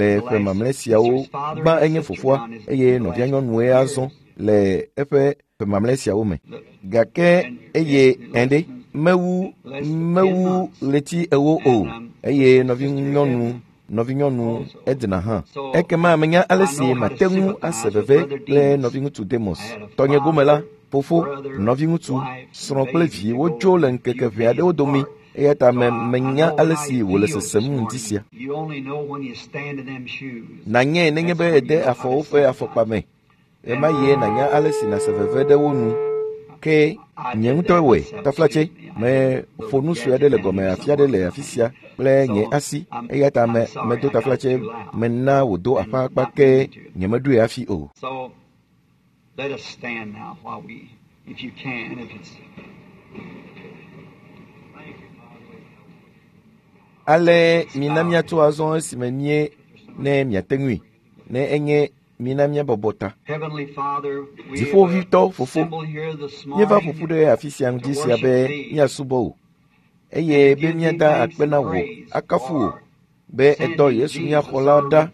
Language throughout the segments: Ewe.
Le ƒe mamlɛ siawo gbã enye fofoa eye nɔvia nyɔnue azɔ le eƒe ƒe mamlɛ siawo me. Gake eye ɛɖe mewu mewu ɣleti ewo o eye nɔvinyɔnu nɔvinyɔnu Edna hã. Ekema menya ale si mate ŋu ase veve kple nɔviŋutsu Demos. Tɔnye gome la, fofo, nɔviŋutsu, srɔ̃ kple vi wodzo le ŋkeke ʋɛ aɖewo dome. Eya ta me menya ale si wòle sesem ŋdi sia. Nànyae nenye be ède afɔ woƒe afɔkpa me. Ɣemaɣie nànya ale si nàse veve ɖe wo nu. Ke nye ŋutɔe wɔe, taflatse, meƒo nu sue aɖe le gɔme afi aɖe le afi sia kple nye asi eya ta me medo taflatse mena wòdo aƒa ke nyemeɖoe hafi o. So let us stand now while we, if you can, if it's. Ale mina míatso azɔ esime mie ne miate ŋui ne enye mina míabɔbɔ ta. Heavenly Father, we Dziƒoʋĩtɔ Fofo, assemble here this míeva morning ƒoƒu ɖe afi sia ŋdi sia be míasubɔ wò eye be míada akpe na wò akafu wò be èdɔ Yesu mía xɔla ɖa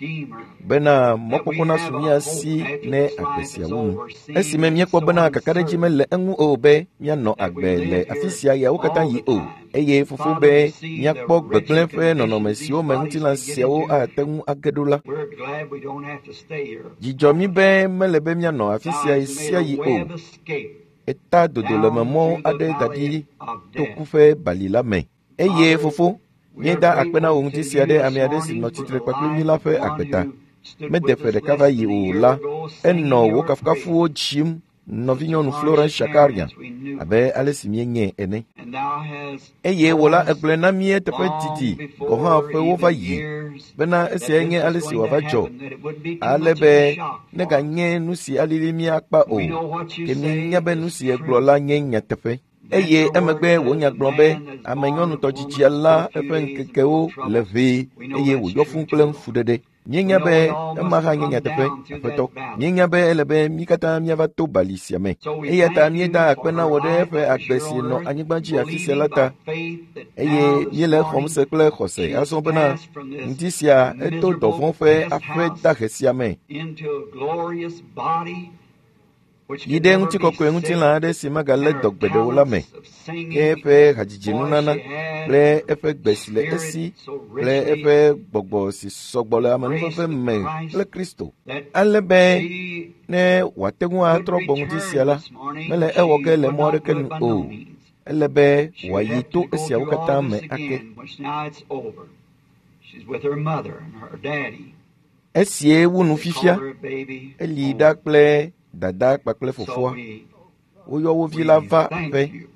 bena mɔkpɔkpɔ nasu mía si ne agbe sia wu nu. Esime míekpɔ bena kakaɖedzi mele eŋu o be míanɔ agbe le afi sia ɣeawo katã yi o, eye Fofo be míakpɔ gbegblẽ ƒe nɔnɔme siwo me ŋutilã siawo ate ŋu age ɖo la. We're glad we don't have to stay here. Dzi dzɔ mí be mele be míanɔ afi sia Thou hast made ɣesiaɣi a way o. of escape Eta dodolememɔ aɖe da ɖi to ku ƒe bali la me. Eye Fofo, míeda akpe na wò ŋdi sia ɖe ame aɖe si nɔ tsitre kpakple mí la ƒe agbe ta. Mede ƒe ɖeka va yi o la, enɔ wò kafukafuwo dzim nɔvinyɔnu Florence Shakarian abe ale si míenyae ene. And thou hast Eye wò la egblɔe na mí eteƒe didi gɔ̃ hã ƒewo va yi bena esiae nye ale si wòava dzɔ ale be neganye nu si alili mí akpa o. Ke míenya be nu si egblɔ la nye nyateƒe. Eye emegbe wò nya gblɔ be ame nyɔnutɔdzidzia la eƒe ŋkekewo le ʋee eye wòyɔ fũu kple fuɖeɖe. Míenya be ema hã nye nyateƒe, Aƒetɔ. Míenya be ele be mí katã míava to bali sia me. Eya ta míeda akpe na wò ɖe eƒe agbe si nɔ anyigba dzi afi sia la ta eye míele exɔm se kple xɔse azɔ bena ŋdi sia eto dɔvɔ̃ ƒe aƒe dahe sia me into a glorious body which yi can ɖe never be ŋutikɔkɔe sick, ŋutilã aɖe si megalé and her dɔ gbeɖe o la me. talents of singing, Ke eƒe hadzidzinunana voice she had, kple eƒe gbe si le spirit esi so kple richly eƒe gbɔgbɔ si sɔgbɔ le amenuveve me kple Kristo ale be she ne wòate ŋu could atrɔ gbɔ ŋdi sia return la, this morning, mele ewɔ she ge le would mɔ not aɖeke do nu it by o. no means. Ele be She would wòayi have to to go esiawo through katã all me this ake. again, which now it's over. She's with her mother and her daddy. Esie wu nu They fifia, call her baby eli home. ɖa kple dada kpakple So fofoa. we, Woyɔ wo vi la we va thank aƒe you.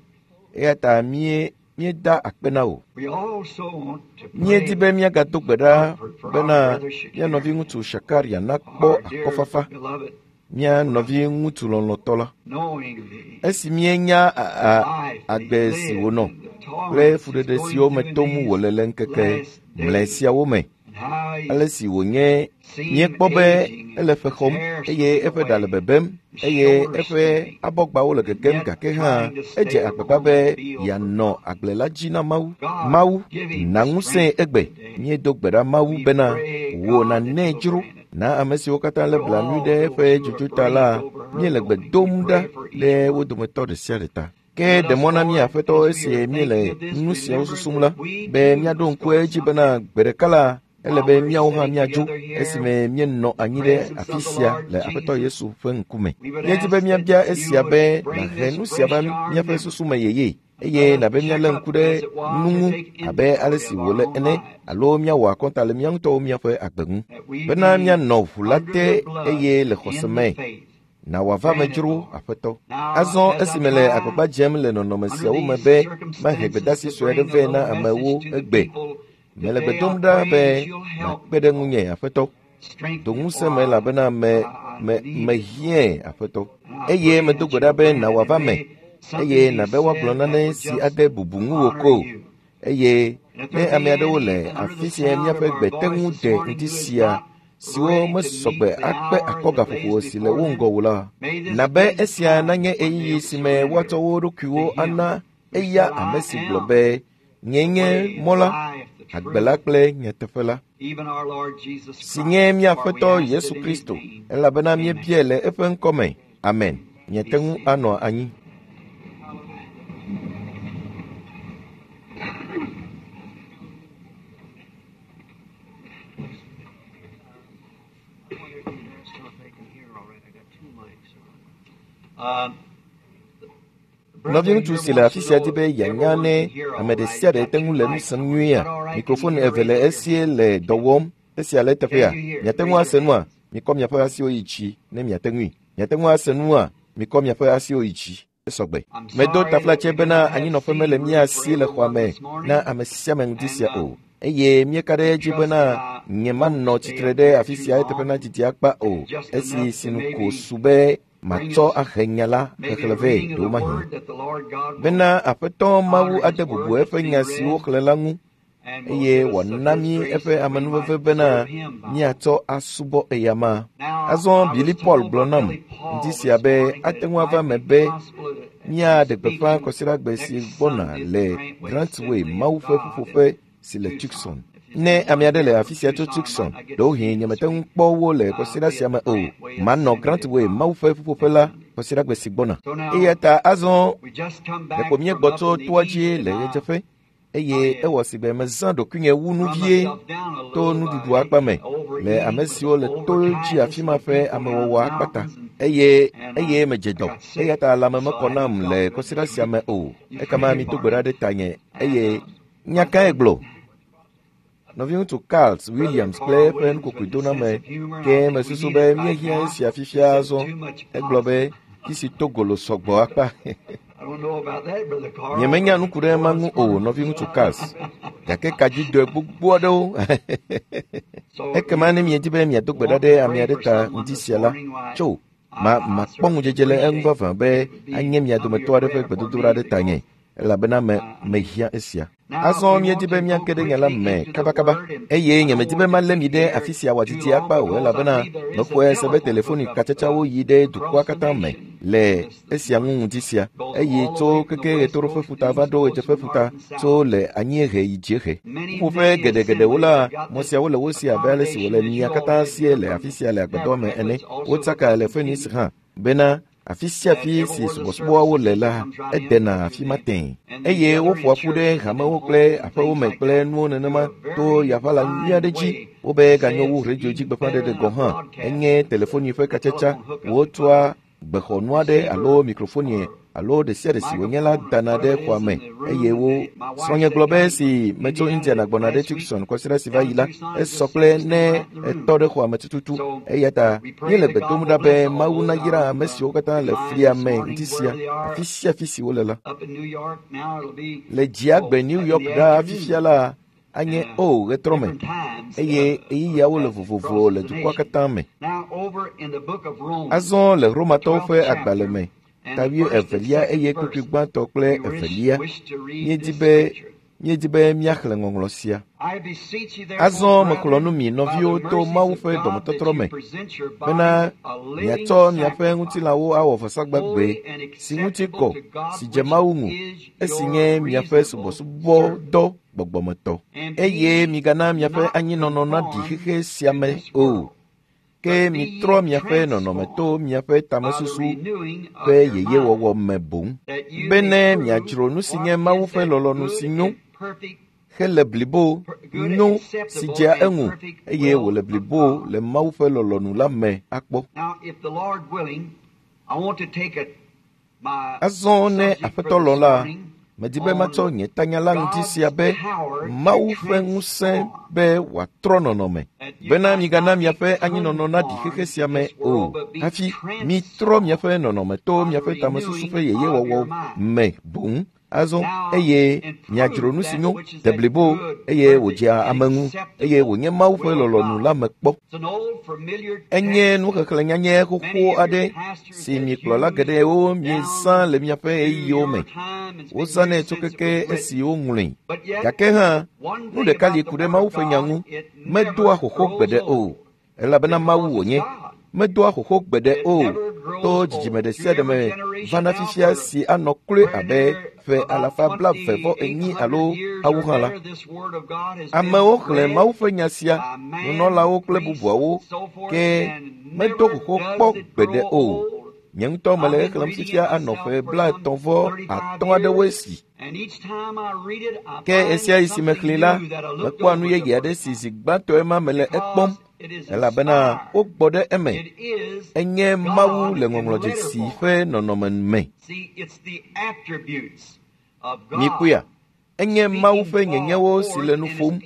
eya ta mie míeda akpe na wò. We also want to Míedi pray be míagado gbe ɖa comfort for our bena brother mía nɔviŋutsu Shakarian, Shakaria nakpɔ our dear akɔfafa, beloved mía nɔviŋutsu lɔlɔ̃tɔ la. knowing the Esi míenya a- life that he agbe si lived wònɔ and the kple torments he's fuɖeɖe going siwo me through in tom these wòle le ŋkeke last mlɔe days siawo me, and how ale he's si wònye seen míekpɔ be aging ele and ƒe his xɔm hair eye slipping eƒe ɖa le away, bebem his eye shoulders eƒe stooping, abɔgbawo le and gegem yet gake hã trying to edze stay agbagba on be the field for yeanɔ God. agble la dzi na Mawu. God, Mawu, give him na ŋusẽe strength egbe. today. Míedo gbe ɖa Mawu We bena pray, wò God, that nànɛ you'll dzro grant it. na ame siwo katã lé To blanui all ɖe those eƒe who are dzodzo ta la, bereaved over her míele gbe going, we dom ɖa pray for each ɖe wo one. dometɔ ɖe sia ɖe ta. Ke Let ɖe us, mɔ na mí Lord, Aƒetɔ as we esi are míele thinking of this, nu siawo remember susum la that we be too míaɖo must ŋku go edzi bena someday. gbe ɖeka la ele While be we're míawo hã sitting míadzo together here esime míenɔ in the anyi ɖe presence afi of the sia Lord le Aƒetɔ Jesus, Yesu ƒe ŋkume. we would Míedi be ask that míabia you esia would be bring nàhe this nu sia va fresh to our míaƒe memory susu me yeye and eye let us nàbe check míalé up ŋku ɖe as it was nu or ŋu take abe ale inventory si of our wòle own ene lives, alo míawɔ akɔnta le mía ŋutɔwo míaƒe agbe ŋu that we bena be míanɔ ʋu la under te the blood eye le xɔse in the me faith. na wòava me Grant it, dzro Lord. Aƒetɔ. Now, Azɔ as I esime le try agbagba dzem le nɔnɔme under siawo me these be mahe circumstances gbedeasi to sue aɖe bring a vɛ na little message amewo to the egbe, people mele gbe today, dom I ɖa pray be that you'll help nàkpe me, ɖe Lord. ŋunye Aƒetɔ. Strengthen Do me, ŋusẽ for me elabena me I me need it, Lord. mehiãe Aƒetɔ. And I Eye pray medo that gbe ɖa you'll be grant it, nàwɔ ava and me may something eye be nàbe woagblɔ said that nane would si just ade bubu ŋuwò honor ko. you. Eye And if ne there ame be aɖewo any le under the afi sia sound of míaƒe our gbe te voice ŋu this de morning ŋdi who is sia not siwo ready to mesɔ meet gbe the akpe hour akɔ that gaƒoƒo lays si le before wo them, ŋgɔ o la, may this nabe be the esia time nanye when ɣeyiɣi they'll si me woatsɔ surrender wo to ɖokuiwo Him ana who eya said, ame I si gblɔ am be, “Nyee the nye way, the mɔ la, life, the agbe la truth, kple nyateƒe la,” even our Lord Jesus si nye Christ. mía For we Aƒetɔ ask Yesu it in His Kristo, name. elabena Amen. míebiae le eƒe ŋkɔ me. Amen. Be Miate ŋu seated. anɔ anyi. I wonder if you asked them if they can hear all right. I got two mics on. Nɔviŋutsu si le afi sia di be yeanya ne ame ɖe sia ɖe te ŋu le nu sem nyuiea? Mikrofon eve le esie le dɔ wɔm. Esia le eteƒea? Miate ŋu ase nua? Mikɔ miaƒe asiwo yi dzi ne miate ŋui. Miate ŋu ase nua? Mikɔ miaƒe asiwo yi dzi. Esɔgbe. Medo taflatse bena anyinɔƒe mele mía si le xɔa me na ame sia ame ŋdi sia o. Eye míeka ɖe edzi bena nyemanɔ tsitre ɖe afi sia eteƒe nadidi akpa o, esi sinu ko su be matsɔ ahe nya la xexlẽ vɛ ɖewomahi. Bena Aƒetɔ Mawu ade bubu eƒe nya siwo xlẽ la ŋu, eye wòana mí eƒe amenuveve bena míatsɔ asubɔ eyama. Azɔ Billy Paul gblɔ nam ŋdi sia be ate ŋu ava eme be míaɖe gbeƒã kɔsiɖagbe si gbɔna le Grantway Mawu ƒe ƒuƒoƒe si le Tucson. Ne ame aɖe le afi sia tso Tucson, ɖewohĩ nyemete ŋu kpɔ wo le kɔsiɖa sia me o. Manɔ Grantway Mawu ƒe ƒuƒoƒe la kɔsiɖagbe si gbɔna. Eya ta azɔ ɖeko míegbɔ tso toa dzi le ɣedzeƒe, eye ewɔ si be mezã ɖokuinye wu nu vie to nuɖuɖu akpa me le ame siwo le to dzi afi ma ƒe amewɔwɔ akpa ta, eye eye medze dɔ. Eya ta lãme mekɔ nam le kɔsiɖa sia me o. Ekema mito gbe ɖa ɖe tanye eye nya kae gblɔ? Nɔviŋutsu Carl Williams kple eƒe nukokoedoname ke mesusu be míehiã esia fifia azɔ. Egblɔ be kisi to golo sɔgbɔ akpa. Nyemenya nu ku ɖe ema ŋu o, nɔviŋutsu Carl. Gake kadzidɔe gbogbo aɖewo. Ekema ne miedi be miado gbe ɖa ɖe ame aɖe ta ŋdi sia la, tso ma makpɔ ŋudzedze le eŋu vavã be anye mia dometɔ aɖe ƒe gbedodoɖa ɖe tanye, elabena me mehiã esia. Azɔ míedi be míage ɖe nya la me kabakaba, eye nyemedi be malé mi ɖe afi sia wòadidi akpa o, elabena mexɔe se be telefoni katsatsawo yi ɖe dukɔa katã me le esia ŋu ŋdi sia, eye tso keke ɣetoɖoƒe ƒuta va ɖo ɣedzeƒe ƒuta, tso le anyiehe yi dziehe. Ƒuƒoƒe geɖegeɖewo la, mɔ siawo le wo si abe ale si wòle mia katã sie le afi sia le agbadɔ me ene. Wotsaka le Phoenix hã bena afi sia afi si subɔsubɔawo le la, edena afi ma tẽe. Eye woƒoa ƒu ɖe hamewo kple aƒewo me kple nuwo nenema to yaʋala nyui aɖe dzi. Wobe ganyo wu redio dzi gbeƒãɖeɖe gɔ̃ hã. Enye telefoni ƒe katsatsa. Wotsɔa gbexɔnu aɖe alo mikrofoni alo ɖe sia ɖe si wònye la dana ɖe xɔa me eye wo. Srɔ̃nye gblɔ be esi metso Indiana gbɔna ɖe Tucson kɔsiɖa si va yi la, esɔ kple ne etɔ ɖe xɔa me tututu. Eya ta míele gbe dom ɖa be Mawu nayra ame siwo katã le flia me ŋdi sia, afi sia afi si wole la. Le dziagbe New York ɖaa fifia la, anye o ɣetrɔ me, eye ɣeyiɣiawo le vovovo le dukɔa katã me. Azɔ le Romatɔwo ƒe agbalẽ me, ta wuievelia eye kpukpui gbãtɔ kple evelia, míedi be míedi be míaxlẽ ŋɔŋlɔ sia. Azɔ mexlɔ̃ nu mi nɔviwo to Mawu ƒe dɔmetɔtrɔ me bena miatsɔ miaƒe ŋutilãwo awɔ vɔsagbagbee si ŋuti kɔ, si dze Mawu ŋu, esi nye miaƒe subɔsubɔdɔ gbɔgbɔmetɔ. Eye migana miaƒe anyinɔnɔ naɖi xexe sia me o, ke mitrɔ miaƒe nɔnɔme to miaƒe tamesusu ƒe yeyewɔwɔ me boŋ, bene miadzro nu si nye Mawu ƒe lɔlɔ̃nu si nyo, hele blibo, nyo, si dzea eŋu, eye wòle blibo le Mawu ƒe lɔlɔ̃nu la me akpɔ. Azɔ ne Aƒetɔ lɔ̃ la, medi be matsɔ nye tanya la ŋdi sia be Mawu ƒe ŋusẽ be wòatrɔ nɔnɔme, bena migana miaƒe anyinɔnɔ naɖi xexe sia me o, hafi mitrɔ miaƒe nɔnɔme to miaƒe tamesusu ƒe yeyewɔwɔ me boŋ. Azɔ eye miadzro nu si nyo, de blibo, eye wòdzea ame ŋu, eye wònye Mawu ƒe lɔlɔ̃nu la me kpɔ. Enye nuxexlẽ nyanyɛ xoxo aɖe si mi kplɔla geɖewo miezã le miaƒe ɣeyiɣiwo me. Wozãnɛ tso keke esi woŋlɔe. Gake hã, nu ɖeka li ku ɖe Mawu ƒe nya ŋu, medoa xoxo gbeɖe o, elabena Mawu wònye. Medoa xoxo gbeɖe o to dzidzime ɖe sia ɖe me vana fifia si anɔ kloe abe ƒe alafa 48 alo awu hã la. Amewo xlẽ Mawu ƒe nya sia, nunɔlawo kple bubuawo, ke medo xoxo kpɔ gbeɖe o. Nye ŋutɔ mele exlẽm fifia anɔ ƒe 35 aɖewoe si. Ke ɣesiaɣi si mexlẽe la, mekpɔa nu yeye aɖe si zi gbãtɔe ma mele ekpɔm. Elabena wogbɔ ɖe eme. Enye Mawu le ŋɔŋlɔdzesi ƒe nɔnɔme me. Mikpɔea? Enye Mawu ƒe nyenyewo si le nu ƒom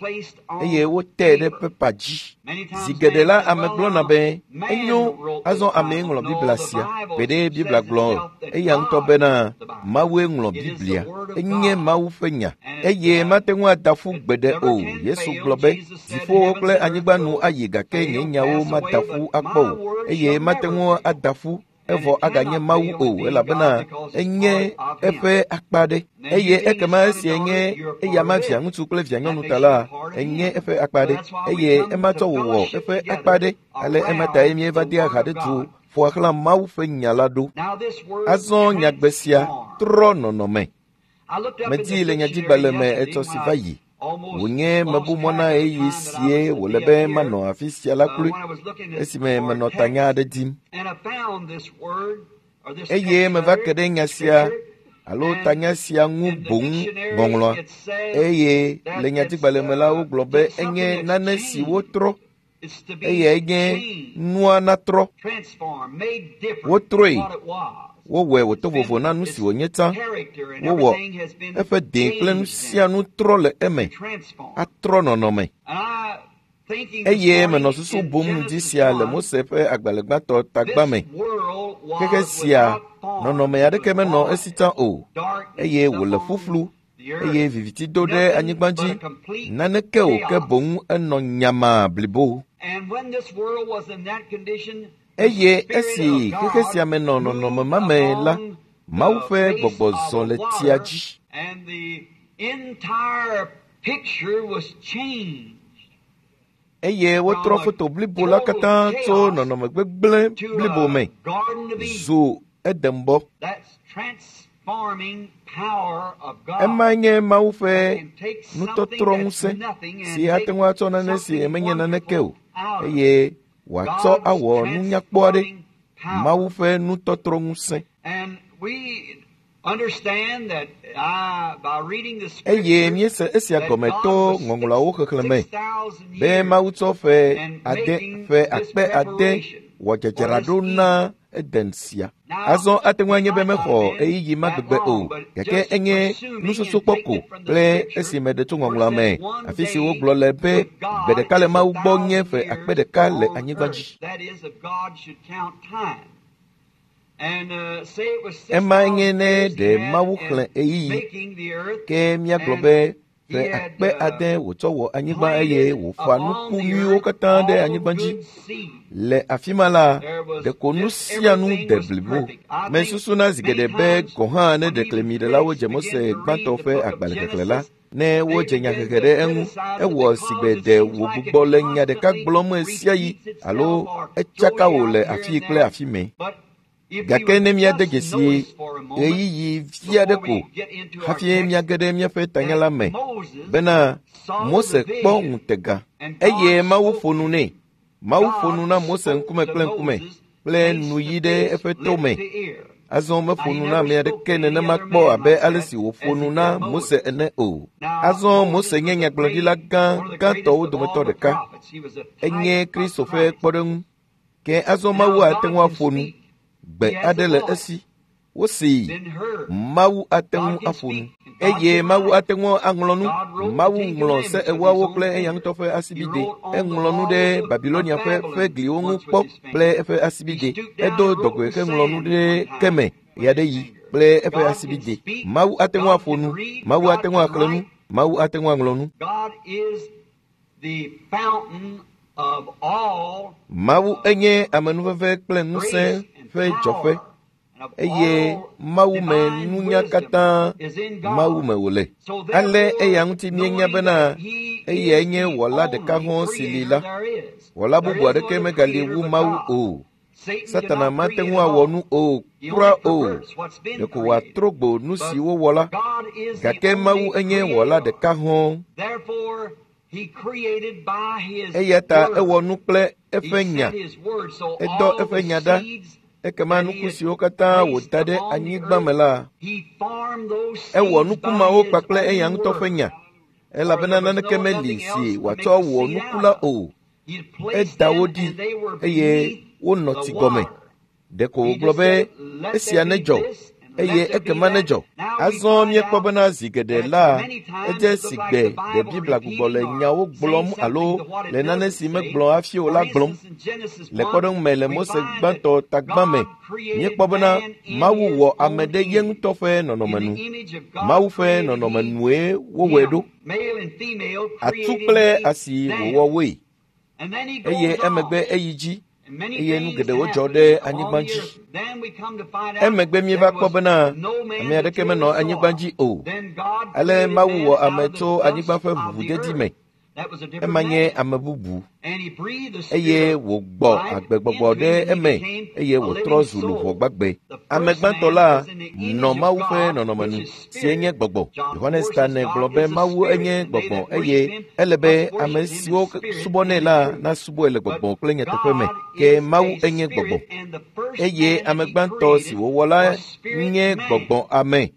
eye wotee ɖe pepa dzi. Zi geɖe la ame gblɔna be, enyo, azɔ amee ŋlɔ Biblia sia. Gbeɖe Biblia gblɔ eya ŋutɔ bena Mawue ŋlɔ Biblia. Enye Mawu ƒe nya eye mate ŋu ada ƒu gbeɖe o. Yesu gblɔ be, dziƒowo kple anyigba nu ayi gake nye nyawo mada ƒu akpɔ o eye mate ŋu ada ƒu evɔ aganye Mawu o elabena enye eƒe akpa ɖe. Eye ekema esia nye eyama viaŋutsu kple vianyɔnu ta la, enye eƒe akpa ɖe eye ema tsɔ wòwɔ eƒe akpa ɖe. Ale ema tae míeva dea ha ɖe du ƒoa xlã Mawu ƒe nya la ɖo. Azɔ nyagbe sia trɔ nɔnɔme. Medii le nyadzigbalẽ me etsɔ si va yi. Wònye mebu mɔ na ɣeyiɣi sie wòle be manɔ afi sia la kloe esime menɔ tanya aɖe dim. Eye meva ke ɖe nya sia alo tanya sia ŋu boŋ ŋɔŋlɔa. Eye le nyadzigbalẽ me la wogblɔ be enye nane si wotrɔ eye enye nua natrɔ. Wotrɔe. Wowɔe wòto vovo na nu si wònye tsã. Wowɔ eƒe dẽ kple nu sia nu trɔ le eme atrɔ nɔnɔme. Eye menɔ susu bum ŋdi sia le Mose ƒe agbalẽ gbãtɔ tagba me. Xexe sia nɔnɔme aɖeke menɔ esi tsã o eye wòle ƒuƒlu eye viviti do ɖe anyigba dzi. Naneke o ke boŋ enɔ nyamaa blibo. Eye esi xexe sia me nɔ nɔnɔme ma me la, Mawu ƒe gbɔgbɔ zɔ le tsia dzi. Eye wotrɔ foto blibo la katã tso nɔnɔme gbegblẽ blibo me zu Edenbɔ. Emae nye Mawu ƒe nutɔtrɔŋusẽ si ate ŋu atsɔ nane si menye naneke o eye wòatsɔ awɔ nunyakpɔ aɖe. Mawu ƒe nutɔtrɔŋusẽ. Eye míese esia gɔme to ŋɔŋlɔawo xexlẽme be Mawu tsɔ ƒe ade ƒe akpe ade wɔ dzadzraɖo na Eden sia. Azɔ ate ŋu anye be mexɔ ɣeyiɣi ma gbegbe o, gake enye nususukpɔ ko kple esi meɖe tso ŋɔŋlɔa me, afi si wogblɔ le be gbe ɖeka le Mawu gbɔ nye ƒe akpe ɖeka le anyigba dzi. Emae nye ne ɖe Mawu xlẽ ɣeyiɣi, ke míagblɔ be ƒe akpe ade wòtsɔ wɔ anyigba eye wòƒã nuku nyuiwo katã ɖe anyigba dzi. Le afi ma la, ɖeko nu sia nu de blibo. Mesusuna zi geɖe be gɔ̃ hã ne ɖeklemiɖelawo dze Mose gbãtɔ ƒe agbalẽ xexlẽ la, ne wodze nyahehe ɖe eŋu, ewɔ sigbe ɖe wògbugbɔ le nya ɖeka gblɔm ɣesiaɣi alo etsaka wò le afii kple afi mɛ. Gake ne míade dzesi ɣeyiɣi vi aɖe ko hafi míage ɖe míaƒe tanya la me bena Mose kpɔ ŋutega eye Mawu ƒo nu nɛ. Mawu ƒo nu na Mose ŋkume kple ŋkume kple nuyi ɖe eƒe to me. Azɔ meƒo nu na ame aɖeke nenema kpɔ abe ale si wòƒo nu na Mose ene o. Azɔ Mose nye nyagblɔɖila gã gãtɔwo dometɔ ɖeka. Enye Kristo ƒe kpɔɖeŋu. Ke azɔ Mawu ate ŋu aƒo nu. Gbe aɖe le esi. Wosee. Mawu ate ŋu aƒo nu. Eye Mawu ate ŋu aŋlɔ nu. Mawu ŋlɔ se ewoawo kple eya ŋutɔ ƒe asibide. Eŋlɔ nu ɖe Babilonia ƒe ƒe gliwo ŋu kpɔ kple eƒe asibide. Edo dɔgɔe heŋlɔ nu ɖe ke me ɣeaɖeɣi kple eƒe asibide. Mawu ate ŋu aƒo nu. Mawu ate ŋu axlẽ nu. Mawu ate ŋu aŋlɔ nu. Mawu enye amenuveve kple ŋusẽ ƒe dzɔƒe eye Mawu me nunya katã Mawu me wòle. Ale eya ŋuti míenya bena eyae nye wɔla ɖeka hɔ̃ si li la. Wɔla bubu aɖeke megali wu Mawu o. Satana mate ŋu awɔ nu o kura o. Ɖeko wòatrɔ gbo nu si wowɔ la. Gake Mawu enye wɔla ɖeka hɔ̃. Eya ta ewɔ nu kple eƒe nya. Edɔ eƒe nya ɖa. Ekema nuku siwo katã wòda ɖe anyigba me la, ewɔ nuku mawo kpakple eya ŋutɔ ƒe nya, elabena naneke meli si wòatsɔ wɔ nuku la o. Eda wo ɖi eye wonɔ tsi gɔme. Ɖeko wògblɔ be esia nedzɔ eye ekema nedzɔ. Azɔ míekpɔ bena zi geɖe la, edze si gbe ɖe Biblia gbugbɔ le nyawo gblɔm alo le nane si megblɔ hafi o la gblɔm. Le kpɔɖeŋu me le Mose gbãtɔ tagbã me, míekpɔ bena Mawu wɔ ame ɖe ye ŋutɔ ƒe nɔnɔme nu. Mawu ƒe nɔnɔme nue wowɔe ɖo. Atsu kple asi wòwɔ woe. Eye emegbe eyi dzi eye nu geɖewo dzɔ ɖe anyigba dzi. Emegbe míeva kpɔ bena ame aɖeke menɔ anyigba dzi o. Ale Mawu wɔ ame tso anyigba ƒe ʋuʋudedi me. Ema nye ame bubu eye wògbɔ agbegbɔgbɔ ɖe eme eye wòtrɔ zu luʋɔ gbagbe. Ame gbãtɔ la nɔ Mawu ƒe nɔnɔme nu si nye gbɔgbɔ. Yohanes ta ne gblɔ be Mawu enye gbɔgbɔ eye ele be ame siwo subɔnɛ la nasubɔe le gbɔgbɔ kple nyateƒe me. Ke Mawu enye gbɔgbɔ eye ame gbãtɔ si wòwɔ la nye gbɔgbɔ ame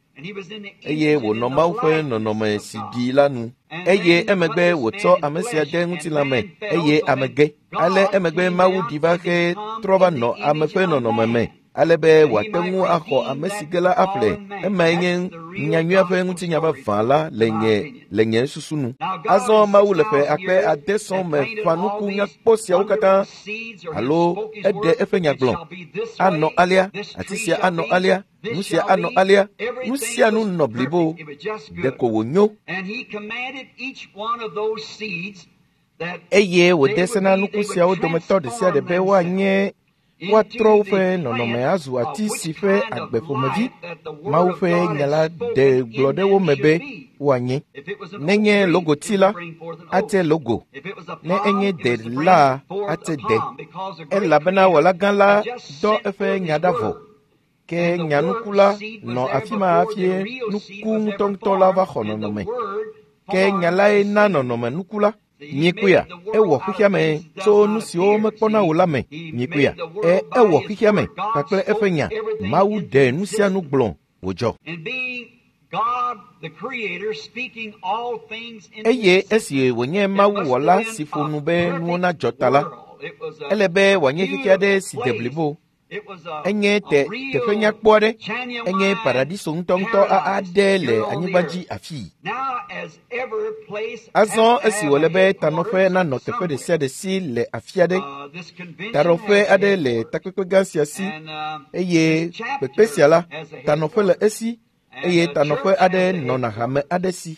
eye wònɔ Mawu ƒe nɔnɔme si ɖi la nu. Eye emegbe wòtsɔ ame sia de ŋutilã me eye ame ge. Ale emegbe Mawu ɖi va xe trɔ va nɔ ame ƒe nɔnɔme me ale be wòate ŋu axɔ ame si ge la aƒle. Emae nye nyanyuia ƒe ŋutinya vavã la le nye susu nu. Azɔ Mawu le ƒe akpe ade sɔŋ me ƒã nuku nyakpɔ siawo katã alo eɖe eƒe nya gblɔ. Anɔ alea, ati sia anɔ alea, nu sia anɔ alea, nu sia nu nɔ blibo. Ɖeko wònyo. Eye wòde se na nuku siawo dometɔ ɖe sia ɖe be woanye woatrɔ woƒe nɔnɔme azu ati si ƒe agbe ƒomevi Mawu ƒe nya la ɖe gblɔ ɖe wo me be woanye. Nenye logoti la, ate logo. Ne enye de la, ate de. Elabena Wɔla gã la dɔ eƒe nya ɖa vɔ. Ke nyanuku la nɔ afi ma hafi nuku ŋutɔŋutɔ la va xɔ nɔnɔme. Ke nya lae na nɔnɔme nuku la. Miekpɔea, ewɔ xexea me tso nu siwo mekpɔna o la me. Miekpɔea, ewɔ xexea me kpakple eƒe nya. Mawu ɖe nu sia nu gblɔ wòdzɔ. Eye esi wònye Mawu wɔla si ƒo nu be nuwo nadzɔ ta la, ele be wòanye xexe aɖe si de blibo. Enye teƒe nyakpɔ aɖe, enye paradiso ŋutɔŋutɔ aɖe le anyigba dzi afii. Azɔ esi wòle be tanɔƒe nanɔ teƒe ɖe sia ɖe si le afi aɖe, taɖɔƒe aɖe le takpekpe gã sia si eye kpekpe sia la, tanɔƒe le esi eye tanɔƒe aɖe nɔna hame aɖe si.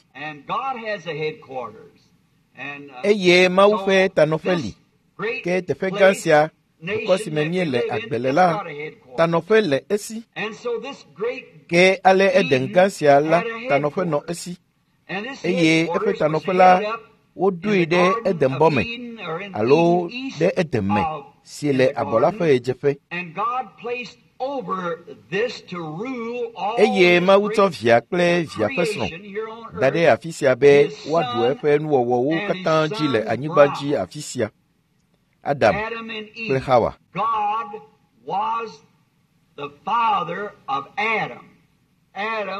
Eye Mawu ƒe tanɔƒe li. Ke teƒe gã sia dukɔ si me míele agbe le la, tanɔƒe le esi. Ke ale Eden gã sia la, tanɔƒe nɔ esi. Eye eƒe tanɔƒe la, woɖoe ɖe Edenbɔ me alo ɖe Eden me si le abɔ la ƒe ɣedzeƒe. Eye Mawu tsɔ via kple via ƒe srɔ̃ da ɖe afi sia be woaɖu eƒe nuwɔwɔwo katã dzi le anyigba dzi afi sia. Adam kple Hawa.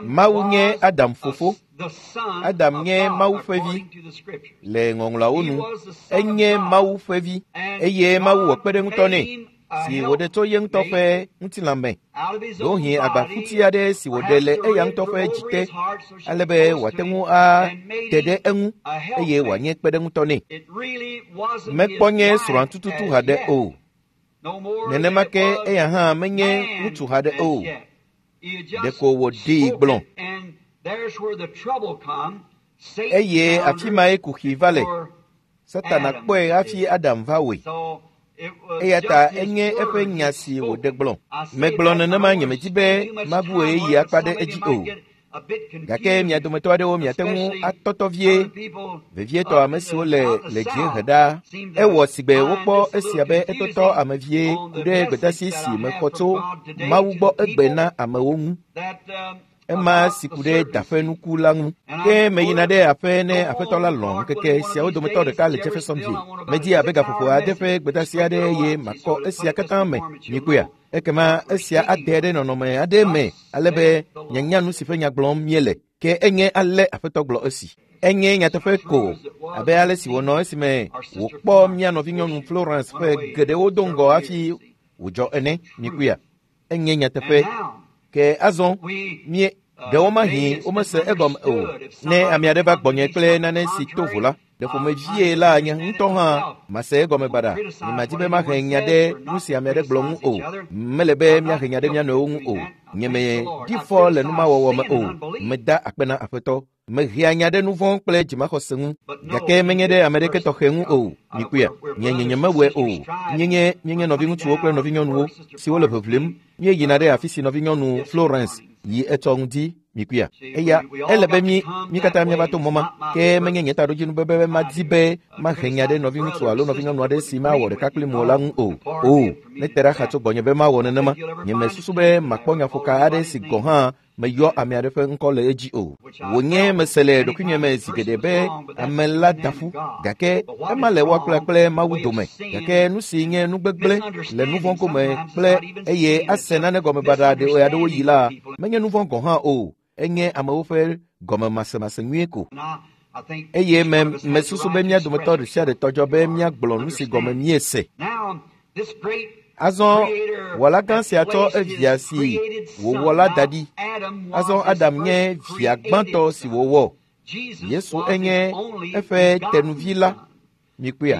Mawu nye Adam fofo. Adam nye Mawu ƒe vi le ŋɔŋlɔawo nu. Enye Mawu ƒe vi eye Mawu wɔ kpeɖeŋutɔ nɛ si wòɖe tso ye ŋutɔ ƒe ŋutilã me. Ɖewohĩ agbaƒuti aɖe si wòɖe le eya ŋutɔ ƒe dzi te ale be wòate ŋu ate ɖe eŋu eye wòanye kpeɖeŋutɔ nɛ. Mekpɔ nye srɔ̃a tututu haɖe o. Nenema ke eya hã menye ŋutsu haɖe o. Ɖeko wòɖee gblɔ. Eye afi mae kuxi va le. Satana kpɔe hafi Adam va wɔe. Eya ta enye eƒe nya si wòɖe gblɔ. Megblɔ nenema nyemedi be mabu ɣeyiɣi akpa ɖe edzi o. Gake mia dometɔ aɖewo miate ŋu atɔtɔ vie, vevietɔ ame siwo le dziehe ɖaa. Ewɔ sigbe wokpɔ esia be etɔtɔ ame vie ku ɖe gbedeasi si mexɔ tso Mawu gbɔ egbe na amewo ŋu. Ema si ku ɖe daƒe nuku la ŋu. Ke meyina ɖe aƒe ne aƒetɔ la lɔ̃ ŋkeke siawo dometɔ ɖeka le Jeffersonville. Medi abe gaƒoƒo ade ƒe gbedeasi aɖe eye makɔ esia katã me. Miekpɔea? Ekema esia ade ɖe nɔnɔme aɖe me ale be mianya nu si ƒe nya gblɔm míele. Ke enye ale aƒetɔ gblɔ esi. Enye nyateƒe ko abe ale si wònɔ esime wòkpɔ mía nɔvinyɔnu Florence ƒe geɖewo do ŋgɔ hafi wòdzɔ ene. Mikuia, enye nyateƒe. Ke azɔ mie ɖewomahi womese egɔme o. Ne ame aɖe va gbɔnye kple nane si to vo la, ɖe ƒomevie la nye ŋutɔ hã mase egɔme baɖa. Nyemadi be mahe nya ɖe nu si ame aɖe gblɔ ŋu o. Mele be míahe nya ɖe mía nɔewo ŋu o. Nyemedi fɔ le numawɔwɔ me o. Meda akpe na Aƒetɔ. Mehea nya ɖe nu vɔ̃ kple dzimaxɔse ŋu, gake menye ɖe ame ɖeke tɔxɛ ŋu o. Mikuia, nye nyemewɔe o. Míenye míenye nɔviŋutsuwo kple nɔvinyɔnuwo siwo le ʋeʋlim. Míeyina ɖe afi si nɔvinyɔnu Florence yi etsɔ ŋdi. Mikuia, eya ele be mí katã míava to mɔ ma, ke menye nye taɖodzinu be madi be mahe nya ɖe nɔviŋutsu alo nɔvinyɔnu aɖe si mawɔ ɖeka kpli mo la ŋu o. O, nete ɖa xa tso gbɔnye be mawɔ nenema. Nyemesusu be makpɔ nyaƒoka aɖe si gɔ̃ hã meyɔ ame aɖe ƒe ŋkɔ le edzi o. Wònye mese le ɖokuinye me zi geɖe be ame la da ƒu, gake ema le woa kple Mawu dome. Gake nu si nye nu gbegblẽ le nu vɔ̃ gome kple eye ase nane gɔme baɖa ɣeaɖewo yi la, menye nu vɔ̃ gɔ̃ hã o. Enye amewo ƒe gɔmemasemase nyuie ko. Eye mesusu be mía dometɔ ɖe sia ɖe tɔdzɔ be míagblɔ nu si gɔme míese. Azɔ wɔla gã sia tsɔ evia si wòwɔ la da ɖi. Azɔ Adam nye via gbãtɔ si wòwɔ. Yesu enye eƒe tenuvi la. Mikuia,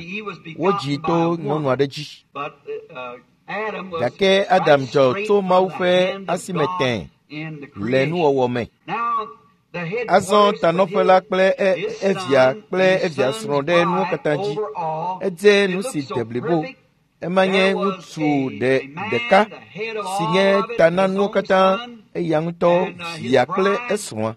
wodzi to nyɔnu aɖe dzi. Gake Adam dzɔ tso Mawu ƒe asime tẽe le nuwɔwɔ me. Azɔ tanɔƒe la kple evia kple evia srɔ̃ ɖe nuwo katã dzi. Edze nu si de blibo. Ema nye ŋutsu ɖeka si nye ta na nuwo katã, eya ŋutɔ via kple esrɔ̃a.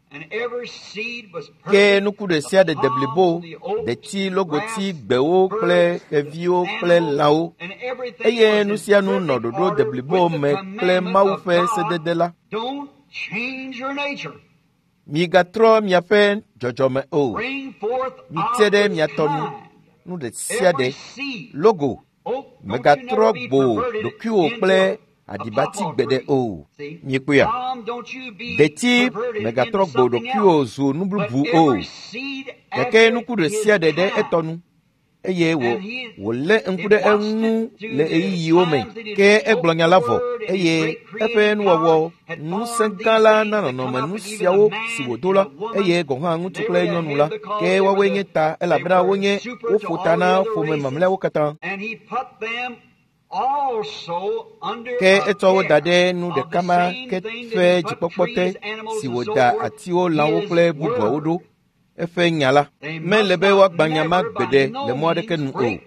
Ke nuku ɖe sia ɖe de blibo, deti, logoti, gbewo kple xeviwo kple lãwo. Eye nu sia nu nɔ ɖoɖo de blibo me kple Mawu ƒe sedede la. Migatrɔ miaƒe dzɔdzɔme o. Mite ɖe mia tɔ nu, nu ɖe sia ɖe. Logo, megatrɔ gbo ɖokuiwò kple aɖibati gbeɖe o. Miekpɔea? Deti megatrɔ gbo ɖokuiwò zu nu bubu o. Gake nuku ɖe sia ɖe ɖe etɔ nu eye wòlé ŋku ɖe eŋu le ɣeyiɣiwo me. Ke egblɔ nya la vɔ eye eƒe nuwɔwɔ ŋusẽ gã la na nɔnɔme nu siawo si wòdo la, eye gɔ̃ hã ŋutsu kple nyɔnu la. Ke woawoe nye ta elabena wonye woƒo ta na ƒome mamlɛawo katã. Ke etsɔ wo da ɖe nu ɖeka ma ke ƒe dzikpɔkpɔ te si wòda atiwo, lãwo kple bubuawo ɖo. Eƒe nya la mele be woagbã nya ma gbeɖe le mɔ aɖeke nu o.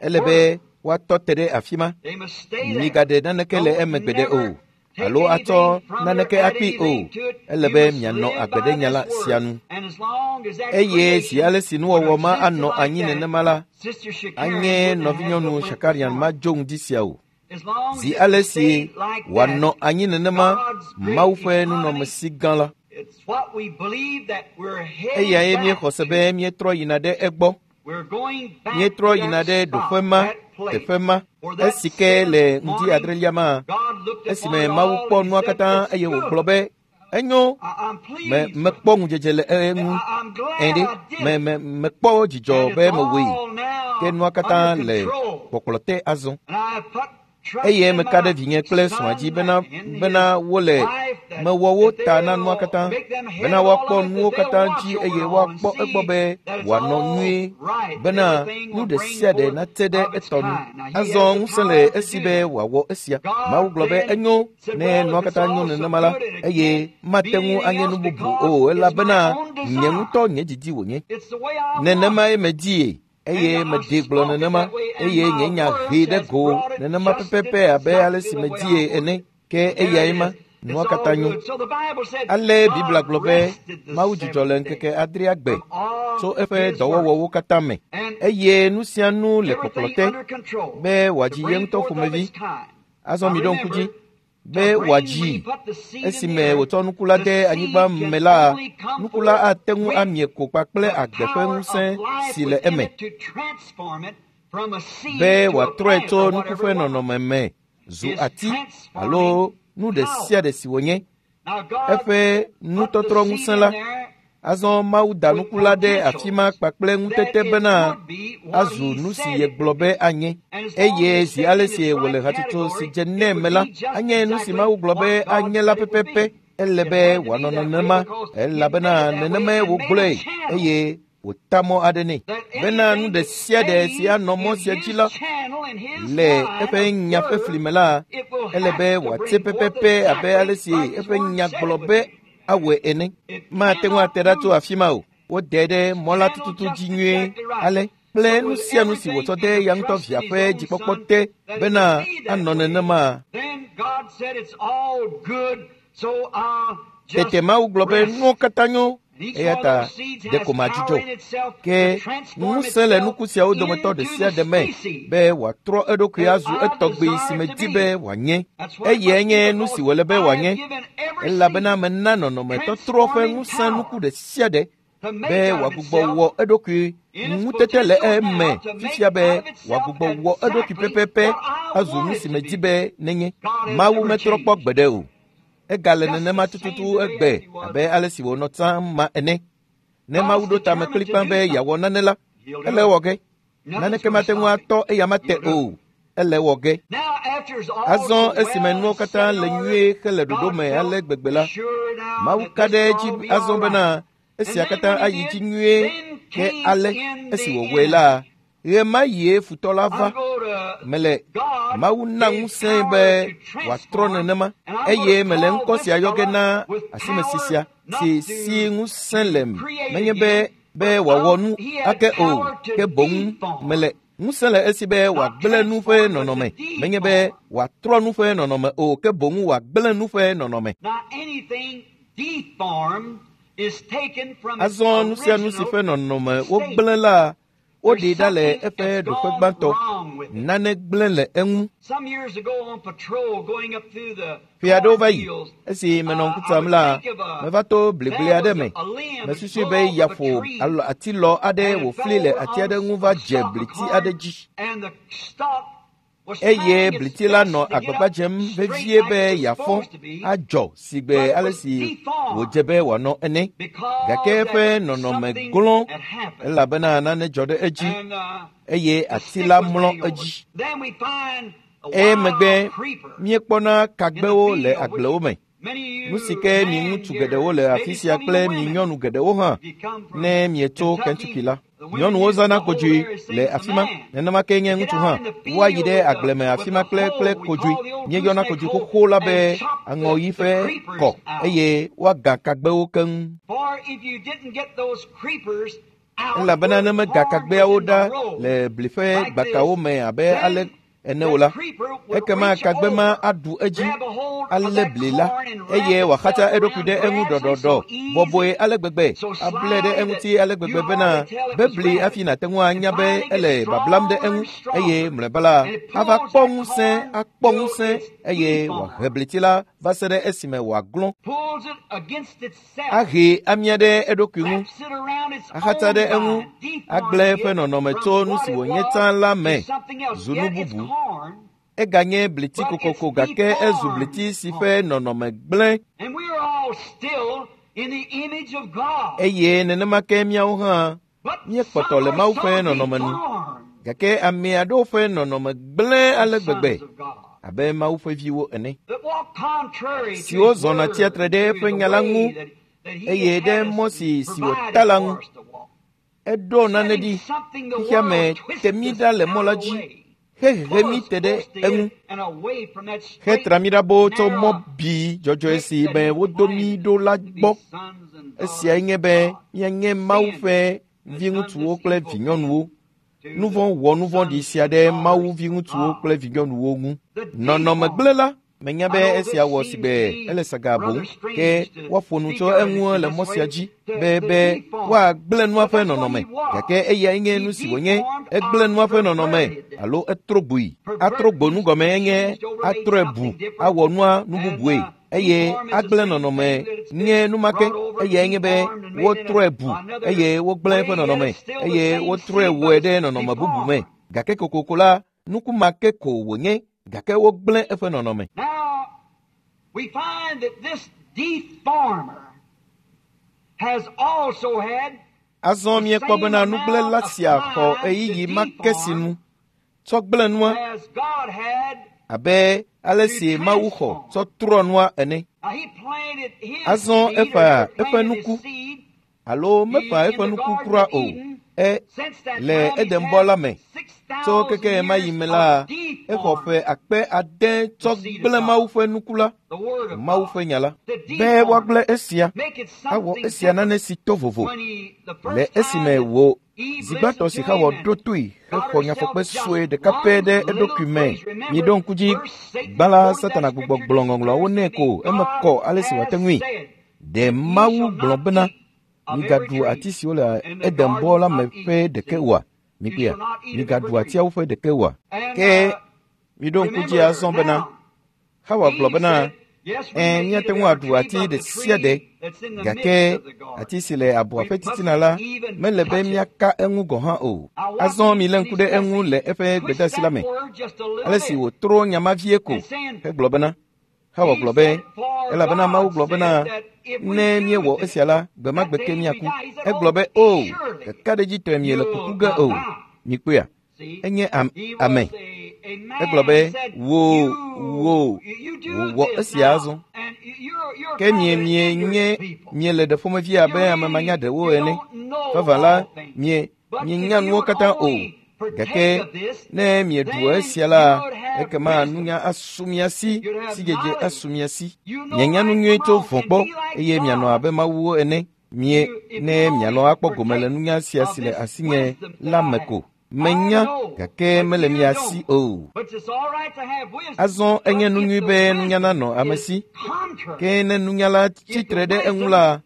Ele be woatɔ te ɖe afi ma. Migaɖe naneke le eme gbeɖe o alo atsɔ naneke akpee o. Ele be mianɔ agbe ɖe nya la sia nu. Eye zi ale si nuwɔwɔ ma anɔ anyi nenema la, anye nɔvinyɔnu Shakarian madzo ŋdi sia o. Zi ale si wòanɔ anyi nenema, Mawu ƒe nunɔamesi gã la. Eyae míexɔ se be míetrɔ yina ɖe egbɔ. Míetrɔ yina ɖe ɖoƒe ma, teƒe ma, esi ke le ŋdi adrelia ma, esime Mawu kpɔ nua katã eye wògblɔ be, enyo, mekpɔ ŋudzedze le eŋu. Ɛ̃ ɖe, mekpɔ dzidzɔ be mewɔe. Ke nua katã le kpɔkplɔ te azɔ. Eye meka ɖe vinye kple srɔ̃a dzi bena wole mewɔ wo ta na nua katã, bena woakpɔ nuwo katã dzi eye woakpɔ egbɔ be wòanɔ nyuie, bena nu ɖe sia ɖe nate ɖe etɔ nu. Azɔ ŋusẽ le esi be wòawɔ esia. Mawu gblɔ be enyo ne nua katã nyo nenema la, eye mate ŋu anye nu bubu o, elabena nye ŋutɔ nye didi wònye. Nenemae medie. Eye mede gblɔ nenema, eye nye nya hee ɖe go nenema pɛpɛpɛ abe ale si medie ene. Ke eyae ma, nua katã nyo. Ale Biblia gblɔ be Mawu dzudzɔ le ŋkeke adrea gbe tso eƒe dɔwɔwɔwo katã me, eye nu sia nu le kpɔkplɔ te be wòadzi ye ŋutɔ ƒomevi. Azɔ miɖo ŋku dzi be wòadzi. Esime wòtsɔ nuku la de anyigba me la, nuku la ate ŋu amie ko kpakple agbe ƒe ŋusẽ si le eme, be wòatrɔe tso nuku ƒe nɔnɔme me zu ati alo nu ɖe sia ɖe si wònye. Eƒe nutɔtrɔ ŋusẽ la Azɔ Mawu da nuku la ɖe afi ma kpakple ŋutete bena azu nu si yegblɔ be anye. Eye zi ale si wòle hatsotso si dze nɛ me la, anye nu si Mawu gblɔ be anye la pɛpɛpɛ. Ele be wòanɔ nenema elabena nenemae wògblɔe eye wòta mɔ aɖe nɛ bena nu ɖe sia ɖe si anɔ mɔ sia dzi la le eƒe nya ƒe fli me la, ele be wòate pɛpɛpɛ abe ale si eƒe nya gblɔ be awɔe ene. Mate ŋu ate ɖa tso afi ma o. Wode ɖe mɔ la tututu dzi nyuie ale kple nu sia nu si wòtsɔ de ya ŋutɔ via ƒe dzikpɔkpɔ te bena anɔ nenema. Tete Mawu gblɔ be nuwo katã nyo eya ta ɖeko madzudzɔ. Ke ŋusẽ le nuku siawo dometɔ ɖe sia ɖe me be wòatrɔ eɖokui azu etɔgbi si medi be wòanye. Eyae nye nu si wòle be wòanye elabena mena nɔnɔmetɔtrɔ ƒe ŋusẽ nuku ɖe sia ɖe be wòagbugbɔ wɔ eɖokui ŋutete le eme fifia be wòagbugbɔ wɔ eɖokui pɛpɛpɛ azu nu si medi be nenye. Mawu metrɔ kpɔ gbeɖe o. Egale nenema tututu egbe abe ale si wònɔ tsã ma ene. Ne Mawu ɖo tame kplikpaa be yeawɔ nane la, ele ewɔ ge. Naneke mate ŋu atɔ eyama te o. Ele ewɔ ge. Azɔ esime nuwo katã le nyuie hele ɖoɖo me ale gbegbe la, Mawu ka ɖe edzi azɔ bena esia katã ayi dzi nyuie ke ale esi wòwɔe la, ɣe ma ɣie futɔ la va. Mele Mawu na ŋusẽe be wòatrɔ nenema eye mele ŋkɔ sia yɔ ge na asimesi sia si si ŋusẽ le menye be be wòawɔ nu ake o ke boŋ mele ŋusẽ le esi be wòagblẽ nu ƒe nɔnɔme menye be wòatrɔ nu ƒe nɔnɔme o ke boŋ wòagblẽ nu ƒe nɔnɔme. Azɔ nu sia nu si ƒe nɔnɔme wogblẽ la woɖee ɖa le eƒe ɖoƒe gbãtɔ. Nane gblẽ le eŋu. Ƒe aɖewo va yi esi menɔ ŋku tsam la, meva to bligble aɖe me. Mesusui be yaƒo alo atilɔ aɖe wòfli le ati aɖe ŋu va dze bliti aɖe dzi. Eye bliti la nɔ agbagba dzem vevie be yeafɔ adzɔ sigbe ale si wòdze be wòanɔ ene. Gake eƒe nɔnɔme glɔ̃ elabena nane dzɔ ɖe edzi eye ati la mlɔ edzi. Emegbe míekpɔna kagbewo le agblewo me. Nu si ke mi ŋutsu geɖewo le afi sia kple mi nyɔnu geɖewo hã ne mietso Kentucky la. Nyɔnuwo zãna kodzoe le afi ma, nenema ke nye ŋutsu hã. Woayi ɖe agble me afi ma kple kple kodzoe. Míeyɔna kodzoe xoxo la be aŋɔɣi ƒe kɔ eye woaga kagbewo keŋ. Elabena ne mega kagbeawo ɖa le bli ƒe gbakawo me abe ale ene o la, ekema kagbe ma aɖu edzi alé bli la eye wòaxatsa eɖokui ɖe eŋu ɖɔɖɔɖɔ bɔbɔe ale gbegbe ablɛ ɖe eŋuti ale gbegbe bena be bli hafi nàte ŋu anya be ele bablam ɖe eŋu eye mlɔeba la ava kpɔ ŋusẽ akpɔ ŋusẽ eye wòahe bliti la va se ɖe esime wòaglɔ̃ ahe amia ɖe eɖokui ŋu axatsa ɖe eŋu agblẽ eƒe nɔnɔme tso nu si wònye tsã la me zu nu bubu. Eganye bliti kokoko gake ezu bliti si ƒe nɔnɔme gblẽ. Eye nenema ke míawo hã míekpɔtɔ le Mawu ƒe nɔnɔme nu. Gake ame aɖewo ƒe nɔnɔme gblẽ ale gbegbe abe Mawu ƒe viwo ene, siwo zɔna tsia tre ɖe eƒe nya la ŋu eye ɖe mɔ si si wòta la ŋu. Eɖo nane ɖi xexea me te mí ɖa le mɔ la dzi hehehe mí te ɖe eŋu hetra mí ɖa boo tso mɔ bi dzɔdzɔe si me wodo mí ɖo la gbɔ. Esiae nye be míanye Mawu ƒe viŋutsuwo kple vinyɔnuwo. Nu vɔ̃ wɔ nu vɔ̃ɖi sia ɖe Mawu viŋutsuwo kple vinyɔnuwo ŋu. Nɔnɔme gblẽ la menya be esia wɔ sigbe ele saga boŋ ke woaƒo nu tso eŋu le mɔ sia dzi be be woagblẽ nua ƒe nɔnɔme gake eyae nye nu si wònye egblẽ nua ƒe nɔnɔme alo etrɔ gboe. Atrɔ gbo nu gɔme enye atrɔe bu awɔ nua nu bubue eye agblẽ nɔnɔme nye nu ma ke eyae nye be wotrɔe bu eye wogblẽ eƒe nɔnɔme eye wotrɔe wɔe ɖe nɔnɔme bubu me gake kokoko la nuku ma ke ko wònye gake wogblẽ eƒe nɔnɔme. Now, we find that this deformer Azɔ míekpɔ bena nugblẽla sia xɔ ɣeyiɣi ma ke si nu tsɔ gblẽ nua abe ale si Mawu xɔ tsɔ trɔ nua ene. Azɔ eƒã eƒe nuku alo meƒã eƒe nuku kura o. Le Edenbɔ la me tso keke ɣe ma yi me la, exɔ ƒe 600 tsɔ gblẽ Mawu ƒe nuku la, Mawu ƒe nya la, be woagblẽ esia, awɔ esia nane si to vovo. Le esime wò zi gbãtɔ si Xawa ɖo toe hexɔ nyafɔkpe sue ɖeka pɛ ɖe eɖokui me. Miɖo ŋku dzi, gbã la, Satana gbugbɔ gblɔ ŋɔŋlɔawo nɛ ko eme kɔ ale si wòate ŋui. Ɖe Mawu gblɔ bena, migaɖu ati siwo le Edenbɔ la me ƒe ɖeke oa? Mikpɔea, migaɖu atiawo ƒe ɖeke oa? Ke miɖo ŋku dzi azɔ bena, Xawa gblɔ bena, míate ŋu aɖu ati ɖe sia ɖe, gake ati si le abɔa ƒe titina la mele be míaka eŋu gɔ̃ hã o. Azɔ milé ŋku ɖe eŋu le eƒe gbedeasi la me, ale si wòtrɔ nya ma vie ko hegblɔ bena, Xawa gblɔ be, elabena Mawu gblɔ bena, ne míewɔ esia la, gbe ma gbe ke míaku. Egblɔ be, o, kakaɖedzitɔe miele kuku ge o. Mikpɔea, enye ame. Egblɔ be, wò wɔ esia azɔ. Ke miele ɖe ƒomevi abe ame manyaɖewo ene. Vavã la, mienya nuwo katã o. Gake ne mieɖu esia la, ekema nunya asu mia si, sidzedze asu mia si. Mianya nu nyui tso vɔ̃ gbɔ eye mianɔ abe Mawuwo ene. Mie ne mialɔ̃ akpɔ gome le nunya sia si le asinye la me ko. Menya, gake mele mia si o. Azɔ enye nu nyui be nunya nanɔ ame si. Ke ne nunya la tsitre ɖe eŋu la,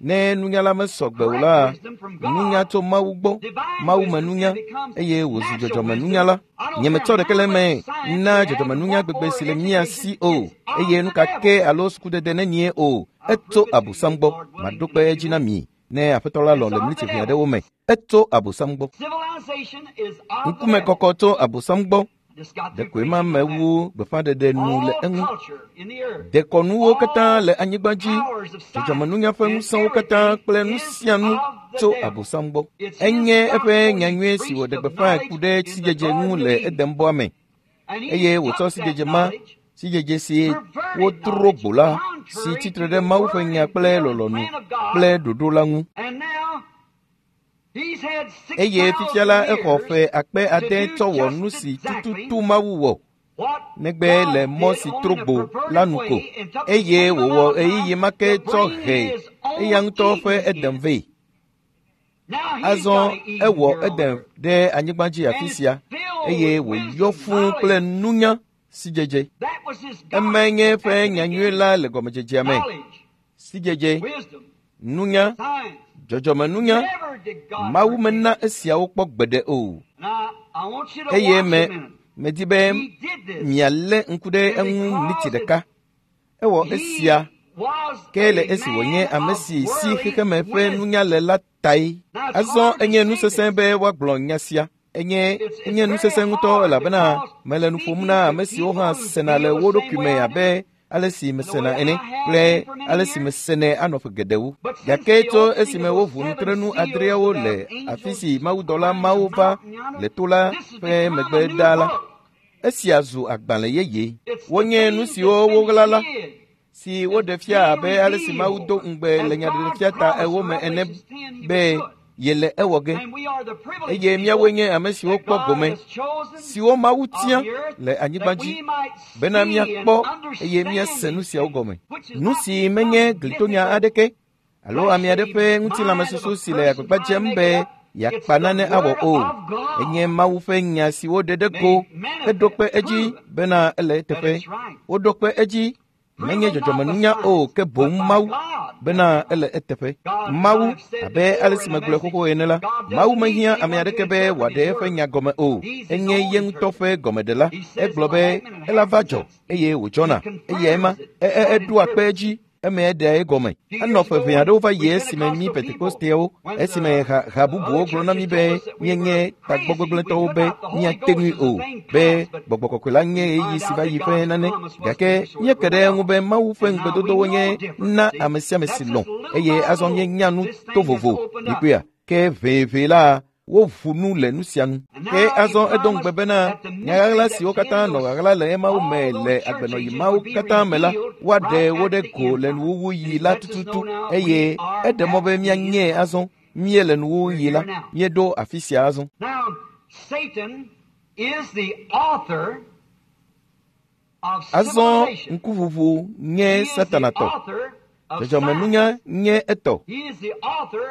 ne nunya la mesɔ gbe o la, nunya tso Mawu gbɔ, Mawu me nunya, eye wòzu dzɔdzɔmenunya la. Nyemetsɔ ɖeke le eme na dzɔdzɔmenunya gbegbe si le mía si o, eye nu ka ke alo sukudede nenie o, etso Abosam gbɔ. Maɖo kpe edzi na mi ne Aƒetɔ la lɔ̃ le miniti ʋɛ aɖewo me. Etso Abosam gbɔ. Ŋkumekɔkɔ tso Abosam gbɔ. Ɖekoe ma mewu gbeƒãɖeɖe nu le eŋu. Dekɔnuwo katã le anyigba dzi, dzɔdzɔmenunya ƒe ŋusẽwo katã kple nu sia nu tso Abosam gbɔ. Enye eƒe nyanyui si wòɖe gbeƒãe ku ɖe sidzedze ŋu le Edenbɔa me, eye wòtsɔ sidzedze ma, sidzedze si wotrɔ gbo la, si tsitre ɖe Mawu ƒe nya kple lɔlɔ̃nu kple ɖoɖo la ŋu. Eye fifia la exɔ ƒe 600 tsɔ wɔ nu si tututu Mawu wɔ, negbe le mɔ si trɔ gbo la nu ko, eye wòwɔ ɣeyiɣi ma ke tsɔ he eya ŋutɔ ƒe Eden vɛ. Azɔ ewɔ Eden ɖe anyigba dzi afi sia, eye wòyɔ fũu kple nunya sidzedze. Emae nye eƒe nyanyui la le gɔmedzedzea me. Sidzedze, nunya, dzɔdzɔmenunya, Mawu mena esiawo kpɔ gbeɖe o. Eye medi be mialé ŋku ɖe eŋu miniti ɖeka. Ewɔ esia ke le esi wònye ame si si xexeme ƒe nunya le la tae. Azɔ enye nu sesẽ be woagblɔ nya sia. Enye nu sesẽ ŋutɔ elabena mele nu ƒom na ame siwo hã sena le wo ɖokui me abe ale si mesena ene kple ale si mesenɛ anɔ ƒe geɖewo. Gake tso esime woʋu nutrenu 6 le afi si mawudɔla mawo va le to la ƒe megbe ɖaa la, esia zu agbalẽ yeye. Wonye nu siwo woɣla la, si woɖe fia abe ale si Mawu do ŋugbe le nyaɖeɖefia ta 8 me ene be yele ewɔ ge. Eye míawoe nye ame siwo kpɔ gome, siwo Mawu tia le anyigba dzi, bena míakpɔ eye míase nu siawo gɔme. Nu si menye glitonya aɖeke alo ame aɖe ƒe ŋutilãmesusu si le agbagba dzem be yeakpa nane awɔ o. Enye Mawu ƒe nya si woɖe ɖe go heɖo kpe edzi bena ele eteƒe. Woɖo kpe edzi menye dzɔdzɔmenunya o, ke boŋ Mawu bena ele eteƒe. Mawu, abe ale si megblɔe xoxo ene la, Mawu mehiã ame aɖeke be wòaɖe eƒe nya gɔme o. Enye ye ŋutɔ ƒe gɔmeɖela. Egblɔ be ela va dzɔ eye wòdzɔna. Eyae ma, eɖoa kpe edzi. Eme eɖea egɔme. Enɔ ƒe ʋɛ aɖewo va yi esime mí Pentekosteawo, esime ha bubuwo gblɔ na mí be míenye tagbɔgbegblẽtɔwo be míate ŋui o, be gbɔgbɔ kɔkɔe la nye ɣeyiɣi si va yi ƒe nane. Gake míeke ɖe eŋu be Mawu ƒe ŋugbedodowo nye na ame sia ame si lɔ̃ eye azɔ míenya nu to vovo. Mikpɔea? Ke ʋeʋe la woʋu nu le nu sia nu. Ke azɔ edo ŋugbe bena nya ɣaɣla siwo katã nɔ ɣaɣla le emawo me le agbenɔɣi mawo katã me la, woaɖe wo ɖe go le nuwuwuɣi la tututu eye eɖe mɔ be míanyee azɔ. Míele nuwuwuɣi la, míeɖo afi sia azɔ. Azɔ ŋkuʋuʋu nye Satana tɔ. Dzɔdzɔmenunya nye etɔ.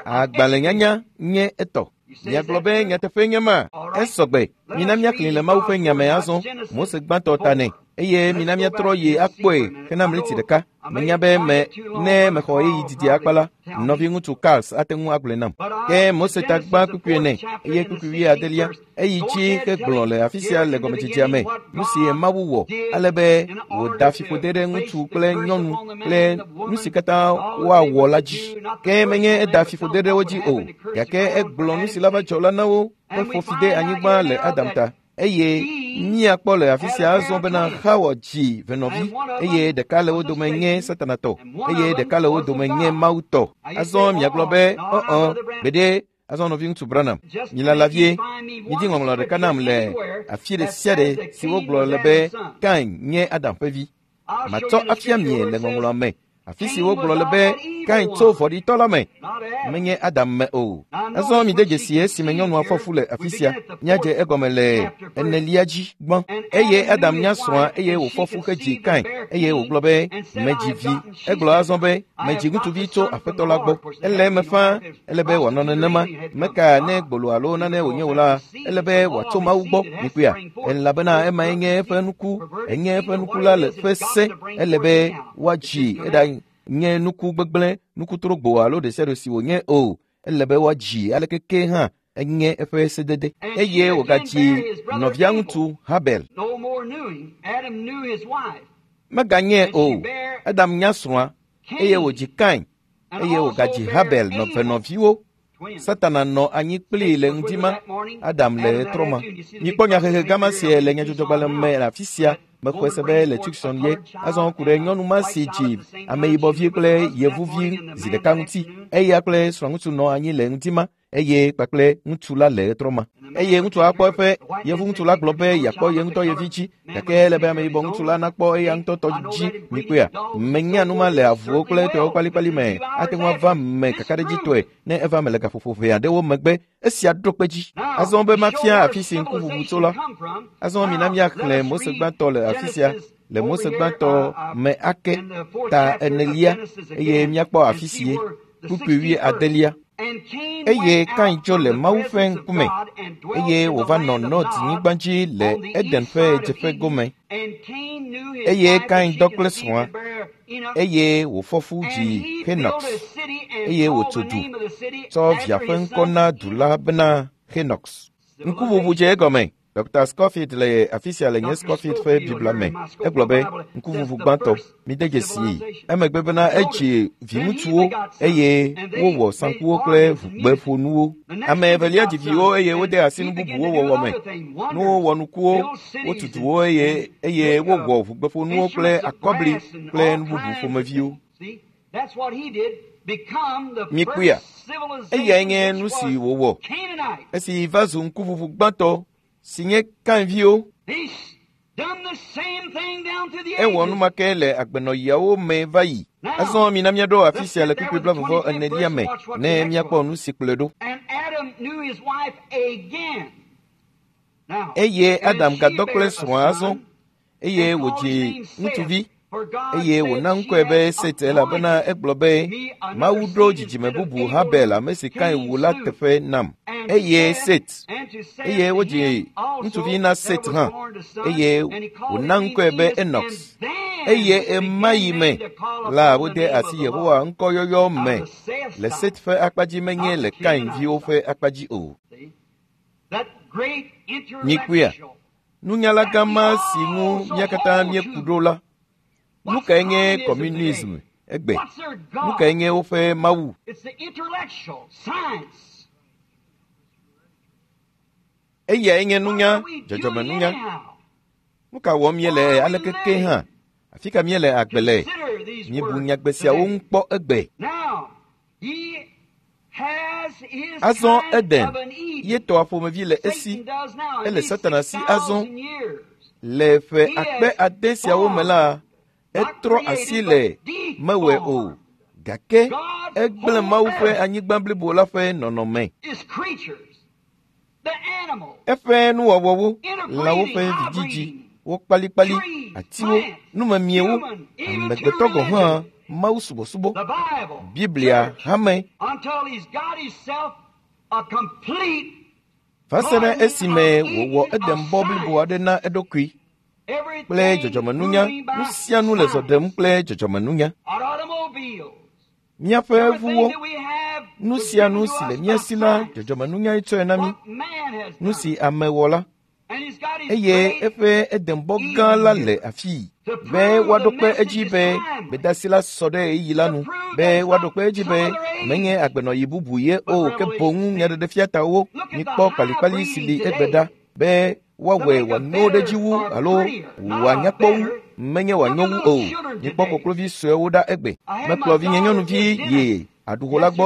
Agbalẽnyanya nye etɔ. Miagblɔ be nyateƒe nye ma. Esɔgbe. Mina míaxlẽ le Mawu ƒe nya me azɔ. Mose gbãtɔ ta nɛ. Eye mina míatrɔ yi akpɔe hena mliti ɖeka. Menya be me ne mexɔ ɣeyiɣi didi akpa la, nɔviŋutsu Karls ate ŋu agblɔe nam. Ke Mose ta gbã kpukpui ene eye kpukpui wuiadelia. Eyi dzi hegblɔ le afi sia le gɔmedzedzea me nu si Mawu wɔ ale be wòda fiƒode ɖe ŋutsu kple nyɔnu kple nu si katã woawɔ la dzi. Ke menye eda fiƒode ɖe wo dzi o, gake egblɔ nu si la va dzɔ la na wo heƒo fi de anyigba le Adam ta. Eye míakpɔ le afi sia azɔ bena Xawa dzi venɔvi eye ɖeka le wo dome nye Satana tɔ eye ɖeka le wo dome nye Mawu tɔ. Azɔ miagblɔ be ɔ-ɔ gbeɖe azɔ nɔviŋutsu Branham, milala vie, midi ŋɔŋlɔ ɖeka nam le afi ɖe sia ɖe si wogblɔ le be Kain nye Adam ƒe vi. Matsɔ afia mie le ŋɔŋlɔa me. Afi si wogblɔ le be Kain tso vɔ̃ɖitɔ la me, menye Adam me o. Azɔ mide dzesi esime nyɔnua fɔ fu le afi sia. Míadze egɔme le enelia dzi gbã. Eye Adam nya srɔ̃a eye wòfɔ fu hedzi Kain eye wògblɔ be, medzi vi. Egblɔ azɔ be, medzi ŋutsuvi tso Aƒetɔ la gbɔ. Ele eme faa, ele be wòanɔ nenema. Meka ne gbolo alo nane wònye o la, ele be wòatso Mawu gbɔ. Mikpɔea? Elabena emae nye eƒe nuku, enye eƒe nuku la le ƒe se. Ele be woadzi eɖa nye nuku gbegblẽ, nuku trogbo alo ɖe sia ɖe si wònye o. Ele be woadzi aleke ke hã enye eƒe sedede. Eye wògadzi nɔvia ŋutsu Habel. Meganye o. Adam nya srɔ̃a eye wòdzi Kain eye wògadzi Habel venɔviwo. Satana nɔ anyi kplii le ŋdi ma. Adam le ɣetrɔ ma. Mikpɔ nyahehe gama sia le nyadzɔdzɔgbalẽ me le afi sia. Mexɔe se be le Tucson ye. Azɔ ku ɖe nyɔnu ma si dzi ameyibɔvi kple yevuvi zi ɖeka ŋuti. Eya kple srɔ̃ŋutsu nɔ anyi le ŋdi ma eye kpakple ŋutsu la le ɣetrɔ ma. Eye ŋutsua kpɔ eƒe yevu ŋutsu la gblɔ be yeakpɔ ye ŋutɔ ye vi dzi gake ele be ameyibɔ ŋutsu la nakpɔ eya ŋutɔ tɔ dzi. Mikpɔea? Menya nu ma le avuwo kple etɔwo kpalikpali me. Ate ŋu ava me kakaɖedzitɔe ne eva me le gaƒoƒo ʋɛ aɖewo megbe. Esia ɖo kpe dzi. Azɔ be mafia afi si ŋkuʋuʋu tso la. Azɔ mina míaxlẽ Mose gbãtɔ le afi sia le Mose gbãtɔ me ake ta enelia eye míakpɔ afi si ye kpukpui wuiadelia. Eye Kain tso le Mawu ƒe ŋkume eye wòva nɔ Nod nyigba dzi le Eden ƒe ɣedzeƒe gome. Eye Kain dɔ kple srɔ̃a eye wòfɔ fu dzi Henox eye wòtso du tsɔ via ƒe ŋkɔ na du la bena Henox. Ŋkuʋuʋu dze egɔme. Dr. Scofield le afi sia le nye Scofield ƒe Biblia me. Egblɔ be ŋkuʋuʋu gbãtɔ mide dzesii. Emegbe bena edzi viŋutsuwo eye wowɔ saŋkuwo kple ʋugbeƒonuwo. Ame evelia dzi viwo eye wode asi nu bubuwo wɔwɔ me. Nuwo wɔ nukuwo, wotu duwo eye wowɔ ʋugbeƒonuwo kple akɔbli kple nu bubu ƒomeviwo. Mikpɔea? Eyae nye nu si wòwɔ esi va zu ŋkuʋuʋu gbãtɔ si nye Kainviwo. Ewɔ nu ma ke le agbenɔɣiawo me va yi. Azɔ mina míaɖo afi sia le kpukpui blaeve enelia me ne míakpɔ nu si kplɔe ɖo. Eye Adam gadɔ kple srɔ̃a azɔ eye wòdzi ŋutsuvi eye wòna ŋkɔe be Set elabena egblɔ be Mawu ɖo dzidzime bubu Habel ame si Kain wu la teƒe nam. Eye Set eye wodzi ŋutsuvi na Set hã eye wòna ŋkɔe be Enox. Eye emayi me la wode asi Yehowa ŋkɔyɔyɔ me le Set ƒe akpa dzi menye le Kain viwo ƒe akpa dzi o. Mikpɔea? Nunyala gã ma si ŋu mía katã míeku ɖo la, nu kae nye communism? Egbe. Nu kae nye woƒe Mawu? Eyae nye nunya, dzɔdzɔmenunya. Nu ka wɔm míele aleke ke hã? Afi ka míele agbe le? Míebu nyagbe siawo ŋu kpɔ egbe. Azɔ Eden ye tɔa ƒomevi le esi. Ele Satana si azɔ. Le ƒe akpe ade siawo me la, etrɔ asi le mewɔe o, gake egblẽ Mawu ƒe anyigba blibo la ƒe nɔnɔme. Eƒe nuwɔwɔwo, lãwo ƒe vidzidzi, wo kpalikpali, atiwo, numemiewo, amegbetɔ gɔ̃ hã, Mawu subɔsubɔ, Biblia hame. Va se ɖe esime wòwɔ Edenbɔ blibo aɖe na eɖokui kple dzɔdzɔmenunya. Nu sia nu le zɔ ɖem kple dzɔdzɔmenunya. Míaƒe ʋuwo, nu sia nu si le mía si la, dzɔdzɔmenunyae tsɔe na mí. Nu si ame wɔ la, eye eƒe Edenbɔ gã la le afii be woaɖo kpe edzi be gbedasi la sɔ ɖe ɣeyiɣi la nu, be woaɖo kpe edzi be menye agbenɔɣi bubu ye o, ke boŋ nyaɖeɖefia tawo. Mikpɔ kpalikpali si li egbe ɖa be woawɔe wòanyo ɖe edzi wu alo wòanyakpɔ wu, menye wòanyo wu o. Mikpɔ koklovi suewo ɖa egbe. Mekplɔ vinye nyɔnuvi yi aɖuxɔ la gbɔ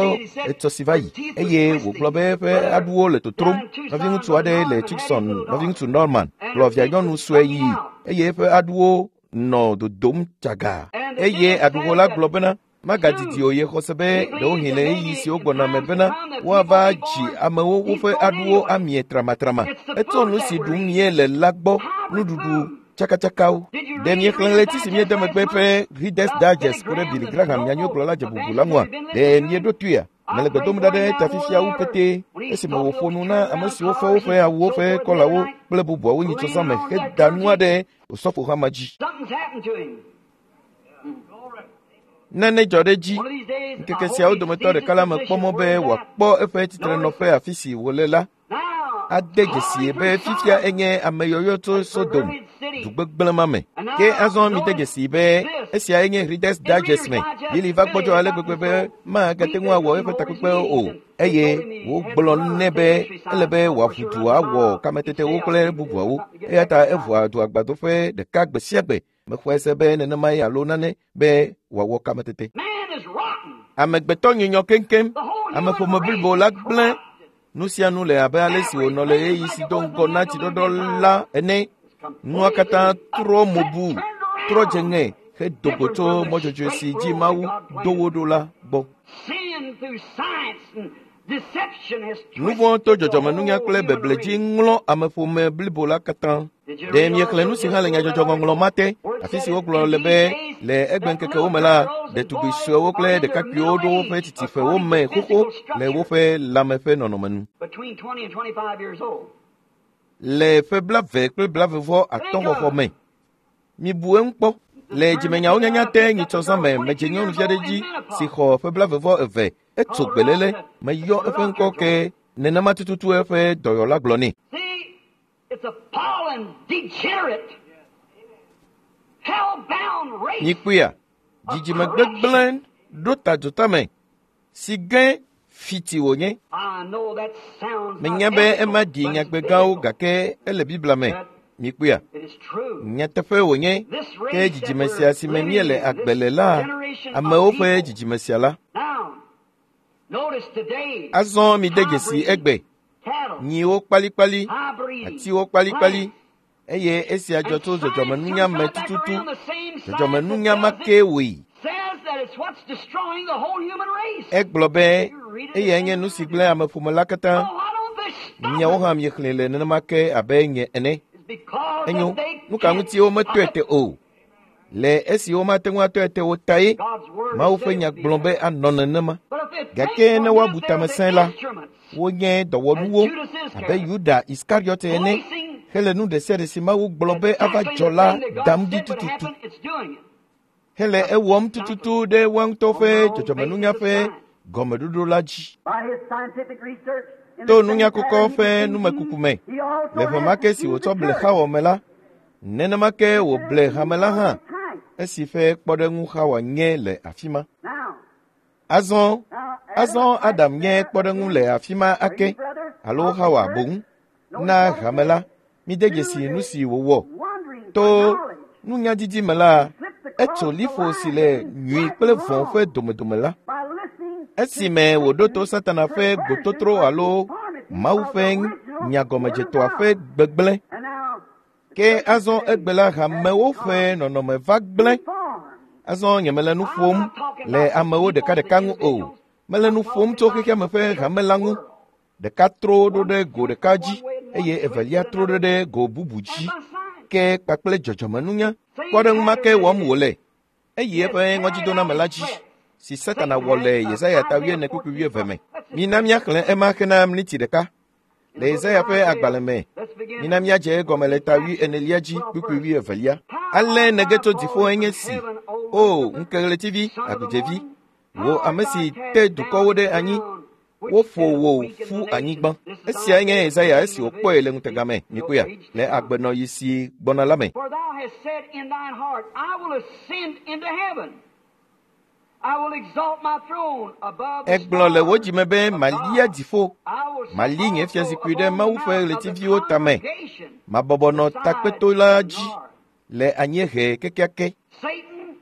etsɔ si va yi eye wògblɔ be eƒe aɖuwo le totrom. Nɔviŋutsu aɖe le Tucson, nɔviŋutsu Norman, kplɔ via nyɔnu sue yi eye eƒe aɖuwo nɔ dodom tsaga. Eye aɖuxɔ la gblɔ bena magadidi o, ye xɔ se be ɖewohĩ le ɣeyiɣi siwo gbɔna me bena woava dzi amewo woƒe aɖuwo amie tramatrama. Etso nu si ɖum míele la gbɔ, nuɖuɖu tsakatsakawo. Ɖe míexlẽ ɣleti si míede megbe ƒe Reader's Digest ku ɖe Billy Graham nyanyuigblɔla dze bubu la ŋua? Ɖe míeɖo toea? Mele gbe dom ɖa ɖe ta fifia wu petee esime wòƒo nu na ame siwo fɔ woƒe awuwo ƒe kɔlawo kple bubuawo nyitsɔ me heda nua ɖe osɔfohama dzi. Nane dzɔ ɖe edzi. Ŋkeke siawo dometɔ ɖeka la mekpɔ mɔ be wòakpɔ eƒe tsitrenɔƒe afi si wòle la. Ade dzesie be fifia enye ame yɔyɔ tso Sodom, du gbegblẽ ma me. Ke azɔ mide dzesi be esia enye Reader's Digest me. Billy va gbɔdzɔ ale gbegbe be magate ŋu awɔ eƒe takpekpewo o, eye wogblɔ nɛ be ele be wòaʋu du awɔ kametetewo kple bubuawo. Eya ta eʋua du agbadoƒe ɖeka gbe sia gbe. Mexɔe se be nenemae alo nane be wòawɔ kametete. Amegbetɔ nyunyɔ keŋkeŋ. Ameƒome blibo la gblẽ. Nu sia nu le abe ale si wònɔ le ɣeyiɣi si do ŋgɔ na tsiɖɔɖɔ la ene. Nua katã trɔ mo bu, trɔ dze ŋe hedo go tso mɔ dzɔdzɔe si dzi Mawu do wo ɖo la gbɔ. Nu vɔ̃ to dzɔdzɔmenunya kple beble dzi ŋlɔ ameƒome blibo la katã. Ɖe míexlẽ nu si hã le nyadzɔdzɔŋɔŋlɔ ma te, afi si wogblɔ le be le egbeŋkekewo me la, ɖetugbi suewo kple ɖekakpuiwo ɖo woƒe tsitsiƒewo me xoxo le woƒe lãme ƒe nɔnɔme nu. Le ƒe 25 kple 25 xɔxɔ me. Mibu eŋu kpɔ. Le dzimenyawo nyanya te nyitsɔ zã me, medze nyɔnuvi aɖe dzi si xɔ ƒe 22. Etso gbelele, meyɔ eƒe ŋkɔ ke nenema tututu eƒe dɔyɔla gblɔ nɛ. Nyikpuia, dzidzime gbegblẽ ɖo ta dzotame si ge fiti wònye. Menya be ema ɖi nyagbe gãwo gake ele Biblia me. Mikpuia, nyateƒe wònye ke dzidzime sia si me míele agbe le la, amewo ƒe dzidzime sia la. Azɔ mide dzesi egbe, nyiwo kpalikpali, atiwo kpalikpali, eye esia dzɔ tso dzɔdzɔmenunya me tututu. Dzɔdzɔmenunya ma ke wòe. Egblɔ be eyae nye nu si gblẽ ameƒome la katã. Miawo hã miexlẽe le nenema ke abe nye ene. Enyo, nu ka ŋuti wometɔe te o? Le esi womate ŋu atɔe te o tae Mawu ƒe nya gblɔ be anɔ nenema. Gake ne woabu tame sẽe la, wonye dɔwɔnuwo abe Yuda Iskariɔte ene hele nu ɖe sia ɖe si Mawu gblɔ be ava dzɔ la dam ɖi tututu. Hele ewɔm tututu ɖe woa ŋutɔ ƒe dzɔdzɔmenunya ƒe gɔmeɖoɖo la dzi. To nunya kɔkɔ ƒe numekuku me, le ƒe ma ke si wòtsɔ ble Xawa me la, nenema ke wòble hame la hã. Esi ƒe kpɔɖeŋu Xawa nye le afi ma. Azɔ Adam nye kpɔɖeŋu le afi ma ake alo Xawa boŋ na hame la. Mide dzesi nu si wòwɔ. To nunyadidi me la, etso liƒo si le nyui kple vɔ̃ ƒe domedome la. Esime wòɖo to Satana ƒe gbototro alo Mawu ƒe nyagɔmedzetɔa ƒe gbegblẽ. Ke azɔ egbe la hamewo ƒe nɔnɔme va gblẽ. Azɔ nyemele nu ƒom le amewo ɖekaɖeka ŋu o. Mele nu ƒom tso xexeame ƒe hame la ŋu. Ɖeka tro ɖo ɖe go ɖeka dzi eye evelia tro ɖo ɖe go bubu dzi. Ke kpakple dzɔdzɔmenunya kpɔɖeŋu ma ke wɔm wòle. Eyi eƒe ŋɔdzidoname la dzi si Satana wɔ le Yesaya ta 4:20 me. Mina míaxlẽ ema hena miniti ɖeka. Le Yesaya ƒe agbalẽ me, mina míadze egɔme le ta 40 dzi 22. Ale nege tso dziƒo enye si, O ŋkeɣletivi agudzevi, wò ame si te dukɔwo ɖe anyi, woƒo wò ƒu anyigba. Esia nye Yesaya esi wòkpɔe le ŋutega me, mikpɔea, le agbenɔɣi si gbɔna la me. For thou hast said in thine heart, I will ascend into heaven. I will exalt my throne above the Egblɔ le wò stars dzime be of malia God. dziƒo, I will sit mali nye also fiazikpui ɖe upon Mawu the ƒe mount of the ɣletiviwo tame, congregation mabɔbɔ nɔ beside takpeto la the dzi north. le anyiehe kekeake. Satan's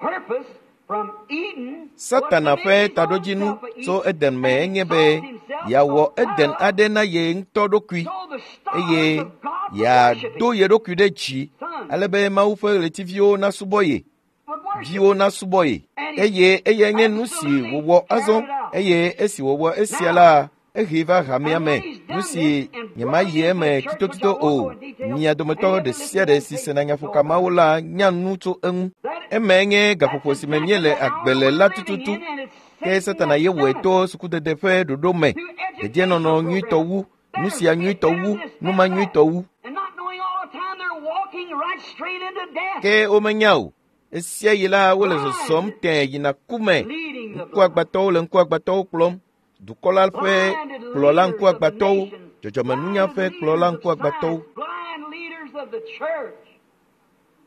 purpose from Eden was to Satana make ƒe his own taɖodzinu self a tso Eden Eden me and enye exalt be himself yeawɔ Eden above aɖe na ye ŋutɔ ɖokui so the stars eye of God would worship yeado him. ye ɖokui ɖe dzi Sons ale be Mawu ƒe ɣletiviwo nasubɔ ye, would worship viwo him. nasubɔ ye. And he Eye eyae nye nu si absolutely wòwɔ azɔ carried it out. eye esi wòwɔ esia Now, la, ehee va hamea and me. when he's Nu done si this and brought nyemayi it into eme the church, which I tsitotsito won't go o. in detail, Mia and dometɔ you ɖe ever sia listen to ɖe them si tape sena know nyaƒoka about mawo it. la nya nu tso eŋu. That Emae nye that's gaƒoƒo si me exactly míele the hour agbe le we're la living tututu. in, and it's Ke Satan Satana that's ye wɔe done it to sukudede ƒe ɖoɖo me, through dedienɔnɔ educational nyuitɔ programs. wu, nu Better sia fit, nyuitɔ better wu, this, nu better ma that, nyuitɔ wu. and not knowing all the time they're walking right straight into death, Ke womenya o. Esia yi la wole zɔzɔm blinded, tẽe yina ku me. leading the blind, Ŋkuagbãtɔwo le ŋkuagbãtɔwo kplɔm. Dukɔ la ƒe blinded kplɔla leaders of the ŋkuagbãtɔwo, nations, dzɔdzɔmenunya blinded ƒe kplɔla leaders of ŋkuagbãtɔwo, science, blind leaders of the church,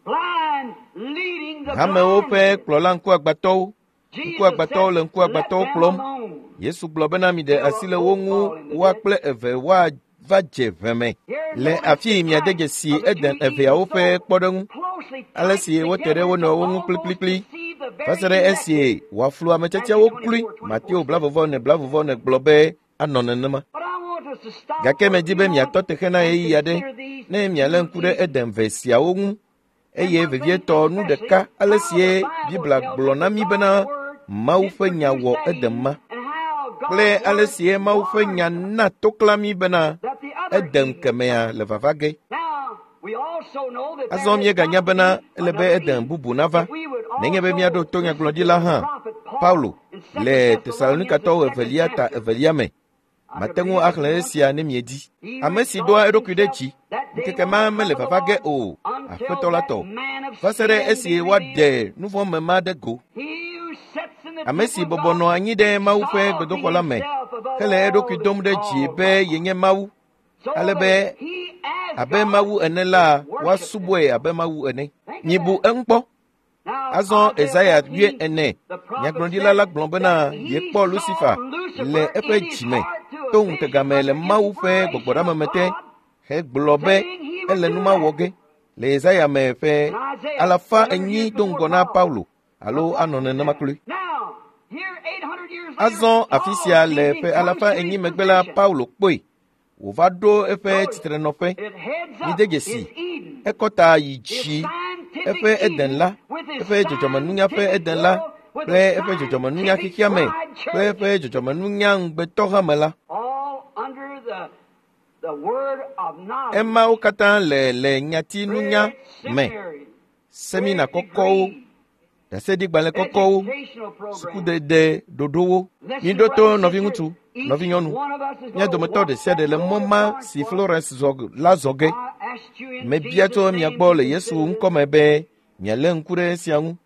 blind leading the hamewo ƒe blinded. kplɔla ŋkuagbãtɔwo. Jesus Ŋkuagbãtɔwo said, le Let ŋkuagbãtɔwo them kplɔm. alone. Yesu gblɔ bena miɖe They asi will le wo both ŋu fall in the woa ditch. kple eve woava dze ʋe me. Here Le notice afi the miade type dzesi of the Eden two eveawo Edens ƒe so kpɔɖeŋu. closely Ale typed si wote ɖe together wo to nɔewo ŋu almost kplikplikpli deceive the va se very ɖe elect. esi wòaflu ame Matthew tiatiawo kloe. 24, Mateo 24 says. 24 gblɔ be anɔ nenema. But I want us to stop Gake for a medi few be miatɔ moments teƒe na and ɣeyiɣi aɖe consider these ne mialé two ŋku ɖe Edens. Eden ve siawo ŋu And eye one thing vevietɔ nu especially, ɖeka ale how sie the Bible Biblia tells gblɔ us na that mí God's bena Word Mawu did ƒe nya produce wɔ that Eden Eden ma and how kple God's ale Word sie Mawu ƒe nya warned us na toklã mí bena that the other Eden Eden kemea le vava ge. Now, we also know that Azɔ there has míeganya got to bena be ele be another Eden Eden. bubu nava. If we would Nenye be míaɖo also to listen to nyagblɔɖila the hã, prophet Paul Paulo in 2 le Thessalonians, the Tesalonikatɔwo second evelia ta chapter, evelia me. I could Mate read ŋu it if axlẽ you want esia to. ne miedi. He who Ame si doa exalts eɖokui ɖe himself, dzi, that day ŋkeke will ma not mele come of the vava ge Lord o, until Aƒetɔ la that tɔ. man of Va se ɖe sin esi be revealed. woaɖe nu vɔ̃ me ma ɖe go. He who sits in the Ame si temple of bɔbɔ God, nɔ anyi ɖe Mawu ƒe exalting gbedoxɔ la me, himself above hele all eɖokui that's dom ɖe dzi called be God, yenye Mawu, so ale that be he as abe God Mawu ene la, is worshipped. woasubɔe abe Mawu ene. Think of Mibu that. eŋu kpɔ. Now, Azɔ Isaiah Esaya 14, 40, the prophet nyagblɔɖila said la gblɔ bena that he yekpɔ saw Lucifer le Lucifer eƒe in his dzime heart to a to vision ŋutega me le under Mawu ƒe inspiration of gbɔgbɔɖameme te God, hegblɔ be saying he would ele do nu ma wɔ that. ge. Le Yesaya me ƒe And Isaiah, alafa 700 enyi years do before ŋgɔ na Paul, Paulo alo a anɔ prophet nenema said. kloe. Now, here 800 years later, Azɔ afi Paul sia le sees him ƒe comes alafa to enyi his megbe la position. Paulo kpɔe wòva ɖo eƒe Notice, tsitrenɔƒe. it heads Mide up dzesi his Eden, ekɔ ta yi his dzi scientific eƒe Eden Eden la, with his eƒe dzɔdzɔmenunya ƒe scientific Eden la world, with kple a eƒe dzɔdzɔmenunya scientific xexeame bride kple church, eƒe dzɔdzɔmenunya ŋugbetɔhame la. all under the word of knowledge. Emawo katã le le nyatinunya Great me, seminaries, semina great kɔkɔwo, degrees, ɖaseɖigbalẽ kɔkɔwo, educational programs. sukudede ɖoɖowo. Listen, Miɖo to brother, sister, nɔviŋutsu, each nɔvinyɔnu. one of us is Mía going to dometɔ walk ɖe sia ɖe that le road mɔ that ma Florence si walked. Florence zɔ la zɔ ge. I asked you in Mebia Jesus' tso mia name gbɔ to le Yesu consider this. ŋkɔme be mialé ŋku ɖe esia ŋu.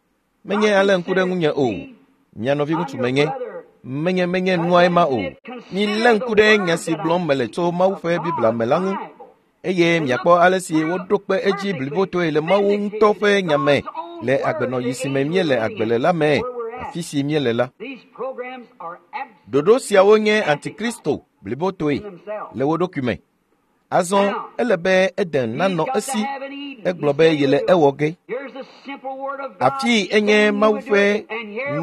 Menye Not alé ŋku ɖe consider ŋunye o. me. Mia I'm nɔviŋutsu your menye. brother. Menye menye That's nuae what ma he o. said. Milé Consider ŋku the ɖe nya words si that I gblɔm mele speak tso Mawu of ƒe Biblia God's me la ŋu Bible. eye And miakpɔ look ale si how woɖo kpe edzi perfectly blibotoe le Mawu ŋutɔ vindicated ƒe is nya me God's own Le agbenɔɣi si me míele agbe le la me, afi si míele la. Ɖoɖo siawo nye antikristo blibotoe le wo ɖokui me. Azɔ ele be Eden nanɔ esi. Egblɔ be yele ewɔ ge. Afii enye Mawu ƒe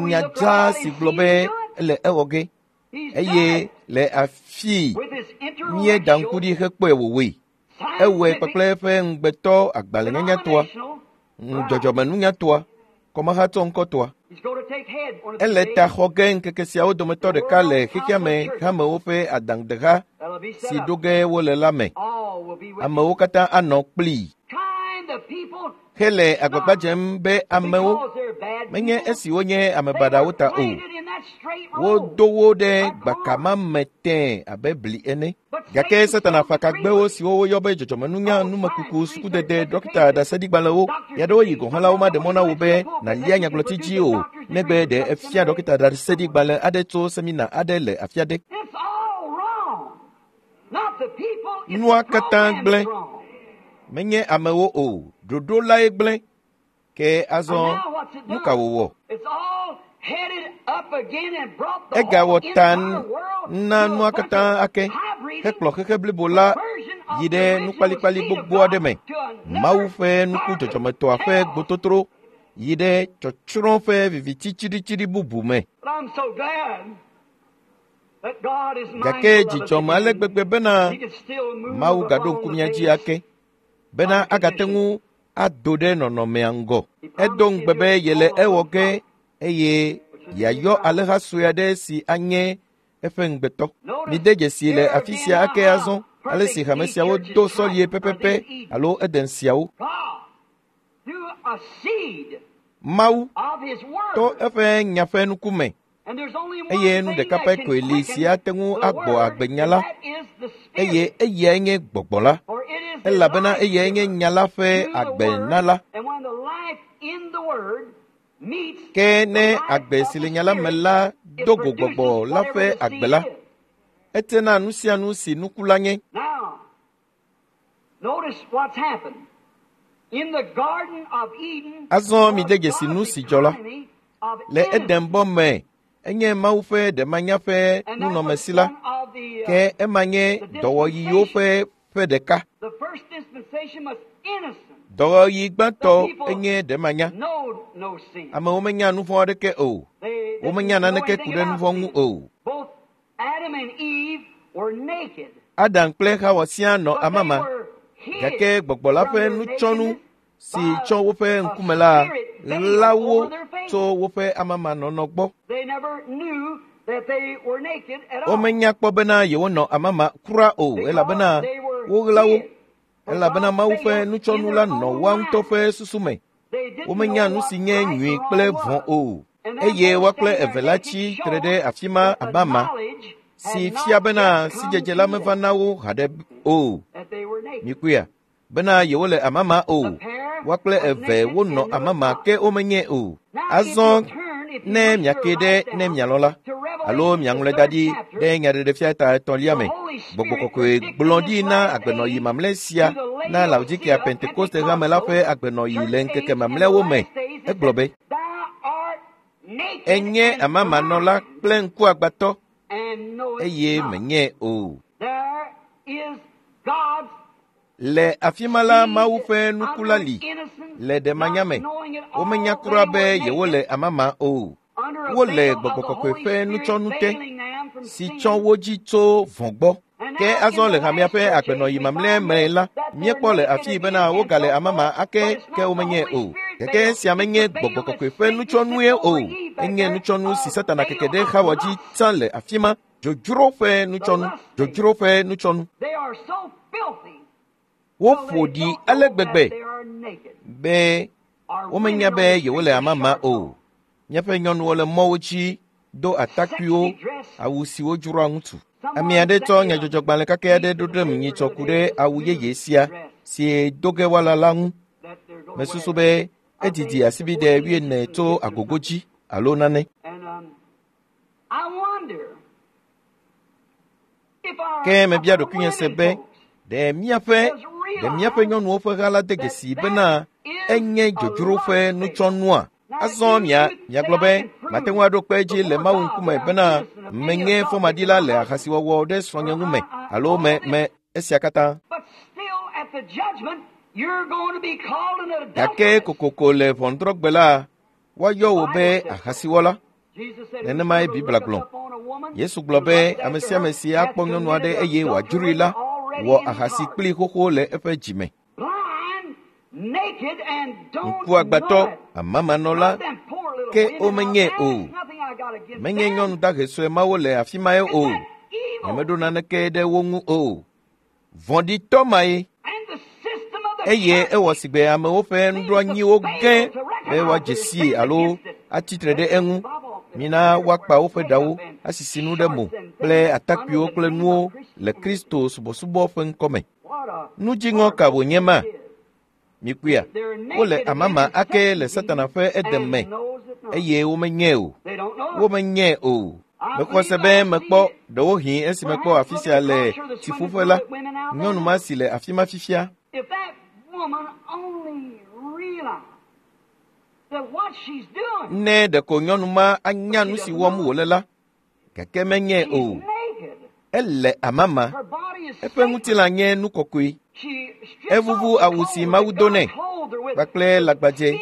nya dzaa si gblɔ be ele ewɔ ge. Eye le afii míeda ŋku ɖi hekpɔe wòwɔe. Ewɔe kpakple eƒe ŋugbetɔ agbalẽnyanyatɔa, dzɔdzɔmenunyatɔa, kɔmahatsɔ ŋkɔtɔa. Ele ta xɔ ge ŋkeke siawo dometɔ ɖeka le xexea me hamewo ƒe adaŋudeha si ɖo ge wole la me. Amewo katã anɔ kplii. Hele agbagba dzem be amewo menye esi wonye ame baɖawo ta o. Wodo wo ɖe gbaka ma me tẽe abe bli ene. Gake Satana fa kagbewo siwo woyɔ be dzɔdzɔmenunya, numekuku, sukudede, ɖɔkita, ɖaseɖigbalẽwo, ɣeaɖewoɣi gɔ̃ hã la womaɖe mɔ na wò be nàlia nyagblɔti dzi o, negbe ɖe efia ɖɔkita ɖaseɖigbalẽ aɖe tso semina aɖe le afi aɖe. Nua katã gblẽ. Menye amewo o, ɖoɖo lae gblẽ. Ke azɔ nu ka wòwɔ? Egawɔ ta na nua katã ake hekplɔ xexe blibo la yi ɖe nukpalikpali gbogbo aɖe me. Mawu ƒe nuku dzɔdzɔmetɔa ƒe gbototro yi ɖe tsɔtsrɔ̃ ƒe viviti tsiɖitsiɖi bubu me. Gake dzidzɔme ale gbegbe bena Mawu gaɖo ŋku mía dzi ake bena agate ŋu ado ɖe nɔnɔmea ŋgɔ. Edo ŋugbe be yele ewɔ ge eye yeayɔ alẽha sue aɖe si anye eƒe ŋugbetɔ. Mide dzesi le afi sia ake azɔ ale si hame siawo do sɔlie pɛpɛpɛ alo Eden siawo. Mawu to eƒe nya ƒe nukume eye nu ɖeka pɛ koe li si ate ŋu agbɔ agbe nya la, eye eyae nye gbɔgbɔ la, elabena eyae nye nya la ƒe agbenala. Ke ne agbe si le nya la me la do go gbɔgbɔ la ƒe agbe la, etena nu sia nu si nuku la nye. Azɔ mide dzesi nu si dzɔ la. Le Eden bɔ me enye Mawu ƒe ɖemanya ƒe nunɔmesi la, ke ema nye dɔwɔɣiwo ƒe ƒe ɖeka. Dɔwɔɣi gbãtɔ enye ɖemanya. Amewo menya nu vɔ̃ aɖeke o. Womenya naneke ku ɖe nu vɔ̃ ŋu o. Adam kple Xawa siaa nɔ amama, gake gbɔgbɔ la ƒe nutsɔnu si tsɔ woƒe ŋkume la ɣla wo tso woƒe amamanɔnɔ gbɔ. Womenya kpɔ bena yewonɔ amama kura o, elabena woɣla wo, elabena Mawu ƒe nutsɔnu la nɔ woa ŋutɔ ƒe susu me. Womenya nu si nye nyui kple vɔ̃ o, eye woa kple eve la tsi tre ɖe afi ma abe ama, si fia bena sidzedze la meva na wo haɖe o. Mikpɔea? Bena yewole amama o. Woa kple eve wonɔ amama ke womenye o. Azɔ ne miake ɖe ne mialɔ̃ la, alo miaŋlɔe da ɖi ɖe nyaɖeɖefia ta etɔ̃lia me, Gbɔgbɔ kɔkɔe gblɔ ɖi na agbenɔɣi mamlɛ sia na Laodikea Pentekoste hame la ƒe agbenɔɣi le ŋkeke mamlɛawo me. Egblɔ be, enye amamanɔla kple ŋkuagbãtɔ eye menye o. Le afi ma la Mawu ƒe nuku la li le ɖemanya me. Womenya kura be yewole amama o. Wole gbɔgbɔ kɔkɔe ƒe nutsɔnu te si tsɔ wo dzi tso vɔ̃ gbɔ. Ke azɔ le hamea ƒe agbenɔɣi mamlɛ me la, míekpɔ le afii bena wogale amama ake ke womenye o. Gake esia menye gbɔgbɔ kɔkɔe ƒe nutsɔnue o. Enye nutsɔnu si Satana keke ɖe Xawa dzi tsã le afi ma. Dzodzro ƒe nutsɔnu, dzodzro ƒe nutsɔnu. Woƒo ɖi ale gbegbe be womenya be yewole amama o. Míaƒe nyɔnuwo le mɔwo dzi do atakpuiwo, awu siwo dzroa ŋutsu. Ame aɖe tsɔ nyadzɔdzɔgbalẽ kake aɖe ɖo ɖem nyitsɔ ku ɖe awu yeye sia si do ge woala la ŋu. Mesusu be edidi asibide 40 tso agogo dzi alo nane. Ke mebia ɖokuinye se be ɖe míaƒe nyɔnuwo ƒe ha la de dzesi bena Enye dzodzro ƒe nutsɔnua. Azɔ mia miagblɔ be mate ŋu aɖo kpe edzi le Mawu ŋkume bena menye fɔmaɖila le ahasiwɔwɔ ɖe srɔ̃nye ŋu me alo me me esia katã. Gake kokoko le ʋɔnudrɔ̃gbe la, woayɔ wò be ahasiwɔla. Nenemae Biblia gblɔ. Yesu gblɔ be ame sia ame si akpɔ nyɔnu aɖe eye wòadzroe la wɔ ahasi kplii xoxo le eƒe dzi me. Ŋkuagbãtɔ, amamanɔla, ke womenye o. Menye nyɔnu dahe sue mawo le afi mae o. Nyemeɖo naneke ɖe wo ŋu o. Vɔ̃ɖitɔ mae. Eye ewɔ sigbe amewo ƒe nuɖoanyiwo ge be woadze sii alo atsitre ɖe eŋu. Mina woakpa woƒe ɖawo, asisi nu ɖe mo kple atakpuiwo kple nuwo le Kristo subɔsubɔ ƒe ŋkɔme. Nu dziŋɔ ka wònye ma? Mikpɔea, wole amama ake le Satana ƒe edeme eye womenyae o. Womenyae o. Mexɔ se be mekpɔ ɖewohĩ esi mekpɔ afi sia le tsiƒuƒe la, nyɔnu ma si le afi ma fifia. Ne ɖeko nyɔnu ma anya nu si wɔm wòle la, gake menyae o. Ele amama. Eƒe ŋutilã nye nu kɔkɔe. Evuvu awu si Mawu do nɛ kpakple lãgbadze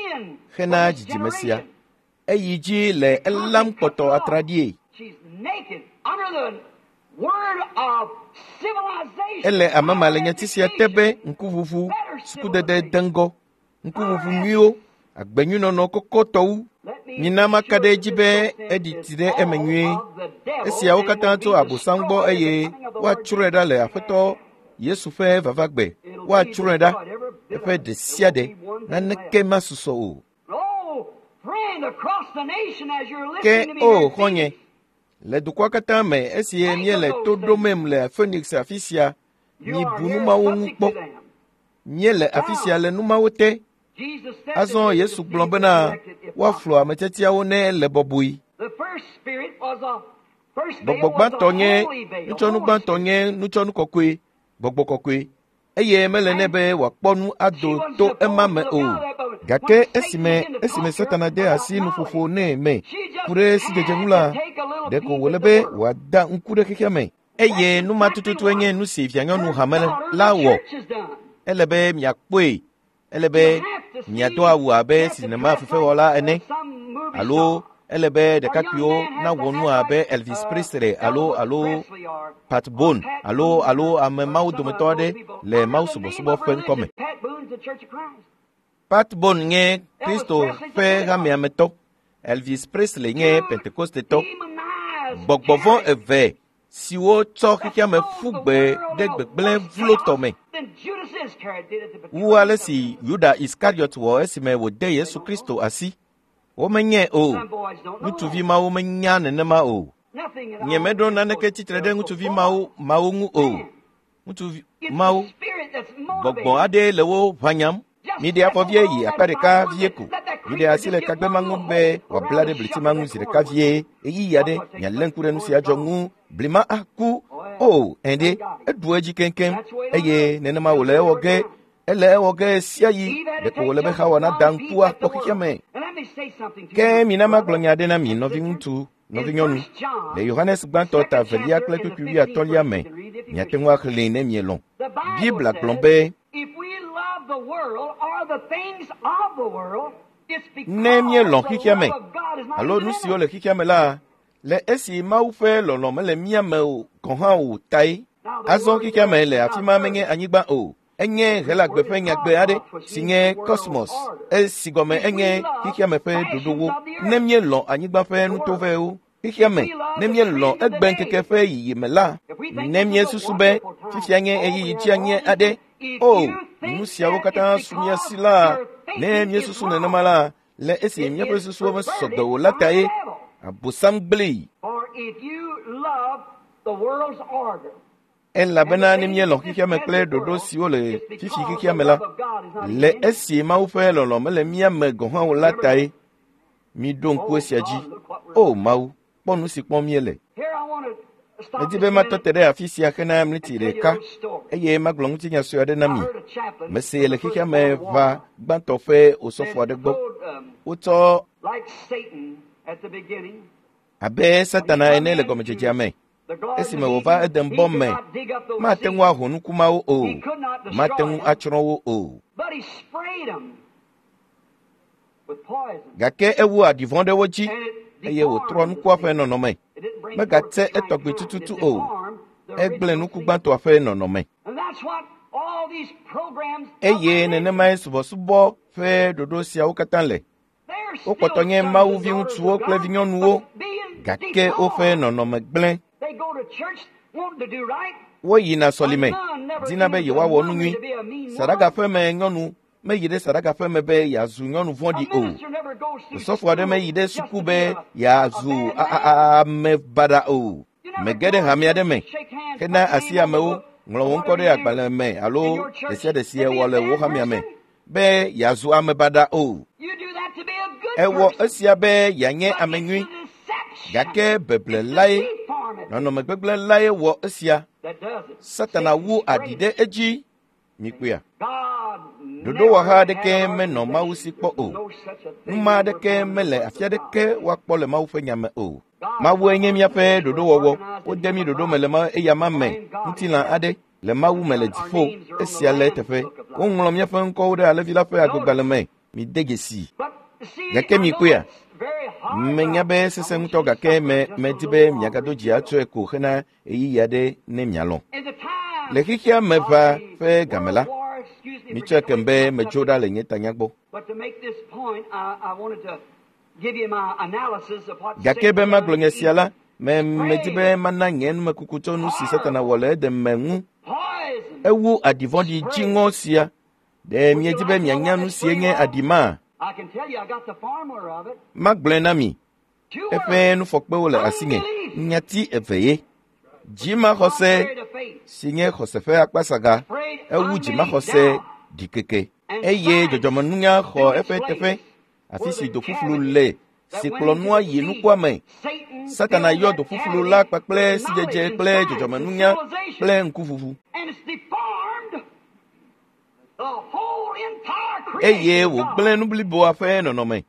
hena dzidzime sia. Eyi dzi le elam kpɔtɔ atraɖie. Ele amama le nyati sia te be ŋkuʋuʋu, sukudede deŋgɔ, ŋkuʋuʋu nyuiwo, agbenyuinɔnɔ kɔkɔtɔwo. Mina maka ɖe edzi be eɖi tsi ɖe eme nyuie. Esiawo katã tso Abosam gbɔ eye woatsrɔ̃e ɖa le Aƒetɔ Yesu ƒe vavagbe. Woatsrɔ̃e ɖa eƒe ɖe sia ɖe. Naneke masusɔ o. Ke o xɔ̃nye, le dukɔa katã me esi míele to ɖomem le Phoenix afi sia, mibu nu mawo ŋu kpɔ. Míele afi sia le nu mawo te. Azɔ Yesu gblɔ bena woaflu ame tiatiawo ne ele bɔbɔe. Gbɔgbɔ gbãtɔ nye nutsɔnu gbãtɔ nye nutsɔnu kɔkɔe, gbɔgbɔ kɔkɔe eye mele nɛ be wòakpɔ nu ado to ema me o. Gake esime esime Satana de asi nuƒoƒo nɛ me ku ɖe sidzedze ŋu la, ɖeko wòle be wòada ŋku ɖe xexea me. Eye nu ma tututue nye nu si vianyɔnu hame la wɔ. Ele be miakpɔe. Ele be miado awu abe sinema fefewɔla ene alo ele be ɖekakpuiwo nawɔ nu abe Elvis Presley alo alo Pat Boone alo alo ame mawo dometɔ aɖe le Mawu subɔsubɔ ƒe ŋkɔme. Pat Boone nye Kristo ƒe hamea me tɔ. Elvis Presley nye Pentekostetɔ. Gbɔgbɔ vɔ̃ eve siwo tsɔ xexeame ƒu gbe ɖe gbegblẽ vlotɔ me. Wu ale si Yuda Iskariot wɔ esime wòde Yesu Kristo asi. Womenyae o. Ŋutsuvi mawo menya nenema o. Nyemeɖo naneke tsitre ɖe ŋutsuvi mawo mawo ŋu o. Ŋutsuvi mawo, gbɔgbɔ aɖee le wo ʋãnyam. Miɖe afɔ vie yi akpa ɖeka vie ko. Miɖe asi le kagbe ma ŋu be wòabla ɖe bliti ma ŋu zi ɖeka vie. Ɣeyiɣi aɖe mialé ŋku ɖe nu sia dzɔ ŋu. Blima aku. O, ɛ̃ ɖe, eɖu edzi keŋkeŋ eye nenema wòle ewɔ ge. Ele ewɔ ge sia yi. Ɖeko wòle be Xawa nada ŋku akpɔ xexea me. Ke mina magblɔ nya aɖe na mi, nɔviŋutsu, nɔvinyɔnu. Le Yohanes gbãtɔ ta evelia kple kpukpui wuiatɔ̃lia me, miate ŋu axlẽe ne mielɔ̃. Biblia gblɔ be, Ne míelɔ̃ xexea me alo nu siwo le xexea me la, le esi Mawu ƒe lɔlɔ̃ mele mía me o gɔ̃ hã o tae. Azɔ xexea me le afi ma menye anyigba o. Enye Helagbe ƒe nyagbe aɖe si nye kosmos, esi gɔme enye xexea me ƒe ɖoɖowo. Ne míelɔ̃ anyigba ƒe nutovɛwo, xexea me, ne míelɔ̃ egbeŋkeke ƒe yiyime la, ne míesusu be fifia nye ɣeyiɣi tsianye aɖe, o, nu siawo katã su mía si la, ne míesusu nenema la, le esi míaƒe susuwo mesɔ gbe o la tae, Abosam gblẽe. Elabena ne míelɔ̃ xexea me kple ɖoɖo siwo le fifi xexea me la, le esi Mawu ƒe lɔlɔ̃ mele mía me gɔ̃ hã o la tae, miɖo ŋku esia dzi. O Mawu, kpɔ nu si kpɔm míele. Medi be matɔ te ɖe afi sia hena mliti ɖeka eye magblɔ ŋutinya sue aɖe na mi. Mese le xexea me ʋa gbãtɔ ƒe osɔfo aɖe gbɔ. Wotsɔ abe Satana ene le gɔmedzedzea me. Esime wòva Eden bɔ me, mate ŋu aho nuku mawo o, mate ŋu atsrɔ̃ wo o. Gake ewu aɖi vɔ̃ ɖe wo dzi eye wòtrɔ nukua ƒe nɔnɔme. Megatse etɔgbi tututu o. Egblẽ nuku gbãtɔa ƒe nɔnɔme. Eye nenemae subɔsubɔ ƒe ɖoɖo siawo katã le. Wokpɔtɔ nye Mawu viŋutsuwo kple vinyɔnuwo, gake woƒe nɔnɔme gblẽ. Woyina sɔlime, dina be yewoawɔ nu nyui. Saɖagaƒeme nyɔnu meyi ɖe saɖagaƒeme be yeazu nyɔnu vɔ̃ɖi o. Osɔfo aɖe meyi ɖe suku be yeazu ame baɖa o. Mege ɖe hame aɖe me hena asi amewo, ŋlɔ wo ŋkɔ ɖe agbalẽ me alo ɖe sia ɖe si ewɔ le wò hamea me be yeazu ame baɖa o. Ewɔ esia be yeanye ame nyui, gake beble lae, nɔnɔme gbegblẽ lae wɔ esia. Satana wu aɖi ɖe edzi. Mikpɔea? Ɖoɖowɔha aɖeke menɔ Mawu si kpɔ o. Numa aɖeke mele afi aɖeke woakpɔ le Mawu ƒe nya me o. Mawue nye míaƒe ɖoɖowɔwɔ. Wode mí ɖoɖo me le eyama me, ŋutilã aɖe le Mawu me le dziƒo. Esia le eteƒe. Woŋlɔ míaƒe ŋkɔwo ɖe Alẽvi la ƒe agbegbalẽ me. Mide dzesi. Gake mikpɔea? Menya be sesẽ ŋutɔ gake medi be miagado dzi atsɔe ko hena ɣeyiɣi aɖe ne mialɔ̃. Le xexea me ʋa ƒe game la, mitsɔe kem be metso ɖa le nye tanya gbɔ. Gake be magblɔ nye sia la, medi be mana nye numekuku tso nu si Satana wɔ le Eden me ŋu. Ewu aɖi vɔ̃ɖi dziŋɔ sia. Ɖe miedi be mianya nu sie nye aɖi ma? Magblɔe na mi. Eƒe nufɔkpewo le asinye. Nyati eve ye. Dzimaxɔse si nye xɔse ƒe akpasaga ewu dzimaxɔse ɖikeke eye dzɔdzɔmenunya xɔ eƒe teƒe afi si doƒuƒlu le si kplɔ nua yi nukua me. Satana yɔ doƒuƒlu la kpakple sidzedze kple dzɔdzɔmenunya kple ŋkuʋuʋu eye wògblẽ nu bliboa ƒe nɔnɔme,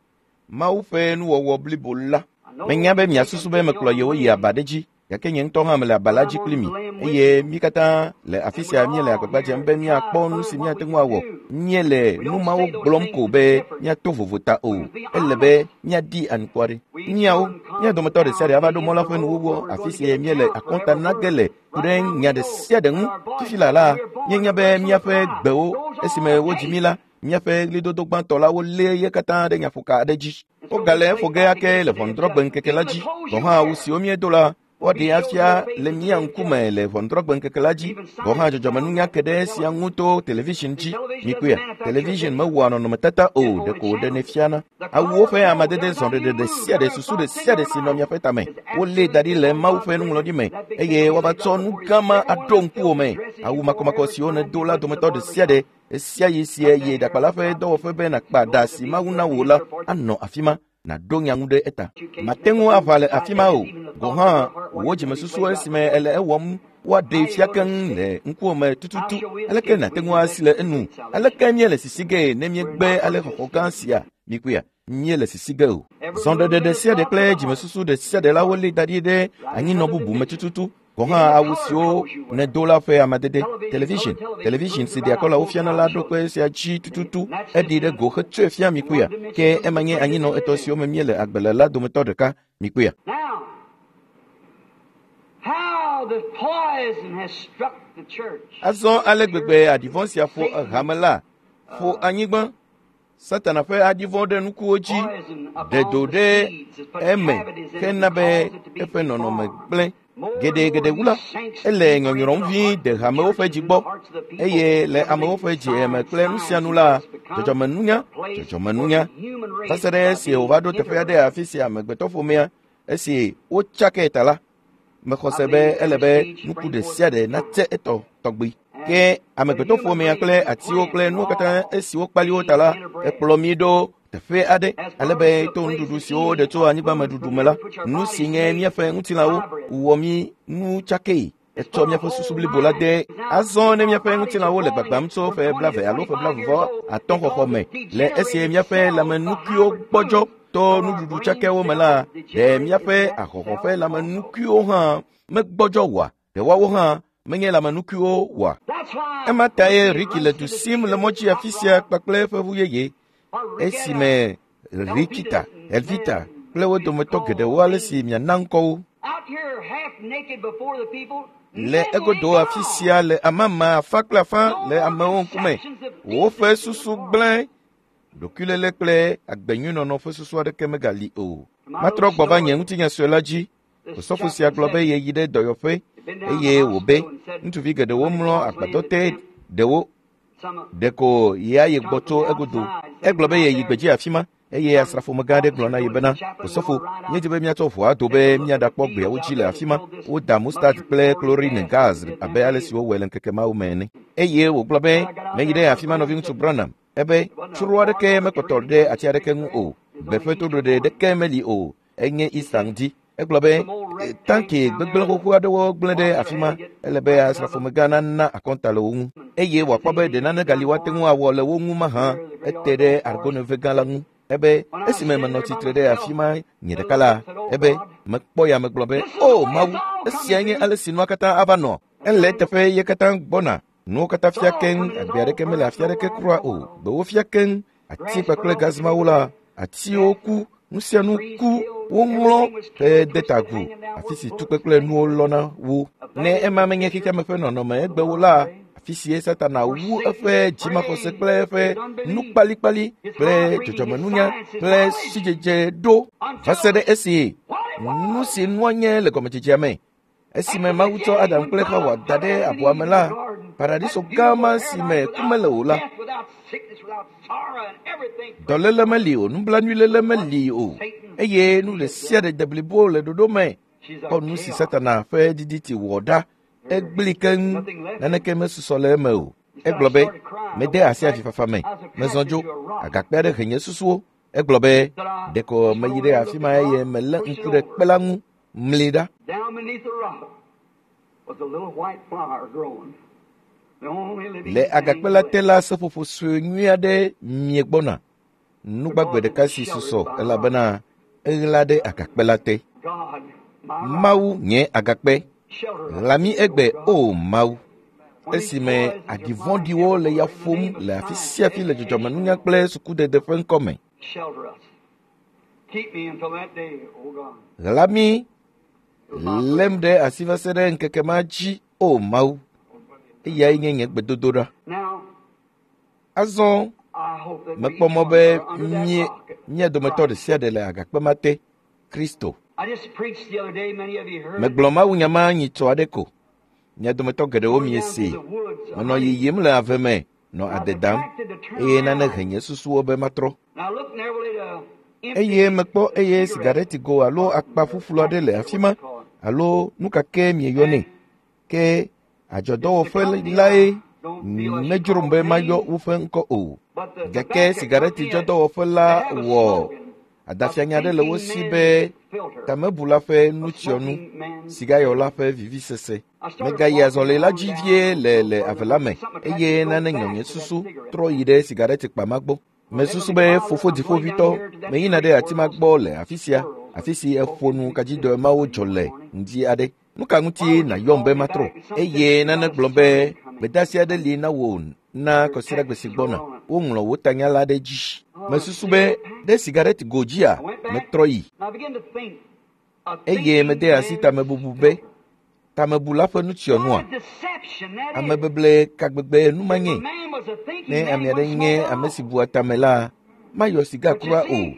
Mawu ƒe nuwɔwɔ blibo la. Menya be miasusu be mekplɔ yewo yi aba ɖe dzi, gake nye ŋutɔ hã mele aba la dzi kpli mi eye mí katã le afi sia míele agbagba dzem be míakpɔ nu si míate ŋu awɔ. Míele nu mawo gblɔm ko be míato vovo ta o. Ele be míadi anukware. Míawo, mía dometɔ ɖe sia ɖe ava ɖo mɔ la ƒe nuwuwu afi si míele akɔnta na ge le ku ɖe nya ɖe sia ɖe ŋu. Fifi la la, míenya be míaƒe gbewo esime wodzi mí la, míaƒe ɣlidodo gbãtɔ la wolé ye katã ɖe nyaƒoka aɖe dzi. Wogale eƒo ge ake le ʋɔnudrɔ̃gbe ŋkeke la dzi. Gɔ̃ hã awu siwo míedo la, woaɖee afia le mía ŋkume le ʋɔnudrɔ̃gbe ŋkeke la dzi. Gɔ̃ hã dzɔdzɔmenunya ke ɖe esia ŋu to television dzi. Mikpɔea, television mewɔa nɔnɔmetata o, ɖeko wòɖenɛ fiana. Awuwo ƒe amadede zɔɖeɖe ɖe sia ɖe, susu ɖe sia ɖe si nɔ miaƒe tame, wolée da ɖi le Mawu ƒe nuŋlɔɖi me eye woava tsɔ nu gã ma aɖo ŋkuwò me. Awu makɔmakɔ siwo nèdo la dometɔ ɖe sia ɖe sia ɣi si èyi ɖakpala ƒe dɔwɔƒe be nàkpa ɖa si Mawu na wò la anɔ afi ma. Nàɖo nya ŋu ɖe eta. Mate ŋu aʋa le afi ma o. Gɔ̃ hã wò dzimesusu esime èle ewɔm woaɖee fia keŋ le ŋkuwò me tututu. Aleke nàte ŋu asi le enu? Aleke míele sisi gee ne míegbe ale xɔxɔ gã sia? Mikpɔea, míele sisi ge o. Zɔɖeɖe ɖe sia ɖe kple dzimesusu ɖe sia ɖe la wolée da ɖi ɖe anyinɔ bubu me tututu. Gɔ̃ hã awu siwo nèdo la ƒe amadede, television, television si ɖea kɔlawo fiana la ɖo kpe esia dzi tututu. Eɖi ɖe go hetsɔe fia mikpɔea, ke ema nye anyinɔ etɔ̃ siwo me míele agbe le la dometɔ ɖeka. Mikpɔea. Azɔ ale gbegbe aɖi vɔ̃ sia ƒo hame la, ƒo anyigba. Satana ƒe aɖi vɔ̃ ɖe nukuwo dzi ɖe do ɖe eme hena be eƒe nɔnɔme gblẽ. Geɖe wu la, ele nyɔnyrɔm vi de hamewo ƒe dzi gbɔ eye le amewo ƒe dzi me kple nu sia nu la, dzɔdzɔmenunya, va se ɖe esi wòva ɖo teƒe aɖe afi si amegbetɔƒomea esi wotsakae ta la, mexɔ se be ele be nuku ɖe sia ɖe natse etɔ tɔgbi. Ke amegbetɔƒomea kple atiwo kple nuwo katã esiwo kpali wo ta la, ekplɔ mí ɖo teƒe aɖe ale be to nuɖuɖu siwo woɖe tso anyigbameɖuɖu me la, nu si nye míaƒe ŋutilãwo wɔ mí nu tsakee. Etsɔ míaƒe susu blibo la de. Azɔ ne míaƒe ŋutilãwo le gbagbam tso ƒe 20 alo ƒe 25 xɔxɔ me le esie míaƒe lãmenukuiwo gbɔdzɔ to nuɖuɖu tsakɛwo me la, ɖe míaƒe ahɔhɔ̃ ƒe lãmenukuiwo hã megbɔdzɔ oa? Ɖe woawo hã menye lãmenukuiwo oa? Ema tae Ricky le du sim le mɔdzi afi sia kpakple eƒe ʋu yeye esime Rikita, Elvita kple wo dometɔ geɖewo ale si miana ŋkɔwo. Le egodo afi sia le amama afã kple afã le amewo ŋkume. Woƒe susu gblẽ. Ɖokuilélé kple agbenyuinɔnɔ ƒe susu aɖeke megali o. Matrɔ gbɔ va nye ŋutinya sue la dzi. Osɔfo sia gblɔ be yeyi ɖe dɔyɔƒe eye wòbe ŋutsuvi geɖewo mlɔ agbadɔ te ɖewo ɖeko yeayi gbɔ tso egodo. Egblɔ be yeyi gbedzi afi ma eye asrafomegã aɖe gblɔ na ye bena, Osɔfo, míedi be míatsɔ ʋua do be míaɖakpɔ gbeawo dzi le afi ma. Woda mustard kple chlorine gas abe ale si wowɔe le ŋkeke mawo me ene. Eye wògblɔ be, meyi ɖe afi ma nɔviŋutsu Branham. Ebe, tsro aɖeke mekpɔtɔ ɖe ati aɖeke ŋu o. Gbe ƒe toɖoɖe ɖeke meli o. Enye Easter ŋdi. Egblɔ be, tanki gbegblẽ xoxo aɖewo gblẽ ɖe afi ma. Ele be asrafomegã nana akɔnta le wo ŋu. Eye wòakpɔ be ɖe nane gali woate ŋu awɔ le wo ŋu mahã. Ete ɖe argoneve gã la ŋu. Ebe, esime menɔ tsitre ɖe afi ma nye ɖeka la, ebe, mekpɔ ya megblɔ be, o Mawu, esia nye ale si nua katã ava nɔ. Ele eteƒe ye katã gbɔna. Nuwo katã fia keŋ, agbe aɖeke mele afi aɖeke kura o. Gbewo fia keŋ, ati kpakple gazimawo la, atiwo ku, nu sia nu ku, woŋlɔ hede ta agu, afi si tukpe kple nuwo lɔna wo. Ne ema menye xexeame ƒe nɔnɔme egbewo la, afi sie Satana wu eƒe dzimaxɔse kple eƒe nukpalikpali kple dzɔdzɔmenunya kple sidzedze ɖo va se ɖe esi nu si nua nye le gɔmedzedzea me. Esime Mawu tsɔ Adam kple Xawa da ɖe abɔa me la, paradiso gã ma si me ku mele o la, dɔléle meli o, nublanuiléle meli o, eye nu ɖe sia ɖe de blibo le ɖoɖo me. Kpɔ nu si Satana ƒe didi ti wɔ ɖa. Egblẽ keŋ, naneke mesusɔ le eme o. Egblɔ be, mede asi avifafa me, mezɔ dzo, agakpe aɖe he nye susuwo. Egblɔ be, ɖeko meyi ɖe afi ma eye melé ŋku ɖe kpe la ŋu. Mli ɖa. Le agakpe la te la, seƒoƒo sue nyui aɖe mie gbɔna. Nugbagbe ɖeka si susɔ elabena eɣla ɖe agakpe la te. Mawu nye agakpe. Ɣla mí egbe, o Mawu. Esime aɖi vɔ̃ɖiwo le ya ƒom le afi sia afi le dzɔdzɔmenunya kple sukudede ƒe ŋkɔme. Ɣla mí, lém ɖe asi va se ɖe ŋkeke ma dzi, o Mawu. Eyae nye nye gbedodoɖa. Azɔ mekpɔ mɔ be mía dometɔ ɖe sia ɖe le agakpe ma te, Kristo. Megblɔ mawunya ma nyitsɔ aɖe ko. Mia dometɔ geɖewo miesee. Menɔ yiyim le ave me nɔ ade dam eye nane he nye susuwo be matrɔ. Eye mekpɔ eye sigaretigo alo akpa ƒuƒlu aɖe le afi ma alo nu ka ke mieyɔnɛ. Ke adzɔdɔwɔƒe lae medzrom be mayɔ woƒe ŋkɔ o. Gake sigaretidzɔdɔwɔƒe la wɔ adafianya aɖe le wo si be tamebula ƒe nutsyɔnu, sigayɔla ƒe vivisese. Megayi azɔli la dzi vie le ave la me eye nane nyɔ nye susu trɔ yi ɖe sigaretikpa ma gbɔ. Mesusu be fofo dziƒoʋĩtɔ meyina ɖe ati ma gbɔ le afi sia, afi si eƒo nu kadzidɔe mawo dzɔ le ŋdi aɖe. Nu ka ŋuti nàyɔm be matrɔ? Eye nane gblɔ be gbedeasi aɖe li na wò na kɔsiɖagbe si gbɔna. Woŋlɔ wò tanya la ɖe dzi. Mesusu be ɖe sigareti go dzia, metrɔ yi. Eye mede asi tamebubu be tamebula ƒe nutsyɔnua. Amebeble ka gbegbe nu ma nye? Ne ame aɖe nye ame si bua tame la, mayɔ siga kura o.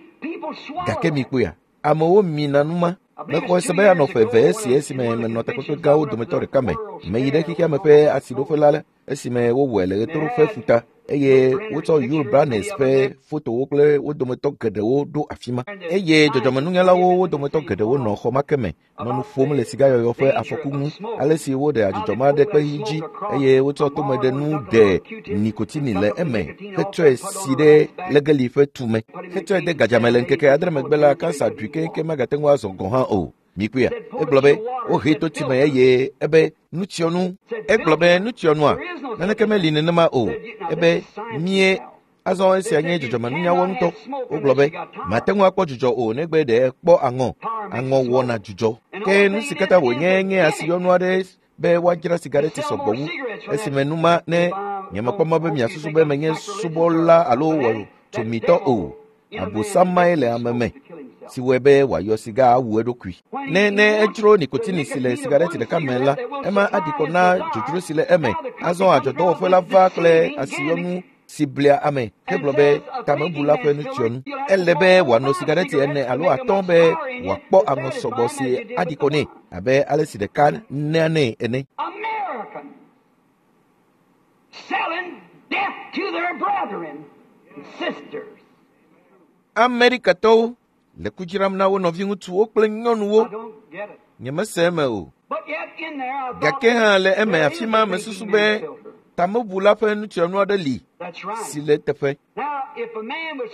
Gake mikpɔea, amewo mina nu ma. Mexɔe se be anɔ ƒe eve esi esime menɔ takpekpe gãwo dometɔ ɖeka me. Meyi ɖe xexeame ƒe asiɖoƒe la esime wowɔe le ɣetoɖoƒe ƒuta. eye wotsɔ Yul Brynner ƒe fotowo kple wo dometɔ geɖewo ɖo afi ma. Eye dzɔdzɔmenunyalawo wo dometɔ geɖewo nɔ xɔ ma ke me nɔ nu ƒom le sigayɔyɔ ƒe afɔku ŋu, ale si woɖe adzudzɔ ma ɖe kpeɣi dzi eye wotsɔ tomeɖenu ɖe nikotini le eme hetsɔe si ɖe legeli ƒe tume hetsɔe de gadzame le ŋkeke 7 megbe la, kansa ɖui keŋkeŋ magate ŋu azɔ gɔ̃ hã o. Mikpɔea? Egblɔ be wohee to tsi me eye ebe nutsyɔnu. Egblɔ be nutsyɔnua naneke meli nenema o. Ebe mie azɔ esia nye dzɔdzɔmenunyawo ŋutɔ. Wogblɔ be mate ŋu akpɔ dzudzɔ o negbe ɖe kpɔ aŋɔ. Aŋɔ wɔna dzudzɔ. Ke nu si katã wònye nye asiyɔnu aɖe be woadzra sigareti sɔgbɔ wu. Esime numa ne nyemekpɔ mɔ be miasusu be menye subɔla alo wɔtsomitɔ o. Abosamae le ame me si wɔe be wòayɔ siga awu eɖokui. Ne edzro nikotini si le sigareti ɖeka me la, ema aɖi kɔ na dzodzro si le eme. Azɔ adzɔdɔwɔƒe la va kple asiyɔnu si blea ame hegblɔ be tamebula ƒe nutsyɔnu. Ele be wòano sigareti 4 alo 5 be wòakpɔ aŋɔ sɔgbɔ si aɖi kɔ nɛ abe ale si ɖeka nea nɛ ene. Amerikatɔwo le ku dzram na wo nɔviŋutsuwo kple nyɔnuwo. Nyemese eme o. Gake hã le eme afi ma mesusu be tamebula ƒe nutsyɔnu aɖe li si le teƒe.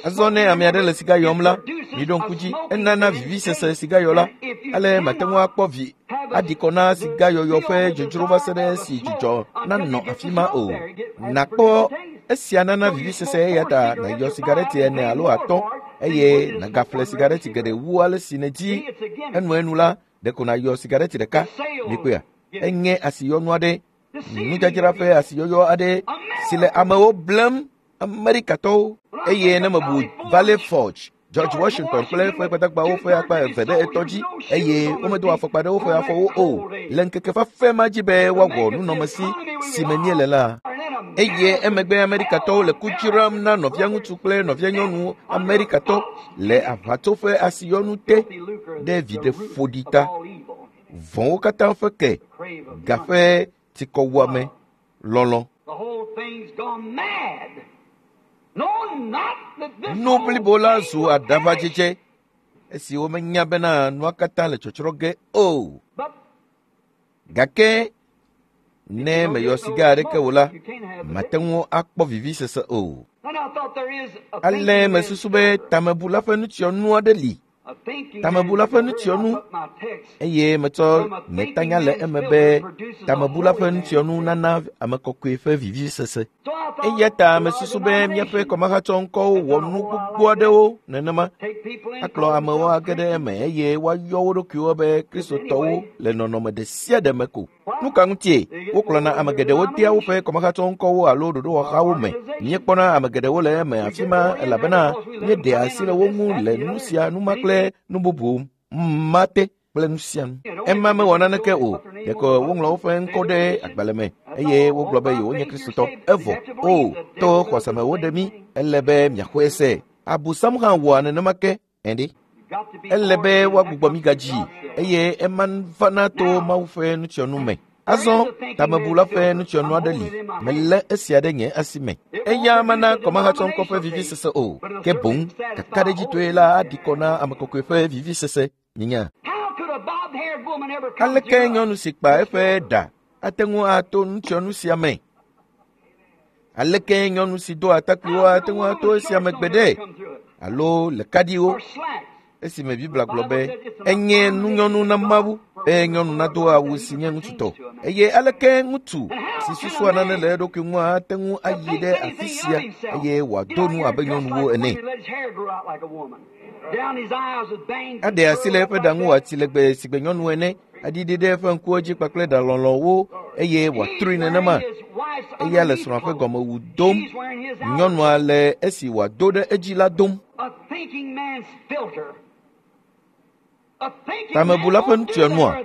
Azɔ ne ame aɖe le siga yɔm la, miɖo ŋku dzi, enana vivisese sigayɔla. Ale mate ŋu akpɔ vi aɖi kɔ na sigayɔyɔ ƒe dzodzro va se ɖe esi dzudzɔ nanɔ afi ma o. Nakpɔ esia nana vivisese eya ta nàyɔ sigareti 4 alo 5 eye nàgaƒle sigareti geɖe wu ale si nèdi. Enuenu la, ɖeko nàyɔ sigareti ɖeka. Mikpɔea? Enye asiyɔnu aɖe, nudzadzra ƒe asiyɔyɔ aɖe si le amewo blem, Amerikatɔwo. Eye ne mebu Valley Forge, George Washington kple eƒe gbadagbawo ƒe akpa 2 ɖe etɔ dzi eye womedo afɔkpa ɖe woƒe afɔwo o le ŋkeke fafɛ ma dzi be woawɔ nunɔmesi si me míele la. Eye emegbe Amerikatɔwo le ku dzram na nɔviaŋutsu kple nɔvianyɔnu Amerikatɔ le aʋatso ƒe asiyɔnu te ɖe viɖe ƒoɖi ta. Vɔ̃wo katã ƒe ke, ga ƒe tsikɔwuame, lɔlɔ̃. Nu blibo la zu aɖaʋadzedze esi womenya bena nua katã le tsɔtsrɔ̃ ge o. Gake ne meyɔ siga aɖeke o la, mate ŋu akpɔ vivisese o. Ale mesusu be tamebula ƒe nutsyɔnu aɖe li. Tamebula ƒe nutsyɔnu eye metsɔ nye tanya le eme be tamebula ƒe nutsyɔnu nana ame kɔkɔe ƒe vivisese. Eya ta mesusu be míaƒe kɔmahatsɔŋkɔwo wɔ nu gbogbo aɖewo nenema akplɔ amewo age ɖe eme eye woayɔ wo ɖokuiwo be Kristotɔwo le nɔnɔme ɖe sia ɖe me ko. Nu ka ŋutie wokplɔna ame geɖewo dea woƒe kɔmahatsɔŋkɔwo alo ɖoɖowɔhawo me? Míekpɔna ame geɖewo le eme afi ma elabena míeɖea asi le wo ŋu le nu sia nu ma kple nu bubu ma te kple nu sia nu. Ema mewɔ naneke o, ɖeko woŋlɔ woƒe ŋkɔ ɖe agbalẽ me eye wogblɔ be yewonye Kristotɔ. Evɔ o, to xɔse me woɖe mí, ele be miaxɔe se. Abosam hã wɔa nenema ke. Ɛnɖe. Ele be woagbugbɔ mí gadzi eye ema vana to Mawu ƒe nutsyɔnu me. Azɔ tamebula ƒe nutsyɔnu aɖe li, melé esia ɖe nye asi me. Eya mana kɔmahatsɔŋkɔ ƒe vivisese o, ke boŋ kakaɖedzitɔe la aɖi kɔ na ame kɔkɔe ƒe vivisese. Nyinya. Aleke nyɔnu si kpa eƒe ɖa ate ŋu ato nutsyɔnu sia me? Aleke nyɔnu si do atakpuiwo ate ŋu ato esia me gbeɖe? Alo le kaɖiwo? Esime Biblia gblɔ be enye nunyɔnu na Mawu be nyɔnu nado awu si nye ŋutsutɔ. Eye aleke ŋutsu si susua nane le eɖokui ŋu ate ŋu ayi ɖe afi sia eye wòado nu abe nyɔnuwo ene? Aɖe asi le eƒe ɖa ŋu wòatsi legbe si gbe nyɔnu ene, aɖiɖi ɖe eƒe ŋkuwo dzi kpakple ɖa lɔlɔ̃wo eye wòatrui nenema. Eya le srɔ̃a ƒe gɔmewu dom, nyɔnua le esi wòado ɖe edzi la dom. Tamebula ƒe nutsyɔnua?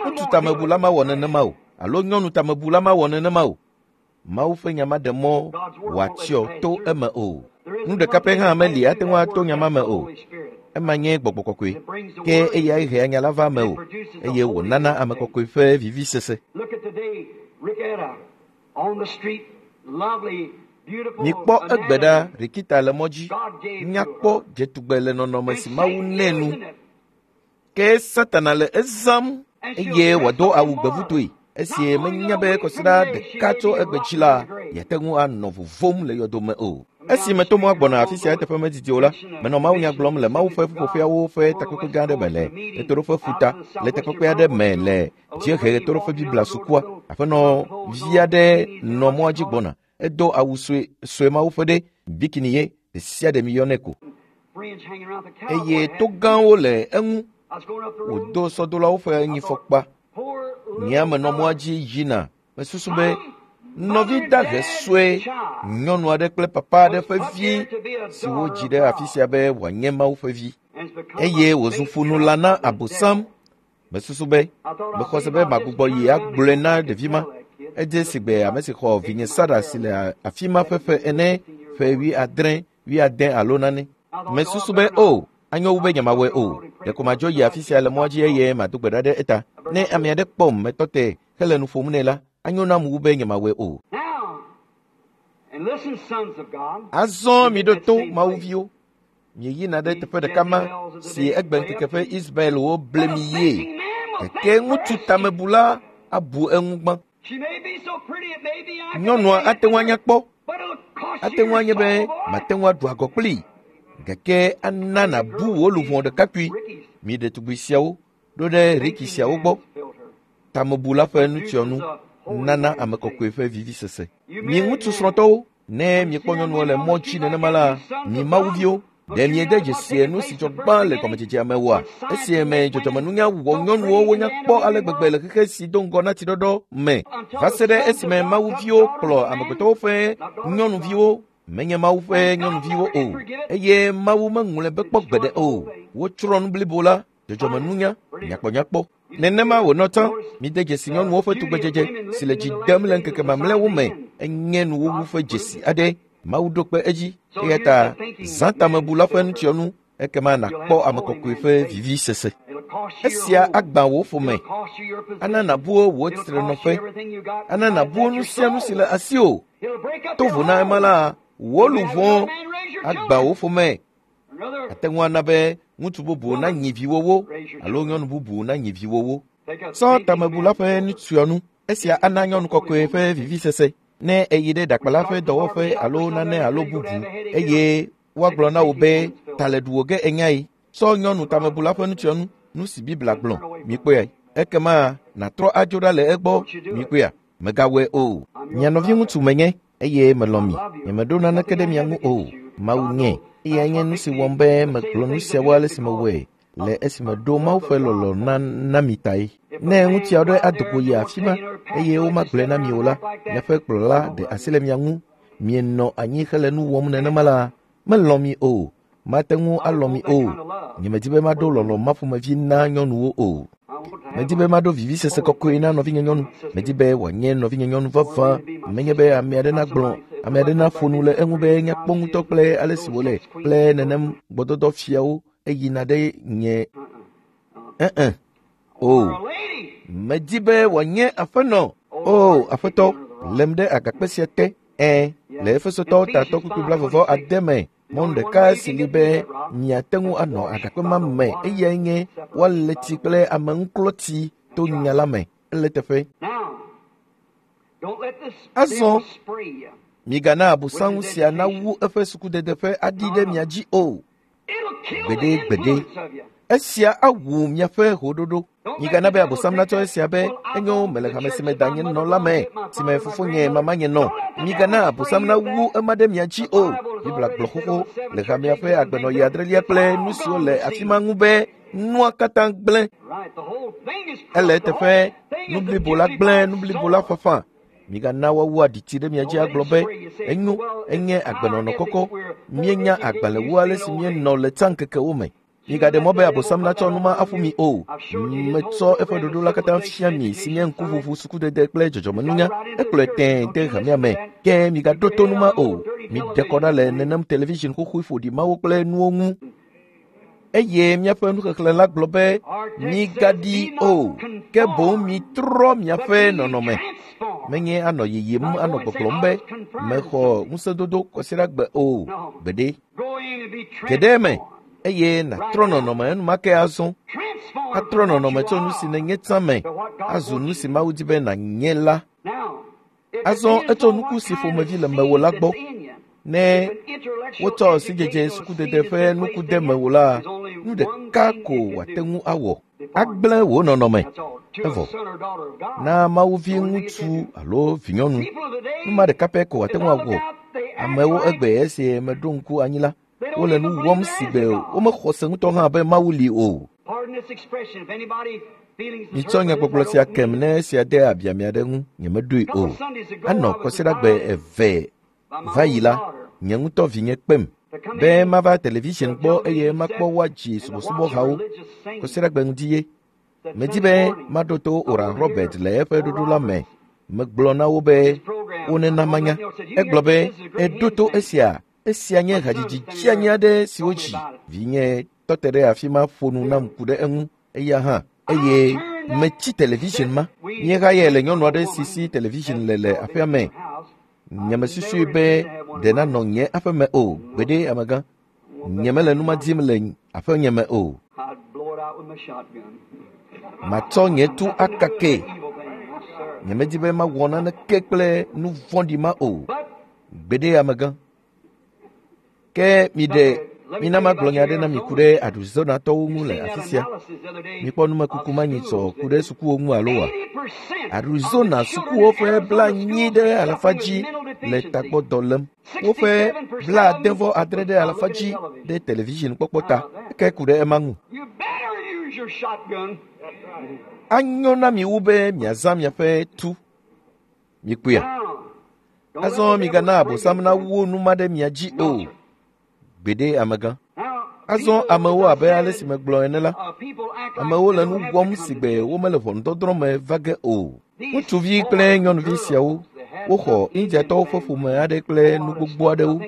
Ŋutsu tamebula mawɔ nenema o, alo nyɔnu tamebula mawɔ nenema o. Mawu ƒe nya maɖe mɔ wòatsyɔ to eme o. Nu ɖeka pɛ hã meli ate ŋu ato nya ma me o. Ema nye gbɔgbɔ kɔkɔe, ke eyae hea nya la va eme o, eye wònana ame kɔkɔe ƒe vivisese. Mikpɔ egbe ɖa Rikita le mɔ dzi. Nyakpɔ dzetugbe le nɔnɔme si Mawu nɛ nu. Ke Satana le ezãm eye wòado awu gbevutoe. Esi menya be kɔsiɖa ɖeka tso egbe dzi la, yeate ŋu anɔ vovom le yɔdome o. Esi meto mɔa gbɔna afi sia eteƒe medidi o la, menɔ mawunya gblɔm le Mawu ƒe ƒuƒoƒeawo ƒe takpekpe gã aɖe me le ɣetoɖoƒe ƒuta le takpekpe aɖe me le dziehe ɣetoɖoƒe Biblia sukua. Aƒenɔ vi aɖe nɔ mɔa dzi gbɔna. Edo awu sue sue mawo ƒe ɖe bikini ye ɖe sia ɖe miyɔnɛ ko. Eye to gãwo le eŋu. Wòdo sɔdolawo ƒe nyifɔkpa. Nyea menɔ mɔa dzi yina. Mesusu be nɔvi dahe sue nyɔnu aɖe kple papa aɖe ƒe vi si wodzi ɖe afi sia be wòanye Mawu ƒe vi eye wòzu ƒonula na Abosam. Mesusu be mexɔ se be magbugbɔ yi agblɔe na ɖevi ma. Edze si gbe ame si xɔ vinye Sara si le afi ma ƒe ƒe ene, ƒe 70, 80 alo nane. Mesusu be o, anyo wu be nyemawɔe o. Ɖeko madzo yi afi sia le mɔa dzi eye mado gbe ɖa ɖe eta. Ne ame aɖe kpɔm metɔ te hele nu ƒom nɛ la, anyo nam wu be nyemawɔe o. Azɔ miɖo to Mawuviwo. Mieyina ɖe teƒe ɖeka ma si egbe ŋkeke ƒe Ismaelwo ble mi yie. Gake ŋutsu tamebula abu eŋu gbã. Nyɔnua ate ŋu anya kpɔ. Ate ŋu anye be mate ŋu aɖu agɔ kplii. Gake ana nàbu wò luʋɔ ɖekakpui. Mi ɖetugbui siawo ɖo ɖe Riki siawo gbɔ. Tamebula ƒe nutsyɔnu nana ame kɔkɔe ƒe vivisese. Mi ŋutsu srɔ̃tɔwo, ne miekpɔ nyɔnuwo le mɔ dzi nenema la, mi mawuviwo, ɖe miede dzesi nu si dzɔ gbã le gɔmedzedzea me oa? Esi me dzɔdzɔmenunya wɔ nyɔnuwo wonya kpɔ ale gbegbe le xexe si do ŋgɔ na tsiɖɔɖɔ me va se ɖe esime mawuviwo kplɔ amegbetɔwo ƒe nyɔnuviwo menye Mawu ƒe nyɔnuviwo o eye Mawu meŋlɔe be kpɔ gbeɖe o. Wotsrɔ̃ nu blibo la, dzɔdzɔmenunya, nyakpɔnyakpɔ. Nenema wònɔ tsã. Mide dzesi nyɔnuwo ƒe tugbedzedze si le dzi dem le ŋkeke mamlɛawo me enye nuwuwu ƒe dzesi aɖe. Mawu ɖo kpe edzi. Eya ta zã tamebula ƒe nutsyɔnu ekema nàkpɔ ame kɔkɔe ƒe vivisese. Esia agbã wò ƒome, ana nàbu wò tsitrenɔƒe, ana nàbu nu sia nu si le asiwò. To vo na ema la, wò luʋɔ agbã wò ƒome. Ate ŋu ana be ŋutsu bubu nanyi viwòwo alo nyɔnu bubu nanyi viwòwo. Tsɔ tamebula ƒe nutsyɔnu. Esia ana nyɔnu kɔkɔe ƒe vivisese. Ne èyi ɖe ɖakpala ƒe dɔwɔƒe alo nane alo bubu eye woagblɔ na wò be ta le ɖuwò ge enyae, tsɔ nyɔnu tamebula ƒe nutsyɔnu, nu si Biblia gblɔ, mikpɔe. Ekema nàtrɔ adzo ɖa le egbɔ, mikpɔea. Mègawɔe o. Mia nɔviŋutsu menye eye melɔ̃ mi. Nyemeɖo naneke ɖe mia ŋu o. Mawu nye. Eyae nye nu si wɔm be megblɔ nu siawo ale si mewɔe le esime ɖo Mawu ƒe lɔlɔ̃ na mi tae. Ne ŋutsu aɖe ado go yi afi ma eye womagblɔe na mi o la, miaƒe kplɔla ɖe asi le mia ŋu. Mienɔ anyi hele nu wɔm nenema la, melɔ̃ mi o. Mate ŋu alɔ̃ mi o. Nyemedi be maɖo lɔlɔ̃ ma ƒomevi na nyɔnuwo o. Medi be maɖo vivisese kɔkɔe na nɔvinye nyɔnu. Medi be wòanye nɔvinye nyɔnu vavã. Menye be ame aɖe nagblɔ, ame aɖe naƒo nu le eŋu be nyakpɔ ŋutɔ kple ale si wòle kple nenem gbɔdɔdɔ fiawo eyina ɖe nye O. Medi be wòanye aƒenɔ. O, aƒetɔ, lém ɖe agakpe sia te. Ẽ, le Efesotɔwo tatɔ kpukpui 29 me. Mɔnu ɖeka si li be miate ŋu anɔ agakpe ma me eyae nye woalé tsi kple ameŋuklɔtsi to nya la me. Ele teƒe. Azɔ migana abosam sia nawu eƒe sukudede ƒe aɖi ɖe mia dzi o. Gbeɖe gbeɖe. Esia awu miaƒe hoɖoɖo. Migana be abosam natsɔ esia be enyo mele hame si me danye nɔ la me, si me fofonye mamanye nɔ. Migana abosam nawu ema ɖe mia dzi o. Biblia gblɔ xoxo le hamea ƒe agbenɔɣi adrelia kple nu siwo le afi ma ŋu be nua katã gblẽ. Ele eteƒe, nu blibo la gblẽ, nu blibo la ƒaƒã. Migana woawu aɖitsi ɖe mia dzi agblɔ be enyo, enye agbenɔnɔ kɔkɔ. Míenya agbalẽ wu ale si míenɔ le tsã ŋkekewo me. Migaɖe mɔ be abosam natsɔ nu ma aƒu mi o. Metsɔ eƒe ɖoɖo la katã fia mi si nye ŋkuʋuʋu, sukudede kple dzɔdzɔmenunya. Ekplɔe tẽe de hamea me. Ke migaɖo to nu ma o. Miɖe kɔ ɖa le nenem television xoxoe ƒoɖi mawo kple nuwo ŋu. Eye míaƒe nuxexlẽ la gblɔ be migaɖi o, ke boŋ mitrɔ miaƒe nɔnɔme. Menye anɔ yiyim anɔ gbɔgblɔm be mexɔ ŋusẽdodo kɔsiɖagbe o. Gbeɖe. Ge ɖe eme eye nàtrɔ nɔnɔme enumake azɔ. Atrɔ nɔnɔme tso nu si nènye tsã me azu nu si Mawu di be nànye la. Azɔ etso nuku si ƒomevi le mewò la gbɔ. Ne wotsɔ sidzedze sukudede ƒe nuku de mewò la, nu ɖeka ko wòate ŋu awɔ. Agblẽ wò nɔnɔme. Evɔ. Na Mawu vi ŋutsu alo vinyɔnu. Nu ma ɖeka pɛ ko wòate ŋu awɔ. Amewo egbe esi meɖo ŋku anyi la, wole nu wɔm si gbe womexɔ se ŋutɔ hã be Mawu li o. Mitsɔ nyagbɔgblɔ sia kem ne esia de abia mia ɖe ŋu, nyemeɖoe o. Anɔ kɔsiɖagbe eve va yi la, nye ŋutɔ vinye kpem be mava television gbɔ eye makpɔ woadzi subɔsubɔhawo kɔsiɖagbe ŋdi ye. Medi be maɖo to Oral Robert le eƒe ɖoɖo la me. Megblɔ na wo be wonena manya. Egblɔ be, eɖo to esia. Esia nye hadzidzi dzeani aɖe si wodzi. Vinye tɔ te ɖe afi ma ƒo nu nam ku ɖe eŋu. Eya hã. Eye metsi television ma. Míehayae le nyɔnu aɖe si si television le le aƒea me. Nyemesusui be ɖe nanɔ nye aƒeme o. Gbeɖe amegã. Nyemele nu ma dim le aƒenye me o. Matsɔ nye tu akake. Nyemedi be mawɔ naneke kple nu vɔ̃ɖi ma o. Gbeɖe amegã. Ke miɖe mina magblɔ nya aɖe na mi ku ɖe Arizonatɔwo ŋu le afi sia. Mikpɔ numekuku ma nyitsɔ ku ɖe sukuwo ŋu alo wa? Arizona sukuwo ƒe 90% dzi le tagbɔdɔ lém. Woƒe 76% dzi ɖe television kpɔkpɔ ta. Eke ku ɖe ema ŋu. Anyo na mi wu be miazã miaƒe tu. Mikpɔea? Azɔ migana Abosam nawu nu ma ɖe mia dzi o. Gbeɖe amegã. Azɔ amewo abe ale si megblɔ ene la, amewo le nu wɔm si gbe womele ʋɔnudɔdrɔ̃ me va ge o. Ŋutsuvi kple nyɔnuvi siawo, woxɔ Indiatɔwo ƒe ƒome aɖe kple nu gbogbo aɖewo.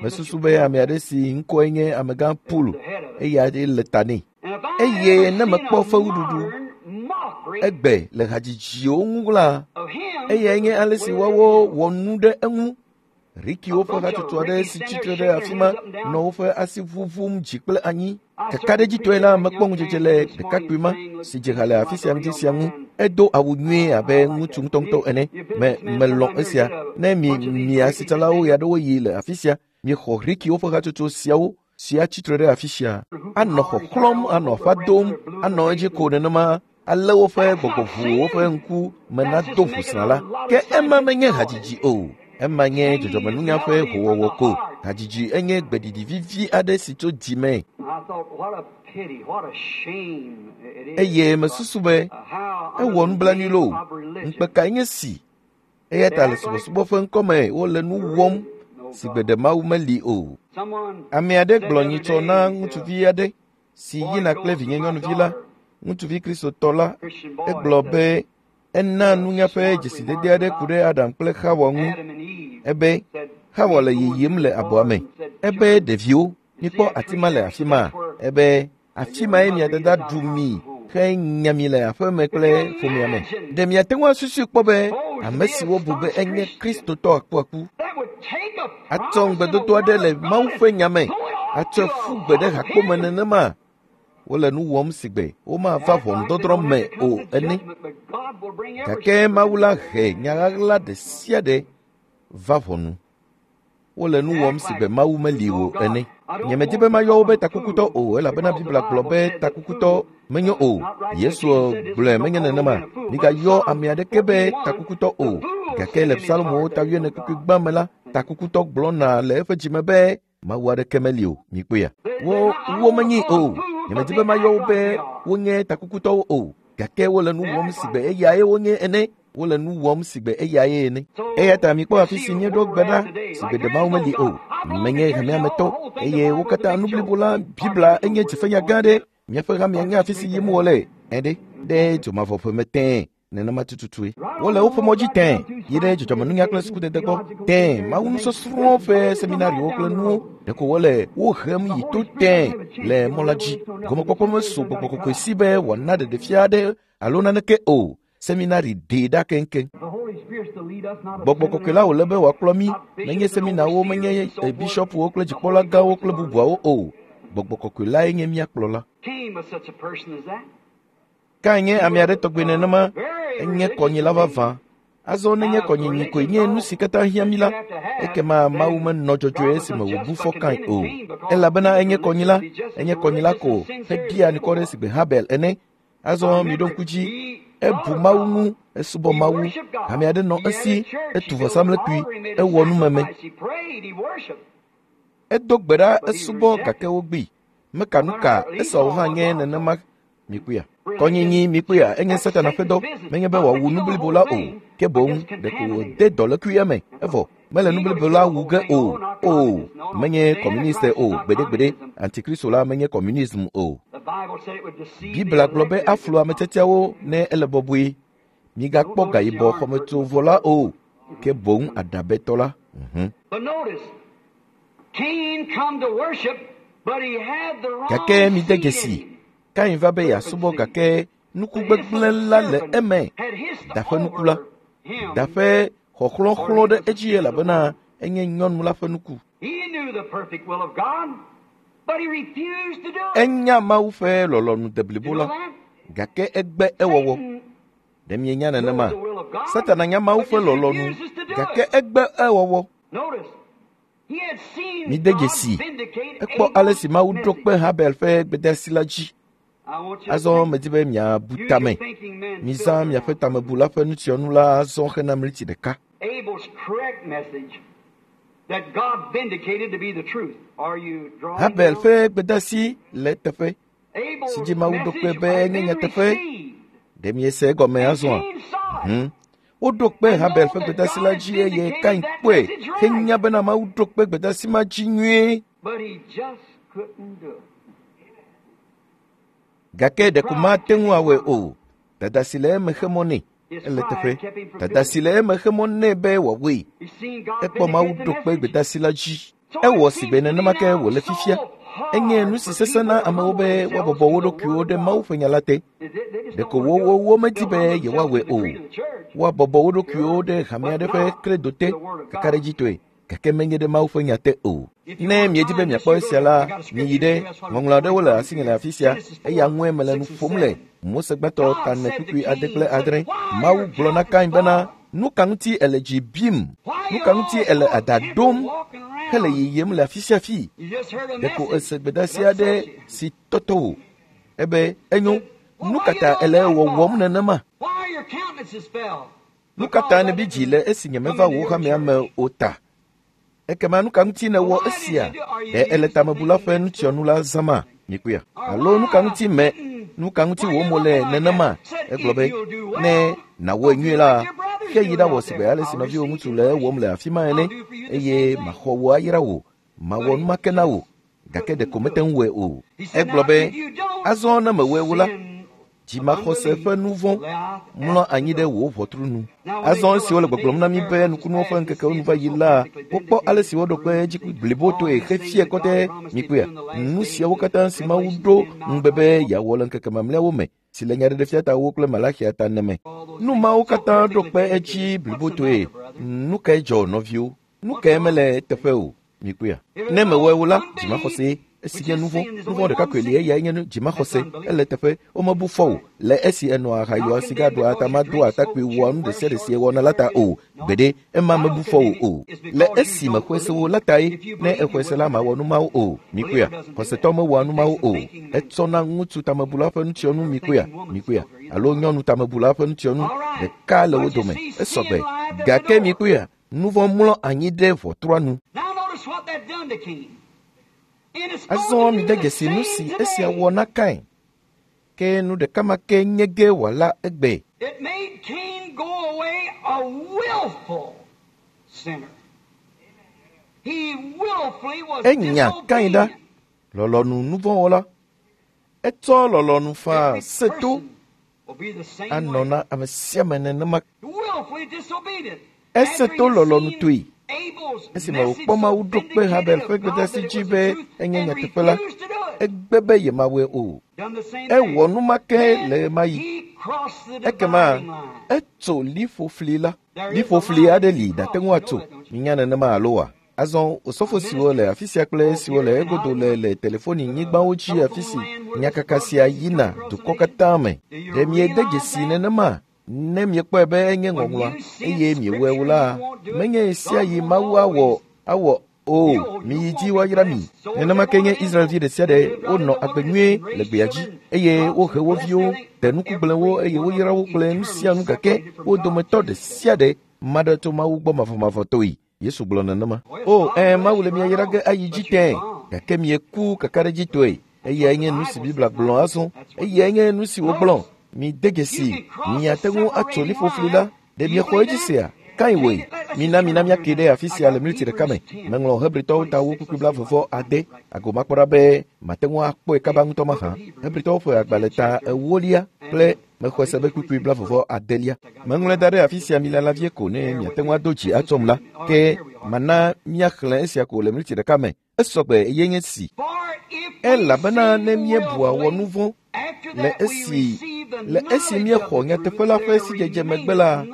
Mesusu be ame aɖe si ŋkɔe nye amegã Pool, eya le ta nɛ. Eye ne mekpɔ fewuɖuɖu egbe le hadzidziwo ŋu la, eyae nye ale si woawo wɔ nu ɖe eŋu. Rikiwo ƒe hatsotso aɖe si tsitre ɖe afi ma nɔ woƒe asi ʋuʋum dzi kple anyi. Kakaɖedzitɔe la, mekpɔ ŋudzedze le ɖekakpui ma si dze ha le afi sia ŋdi sia ŋu. Edo awu nyuie abe ŋutsu ŋutɔŋutɔ ene. Me melɔ̃ esia. Ne mi mia asitsalawo ɣeaɖewoɣi le afi sia, miexɔ Rikiwo ƒe hatsotso siawo si atsitre ɖe afi sia. Anɔ xɔxlɔ̃m, anɔ aƒa dom, anɔ edzi ko nenema ale woƒe gbɔgbɔ ʋu woƒe ŋku me nado ʋusrã la. Ke ema menye hadzidzi o. Ema nye dzɔdzɔmenunya ƒe howɔwɔ ko. Hadzidzi enye gbeɖiɖi vivi aɖe si tso dzi me. Eye mesusu be ewɔ nublanui loo. Ŋukpe kae nye si? Eya ta le subɔsubɔ ƒe ŋkɔme wole nu wɔm si gbe ɖe Mawu meli o. Ame aɖe gblɔ nyitsɔ na ŋutsuvi aɖe si yina kple vinyenyɔnuvi la, ŋutsuvi kristotɔ la, egblɔ be ena nunya ƒe dzesidede aɖe ku ɖe Adam kple Xawa ŋu. Ebe Xawa le yiyim le abɔa me. Ebe ɖeviwo, mikpɔ ati ma le afi ma. Ebe afi mae mia dada ɖu mi henya mi le aƒeme kple ƒomea me. Ɖe miate ŋu asusui kpɔ be ame siwo bu be enye kristotɔ akuaku atsɔ ŋugbedodo aɖe le Mawu ƒe nya me atsɔe ƒu gbe ɖe hakpome nenema? Wole nu wɔm si gbe womava ʋɔnudɔdrɔ̃ me o ene. Gake Mawu la he nya ɣaɣla ɖe sia ɖe va ʋɔnu. Wole nu wɔm si gbe Mawu meli o ene. Nyemedi be mayɔ wo be takukutɔ o elabena Biblia gblɔ be takukutɔ menyo o. Yesu gblɔe menye nenema. Migayɔ ame aɖeke be takukutɔ o. Gake le Psalmowo ta 40 kpukpui gbã me la, takukutɔ gblɔna le eƒe dzime be Mawu aɖeke meli o. Mikpɔea? Wo womenyi o. Nyemedi be mayɔ wo be wonye takukutɔwo o. Gake wole nu wɔm si gbe eyae wonye ene. Wole nu wɔm si gbe eyae ene. Eya ta mikpɔ afi si míeɖo gbe ɖa si gbe ɖe Mawu meli o. Menye hamea me tɔ eye wo katã nu blibo la Biblia enye dzifenya gã aɖe. Míaƒe hamea nye afi si yim wole ene ɖe dzomavɔ ƒe me tẽe. Nenema tututue. Wole woƒe mɔ dzi tẽe yi ɖe dzɔdzɔmenunya kple sukudede gbɔ tẽe. Mawu nusɔsrɔ̃ ƒe seminariwo kple nuwo ɖeko wole wo hem yi to tẽe le mɔ la dzi. Gɔmekpɔkpɔ mesu gbɔgbɔ kɔkɔe si be wòana ɖeɖefia aɖe alo naneke o. Seminari ɖee ɖa keŋkeŋ. Gbɔgbɔ kɔkɔe la wòle be wòakplɔ mí, menye seminawo, menye bishɔpuwo kple dzikpɔla gãwo kple bubuawo o. Gbɔgbɔ kɔkɔe lae nye mía kplɔla. Kain nye ame aɖe tɔgbe nenema, enye kɔnyila vavã. Azɔ nenye kɔnyinyi koe nye nu si katã hiã mí la, ekema Mawu menɔ dzɔdzɔe esime wòbu fɔ Kain o. Elabena enye kɔnyila, enye kɔnyila ko heɖia anukware sigbe Habel ene. Azɔ miɖo ŋku dzi, ebu Mawu ŋu, esubɔ Mawu, hame aɖe nɔ esi, etu vɔsamlekpui, ewɔ numeme. Edo gbe ɖa esubɔ gake wogbee. Meka nu ka Esau hã nye nenema mikpɔea. Kɔnyinyi mikpɔea enye Satana ƒe dɔ, menye be wòawu nu blibo la o, ke boŋ ɖeko wòde dɔlékui eme, evɔ mele nu blibo la wu ge o. O, menye kɔmuniste o, gbeɖegbeɖe, antikristo la menye kɔmunism o. Biblia gblɔ be aflu ame tiatiawo ne ele bɔbɔe. Migakpɔ gayibɔ xɔmetsovɔ la o, ke boŋ aɖabɛtɔ la. Gake mide dzesi, Kain va be yeasubɔ gake nuku gbegblẽ la le eme. Da ƒe nuku la, da ƒe xɔxlɔxlɔ ɖe edzi elabena enye nyɔnu la ƒe nuku. Enya Mawu ƒe lɔlɔ̃nu deblibo la, gake egbe ewɔwɔ. Ɖe mienya nenema? Satana nya Mawu ƒe lɔlɔ̃nu, gake egbe ewɔwɔ. Mide dzesi, ekpɔ ale si Mawu ɖo kpe Habel ƒe gbedeasi la dzi. Azɔ medi be miabu tame. Mizã miaƒe tamebula ƒe nutsyɔnu la azɔ hena mliti ɖeka. Habel ƒe gbedeasi le eteƒe si dzi Mawu ɖo kpe be enye nyateƒe. Ɖe miese egɔme azɔa? Woɖo kpe Habel ƒe gbedeasi la dzi eye Kain kpɔe henya bena Mawu ɖo kpe gbedeasi ma dzi nyuie. Gake ɖeko mate ŋu awɔe o. Dada si le eme xe mɔ nɛ. Ele teƒe. Dada si le eme xe mɔ nɛ be wòawɔe. Ekpɔ Mawu ɖo kpe gbedeasi la dzi. Ewɔ sigbe nenema ke wòle fifia. Enye nu si sesẽ na amewo be woabɔbɔ wo ɖokuiwo ɖe Mawu ƒe nya la te. Ɖeko wowo medi be yewoawɔe o. Woabɔbɔ wo ɖokuiwo ɖe hame aɖe ƒe kredo te kakaɖedzitɔe, gake menye ɖe Mawu ƒe nya te o. Ne miedi be miakpɔ esia la, miyi ɖe ŋɔŋlɔ aɖewo le asinye le afi sia, eya ŋue mele nu ƒom le. Mose gbãtɔ ta ene kpukpui ade kple adre. Mawu gblɔ na Kain bena, nu ka ŋuti ele dzi bim? Nu ka ŋuti ele ada ɖom hele yiyim le afi sia afi? Ɖeko ese gbedeasi aɖe si tɔtɔ wò. Ebe enyo, nu ka ta ele wɔwɔm nenema? Nu ka ta nèbi dzi le esi nyemeva wò hamea me o ta? Ekema nu ka ŋuti nèwɔ esia? Ɖe ele tamebula ƒe nutsyɔnu la zãma? Mikpɔea? Alo nu ka ŋuti me, nu ka ŋuti wò mo le nenema? Egblɔ be, ne nàwɔe nyuie la, ke yi ɖawɔ sigbe ale si nɔviwò ŋutsu le ewɔm le afi ma ene, eye maxɔ wò ayra wò, mawɔ nu ma ke na wò. Gake ɖeko mete ŋu wɔe o. Egblɔ be, azɔ ne mewɔe o la, dzimaxɔse ƒe nu vɔ̃ mlɔ anyi ɖe wò ʋɔtru nu. Azɔ esi wole gbɔgblɔm na mí be nukunuwo ƒe ŋkekewo nu va yi la, wokpɔ ale si woɖo kpe edzi blibotoe xefia kɔtɛ. Mikpɔea? Nu siawo katã si Mawu ɖo ŋugbe be yeawɔ le ŋkeke mamlɛawo me, si le Nyaɖeɖefia ta ewo kple Malaxia ta ene me. Nu mawo katã ɖo kpe edzi blibotoe. Nu kae dzɔ, nɔviwo? Nu kae mele eteƒe o? Mikpɔea? Ne mewɔe o la, dzimaxɔsee. Esi nye nu vɔ̃, nu vɔ̃ ɖeka koe li eyae nye dzimaxɔse. Ele teƒe, womebu fɔ o le esi enɔa aha yɔa siga ɖua atama doa atakpui wɔa nu ɖe sia ɖe si ewɔna la ta o. Gbeɖe, ema mebu fɔ o o. Le esi mexɔe se wo la tae, ne exɔe se la mawɔ nu mawo o. Mikpɔea? Xɔsetɔ mewɔa nu mawo o. Etsɔna ŋutsu tamebula ƒe nutsyɔnu mikpɔea? Mikpɔea? Alo nyɔnu tamebula ƒe nutsyɔnu ɖeka le wo dome. Esɔgbe. Gake mikpɔea? Nu vɔ̃ mlɔ anyi ɖe ʋɔtrua nu. Azɔ mide dzesi nu si esia wɔ na Kain. Ke nu ɖeka ma ke nye ge wòala egbe. Enya Kain ɖa, lɔlɔ̃nu nuvɔ̃wɔla. Etsɔ lɔlɔ̃nu faa se to anɔ na ame sia ame nenema. Ese to lɔlɔ̃nutɔe. Esime wòkpɔ Mawu ɖo kpe Habel ƒe gbedeasi dzi be enye nyateƒe la, egbe be yemawɔe o. Ewɔ nu ma ke le ɣemaɣi. Ekema etso liƒofli la. Liƒofli aɖe li nàte ŋu atso. Minya nenema alo oa? Azɔ osɔfo siwo le afi sia kple esiwo le egodo le le telefoni nyigbawo dzi afi si nyakaka sia yina dukɔ katã me. Ɖe miede dzesi nenema? Ne miekpɔe be enye ŋɔŋlɔa eye miewɔe o la, menye ɣe sia ɣi Mawu awɔ awɔ o miyi dzi woayra mi. Nenema ke nye Israelvi ɖe sia ɖe wonɔ agbe nyuie le gbea dzi eye wohe wo viwo, de nukugblẽwo eye woyra wo kple nu sia nu gake wo dometɔ ɖe sia ɖe ma ɖe tso Mawu gbɔ mavɔmavɔtɔe. Yesu gblɔ nenema. O, ẽ, Mawu le mia yra ge ayi dzi tẽe, gake mieku kakaɖedzitɔe. Eyae nye nu si Biblia gblɔ azɔ. Eyae nye nu si wògblɔ. Mide dzesi, miate ŋu atso liƒofli la. Ɖe miexɔ edzi sea? Kain wɔe. Mina mina míake ɖe afi sia le miniti ɖeka me. Meŋlɔ Hebritɔwo ta wo kpukpui 16. Agomakpɔ ɖa be mate ŋu akpɔe kaba ŋutɔ mahã. Hebritɔwo ƒe agbalẽ ta 8 kple mexɔe se be kpukpui 26. Meŋlɔe da ɖe afi sia mi lala vie ko ne miate ŋu ado dzi atsɔm la. Ke mana míaxlẽ esia ko le miniti ɖeka me. Esɔgbe eye nye si. Elabena ne míebua wɔ nu vɔ̃ le esi le esi míexɔ nyateƒe la ƒe sidzedze megbe la,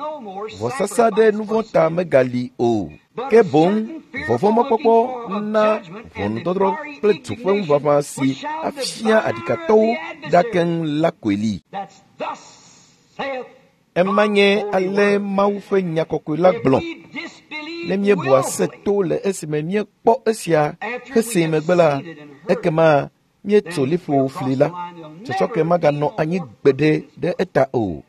vɔsasa ɖe nu vɔ̃ ta megali o. Ke boŋ vɔvɔ̃mɔkpɔkpɔ na ʋɔnudɔdrɔ̃ kple du ƒe ŋuʋaʋã si afia aɖikatɔwo ɖa keŋ la koe li. Ema nye ale Mawu ƒe nya kɔkɔe la gblɔ. Ne míebua se to le esime míekpɔ esia hesee megbe la, ekema míetso liƒo fli la. Tsɔtsɔke maganɔ anyi gbeɖe ɖe eta o.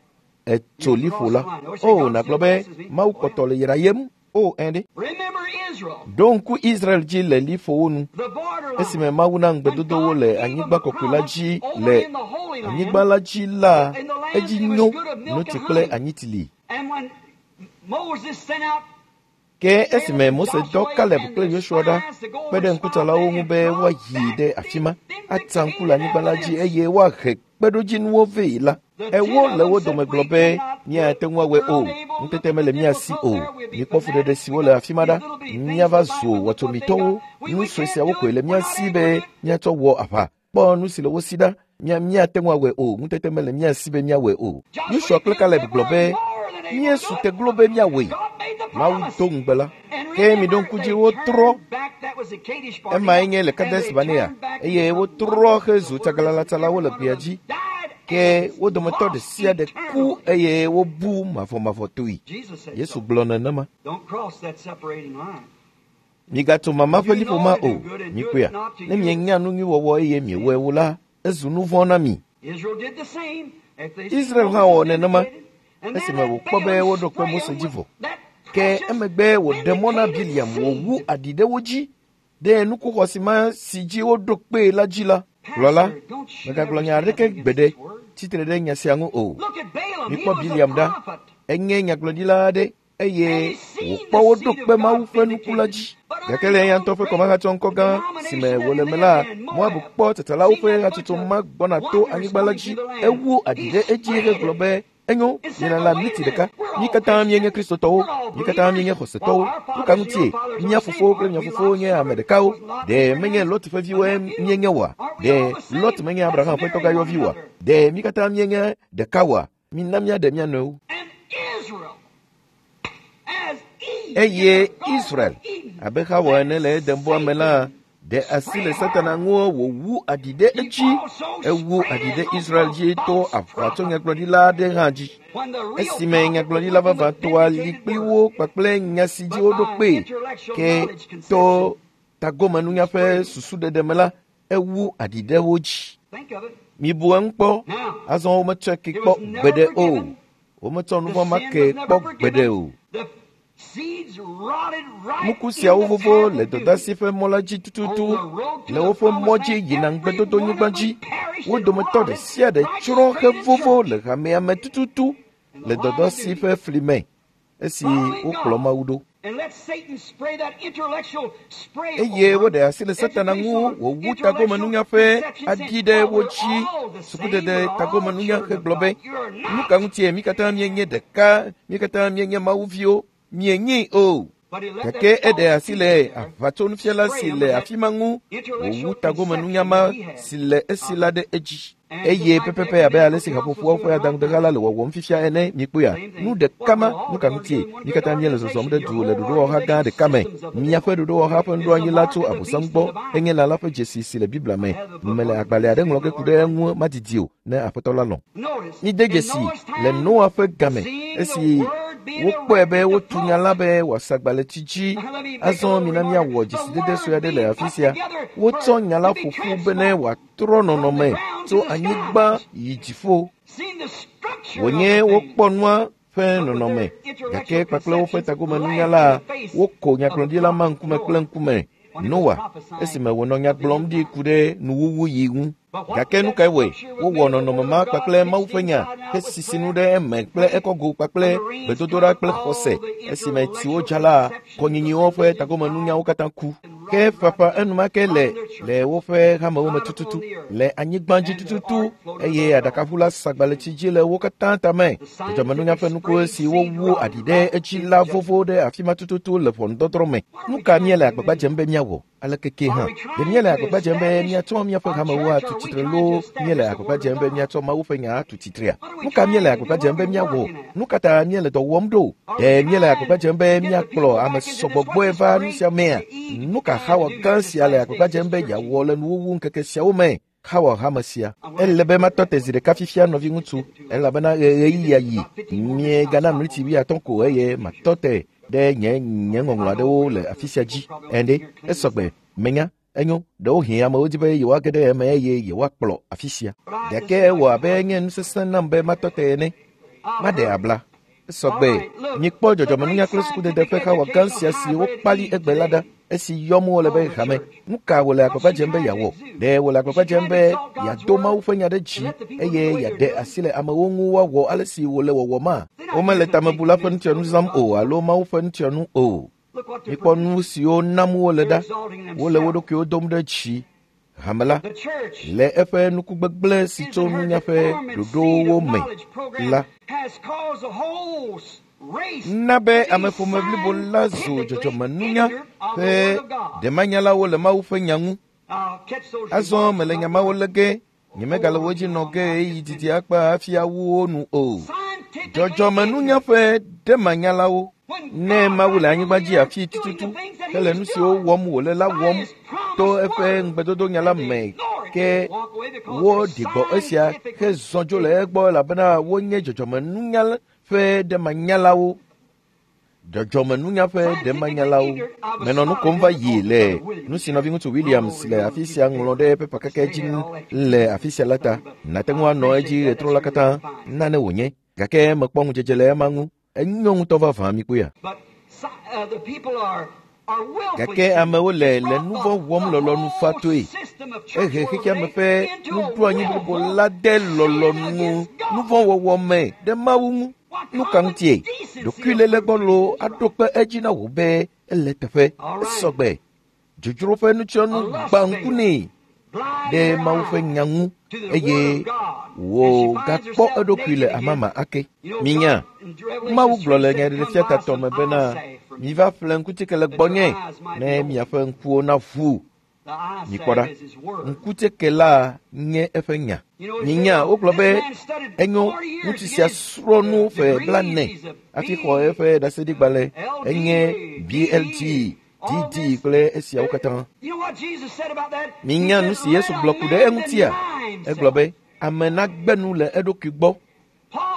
Etso liƒo la. O, nàgblɔ be Mawu kpɔtɔ le yrayem. O, ẽ ɖe. Ɖo ŋku Israel dzi le liƒowo nu. Esime Mawu na ŋugbedodowo le anyigba kɔkɔe la dzi le anyigba la dzi la, edzi nyo notsi kple anyitsi li. Ke esime Mose dɔ Kaleb kple Yosua ɖa kpe ɖe ŋkutsalawo ŋu be woayi ɖe afi ma, atsa ŋku le anyigba la dzi eye woahe kpeɖodzinuwo vɛ la, ewo le wo dome gblɔ be míate ŋu awɔe o, ŋutete mele mía si o. Mikpɔ fuɖeɖe siwo le afi ma ɖa. Míava zu wɔtsomitɔwo. Nu sue siawo koe le mía si be míatsɔ wɔ aʋa. Kpɔ nu si le wo si ɖa. Míate ŋu awɔe o, ŋutete mele mía si be míawɔe o. Yosua kple Kaleb gblɔ be míesu te glo be míawɔe. Mawu do ŋugbe la. Ke miɖo ŋku dzi wotrɔ. Emae nye le Kades Barnea eye wotrɔ hezu tsaglãlatsalawo le gbea dzi. Ke wo dometɔ ɖe sia ɖe ku eye wobu mavɔmavɔtɔe. Yesu gblɔ nenema. Migatso mama ƒe liƒo ma o. Mikpɔea, ne mienya nu nyui wɔwɔ eye miewɔe o la, ezu nu vɔ̃ na mi. Israel hã wɔ nenema esime wòkpɔ be woɖo kpe Mose dzi vɔ. Ke emegbe wòɖe mɔ na Biliam wòwu aɖi ɖe wo dzi ɖe nukuxɔsi ma si dzi woɖo kpee la dzi la. Gblɔla, mègagblɔ nya aɖeke gbeɖe tsitre ɖe nya sia ŋu o. Mikpɔ Biliam ɖa. Enye nyagblɔɖila aɖe eye wòkpɔ woɖo kpe Mawu ƒe nuku la dzi. Gake le eya ŋutɔ ƒe kɔmahatsɔŋkɔ gã si me wòle me la, Moab kpɔ tsatsalawo ƒe hatsotso ma gbɔna to anyigba la dzi. Ewu aɖi ɖe edzi hegblɔ be, enyo, mielala miniti ɖeka. Mí katã míenye Kristotɔwo. Mí katã míenye xɔsetɔwo. Nu ka ŋutie? Mía fofowo kple mia fofowo nye ame ɖekawo. Ɖe menye Lot ƒe viwoe míenye oa? Ɖe Lot menye Abraham ƒe tɔgãyɔvi oa? Ɖe mí katã míenye ɖeka oa? Mina míaɖe mía nɔewo. Eye Israel, abe Xawa ene le Edenbɔa me la, ɖe asi le Satana ŋu wòwu aɖi ɖe edzi. Ewu aɖi ɖe Israel dzi to aʋatsonyagblɔɖila aɖe hã dzi. Esime nyagblɔɖila vavãtɔa li kpli wo kpakple nya si dzi woɖo kpee, ke to tagomenunya ƒe susuɖeɖe me la, ewu aɖi ɖe wo dzi. Mibu eŋu kpɔ. Azɔ wometsɔe ke kpɔ gbeɖe o. Wometsɔ nu vɔ̃ ma ke kpɔ gbeɖe o. Nuku siawo vovo le dɔdeasi ƒe mɔ la dzi tututu le woƒe mɔ dzi yina ŋugbedodonyigba dzi. Wo dometɔ ɖe sia ɖe tsrɔ̃ hevovo le hamea me tututu le dɔdeasi ƒe fli me esi wokplɔ Mawu ɖo. Eye woɖe asi le Satana ŋu wòwu tagomenunya ƒe aɖi ɖe wo dzi. Sukudede tagomenunya hegblɔ be, nu ka ŋutie mí katã míenye ɖeka, mí katã míenye Mawu viwo, mienyi o. Gake eɖe asi le aʋatsonufiala si le afi ma ŋu wòwu tagomenunya ma si le esi la ɖe edzi. Eye pɛpɛpɛ abe ale si haƒoƒoawo ƒe adaŋudeha la le wɔwɔm fifia ene, mikpɔea, nu ɖeka ma, nu ka ŋutie? Mi katã míele zɔzɔm ɖe du le ɖoɖowɔha gã ɖeka me. Miaƒe ɖoɖowɔha ƒe nuɖoanyi la tso Abosam gbɔ henye lã la ƒe dzesi si le Biblia me. Mele agbalẽ aɖe ŋlɔ ge ku ɖe eŋu madidi o, ne Aƒetɔ la lɔ̃. Mide dzesi le Noa ƒe game esi wokpɔe be wotu nya la be wòasa agbalẽtsi dzi. Azɔ mina míawɔ dzesidede sue aɖe le afi sia. Wotsɔ nya la ƒo ƒu bene wòatrɔ nɔnɔme tso anyigba yi dziƒo. Wònye wokpɔ nua ƒe nɔnɔme, gake kpakple woƒe tagomenunya la, woko nyagblɔɖila ma ŋkume kple ŋkume. Noa, esime wònɔ nya gblɔm ɖi ku ɖe nuwuwu yi ŋu. Gake nu kae wɔe? Wowɔ nɔnɔme ma kpakple Mawu ƒe nya hesisi nu ɖe eme kple ekɔgo kpakple gbedodoɖa kple xɔse. Esime tsiwo dza la, kɔnyinyiwo ƒe tagomenunyawo katã ku. Ke ƒaƒã enumake le le woƒe hamewo me tututu, le anyigba dzi tututu, eye aɖakaʋu la sa agbalẽtsi dzi le wo katã tame. Dzɔdzɔmenunya ƒe nuku si wowu aɖi ɖe edzi la vovo ɖe afi ma tututu le ʋɔnudɔdrɔ̃ me. Nu ka míele agbagba dzem be míawɔ? Aleke ke hã, ɖe míele agbagba dzem be míatsɔ míaƒe hamewo atu tsitre loo míele agbagba dzem be míatsɔ Mawu ƒe nya atu tsitrea? Nu ka míele agbagba dzem be míawɔ? Nu ka ta míele dɔ wɔm ɖo? Ɖe míele agbagba dzem be míakplɔ ame sɔgbɔ gbɔe va nu sia mea? Nu ka Xawa gã sia le agbagba dzem be yeawɔ le nuwuwu ŋkeke siawo me? Xawa hame sia. Ele be matɔ te zi ɖeka fifia nɔviŋutsu, elabena ɣeyiɣia yi. Miegana mliti 50 ko eye matɔ te ɖe nye nye ŋɔŋlɔ aɖewo le afi sia dzi. Ɛnde, esɔgbe, menya, enyo, ɖewohĩ amewo di be yewoage ɖe eme eye yewoakplɔ afi sia. Gake ewɔ abe nye nu sesẽ nam be matɔ te ene. Maɖe abla. Esɔgbe, mikpɔ dzɔdzɔmenunya kple sukudede ƒe xawa gã sia si wokpali egbe la ɖa, esi yɔm wole be hame. Nu ka wòle agbagba dzem be yeawɔ? Ɖe wòle agbagba dzem be yeado Mawu ƒe nya ɖe dzi eye yeaɖe asi le amewo ŋu woawɔ ale si wòle wɔwɔma? Womele tamebula ƒe nutiɔnu zãm o alo Mawu ƒe nutiɔnu o. Mikpɔ nu siwo nam wole ɖa. Wole wo ɖokuiwo dom ɖe dzi. Hame la, le eƒe nukugbegblẽ si tso nunya ƒe ɖoɖowo me la, na be ameƒome blibo la zu dzɔdzɔmenunya ƒe ɖemanyalawo le Mawu ƒe nya ŋu. Azɔ mele nya mawo lé ge, nyemegale wo dzi nɔ ge ɣeyiɣi didi akpa hafi awu wo nu o. Dzɔdzɔmenunya ƒe ɖemanyalawo. Ne Mawu le anyigba dzi afi tututu hele nu siwo wɔm wòle la wɔm to eƒe ŋugbedodonya la me, ke woɖi gbɔ esia hezɔ dzo le egbɔ elabena wonye dzɔdzɔmenunya ƒe ɖemanyalawo. Dzɔdzɔmenunya ƒe ɖemanyalawo. Menɔ nu kom va yi le nu si nɔviŋutsu Williams le afi sia ŋlɔ ɖe pepa keke dzi le afi sia la ta. Nàte ŋu anɔ edzi ɣetrɔ la katã, nane wònye. Gake mekpɔ ŋudzedze le ema ŋu. Enyo ŋutɔ vavã, mikpɔea. Gake amewo le le nu vɔ̃ wɔm lɔlɔ̃nu fatoe. Ehe xexeame ƒe nuɖoanyi blibo la de lɔlɔ̃nu nu vɔ̃ wɔwɔ me ɖe Mawu ŋu. Nu ka ŋutie? Ɖokuiléle gbɔlo aɖo kpe edzi na wò be ele teƒe. Esɔgbe. Dzodzro ƒe nutiɔnu gbã ŋku nɛ ɖe Mawu ƒe nya ŋu eye wògakpɔ eɖokui le amama ake. Minya, Mawu gblɔ le Nyaɖeɖefia tatɔ me bena, miva ƒle ŋkutike le gbɔnye ne miaƒe ŋkuwo naʋu. Mikpɔ ɖa, ŋkutike la nye eƒe nya. Minya, wogblɔ be enyo, ŋutsu sia srɔ̃ nu ƒe 40 hafi xɔ eƒe ɖaseɖigbalẽ, enye BLG, DD kple esiawo katã. Minya nu si Yesu gblɔ ku ɖe eŋutia? Egblɔ be, ame nagbe nu le eɖokui gbɔ.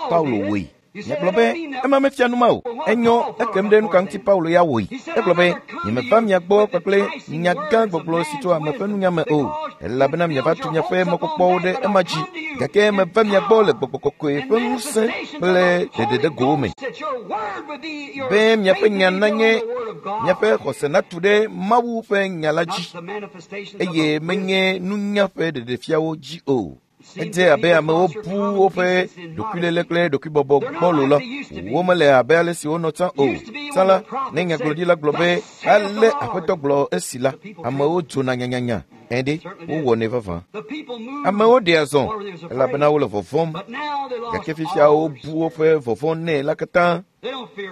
Paulo wɔe. Nyagblɔ be, ema mefia nu ma o. Enyo, ekem ɖe nu ka ŋuti Paulo ya wɔe. Egblɔ be, nyemeva mia gbɔ kpakple nya gã gbɔgblɔ si tso ame ƒe nunya me o, elabena miava tu miaƒe mɔkpɔkpɔwo ɖe ema dzi. Gake meva mia gbɔ le gbɔgbɔ kɔkɔe ƒe ŋusẽ kple ɖeɖeɖegowo me, be miaƒe nya nanye miaƒe xɔse natu ɖe Mawu ƒe nya la dzi, eye menye nunya ƒe ɖeɖefiawo dzi o. Edze abe amewo bu woƒe ɖokuilélé kple ɖokuibɔbɔ gbɔlo la. Womele abe ale si wonɔ tsã o. Tsã la, ne nyagblɔɖila gblɔ be ale Aƒetɔ gblɔ esi la, amewo dzona nyanyanya. Ɛɖe, wowɔnɛ vavã. Amewo ɖea zɔ elabena wole vɔvɔ̃m. Gake fifia wobu woƒe vɔvɔ̃ nɛ la katã.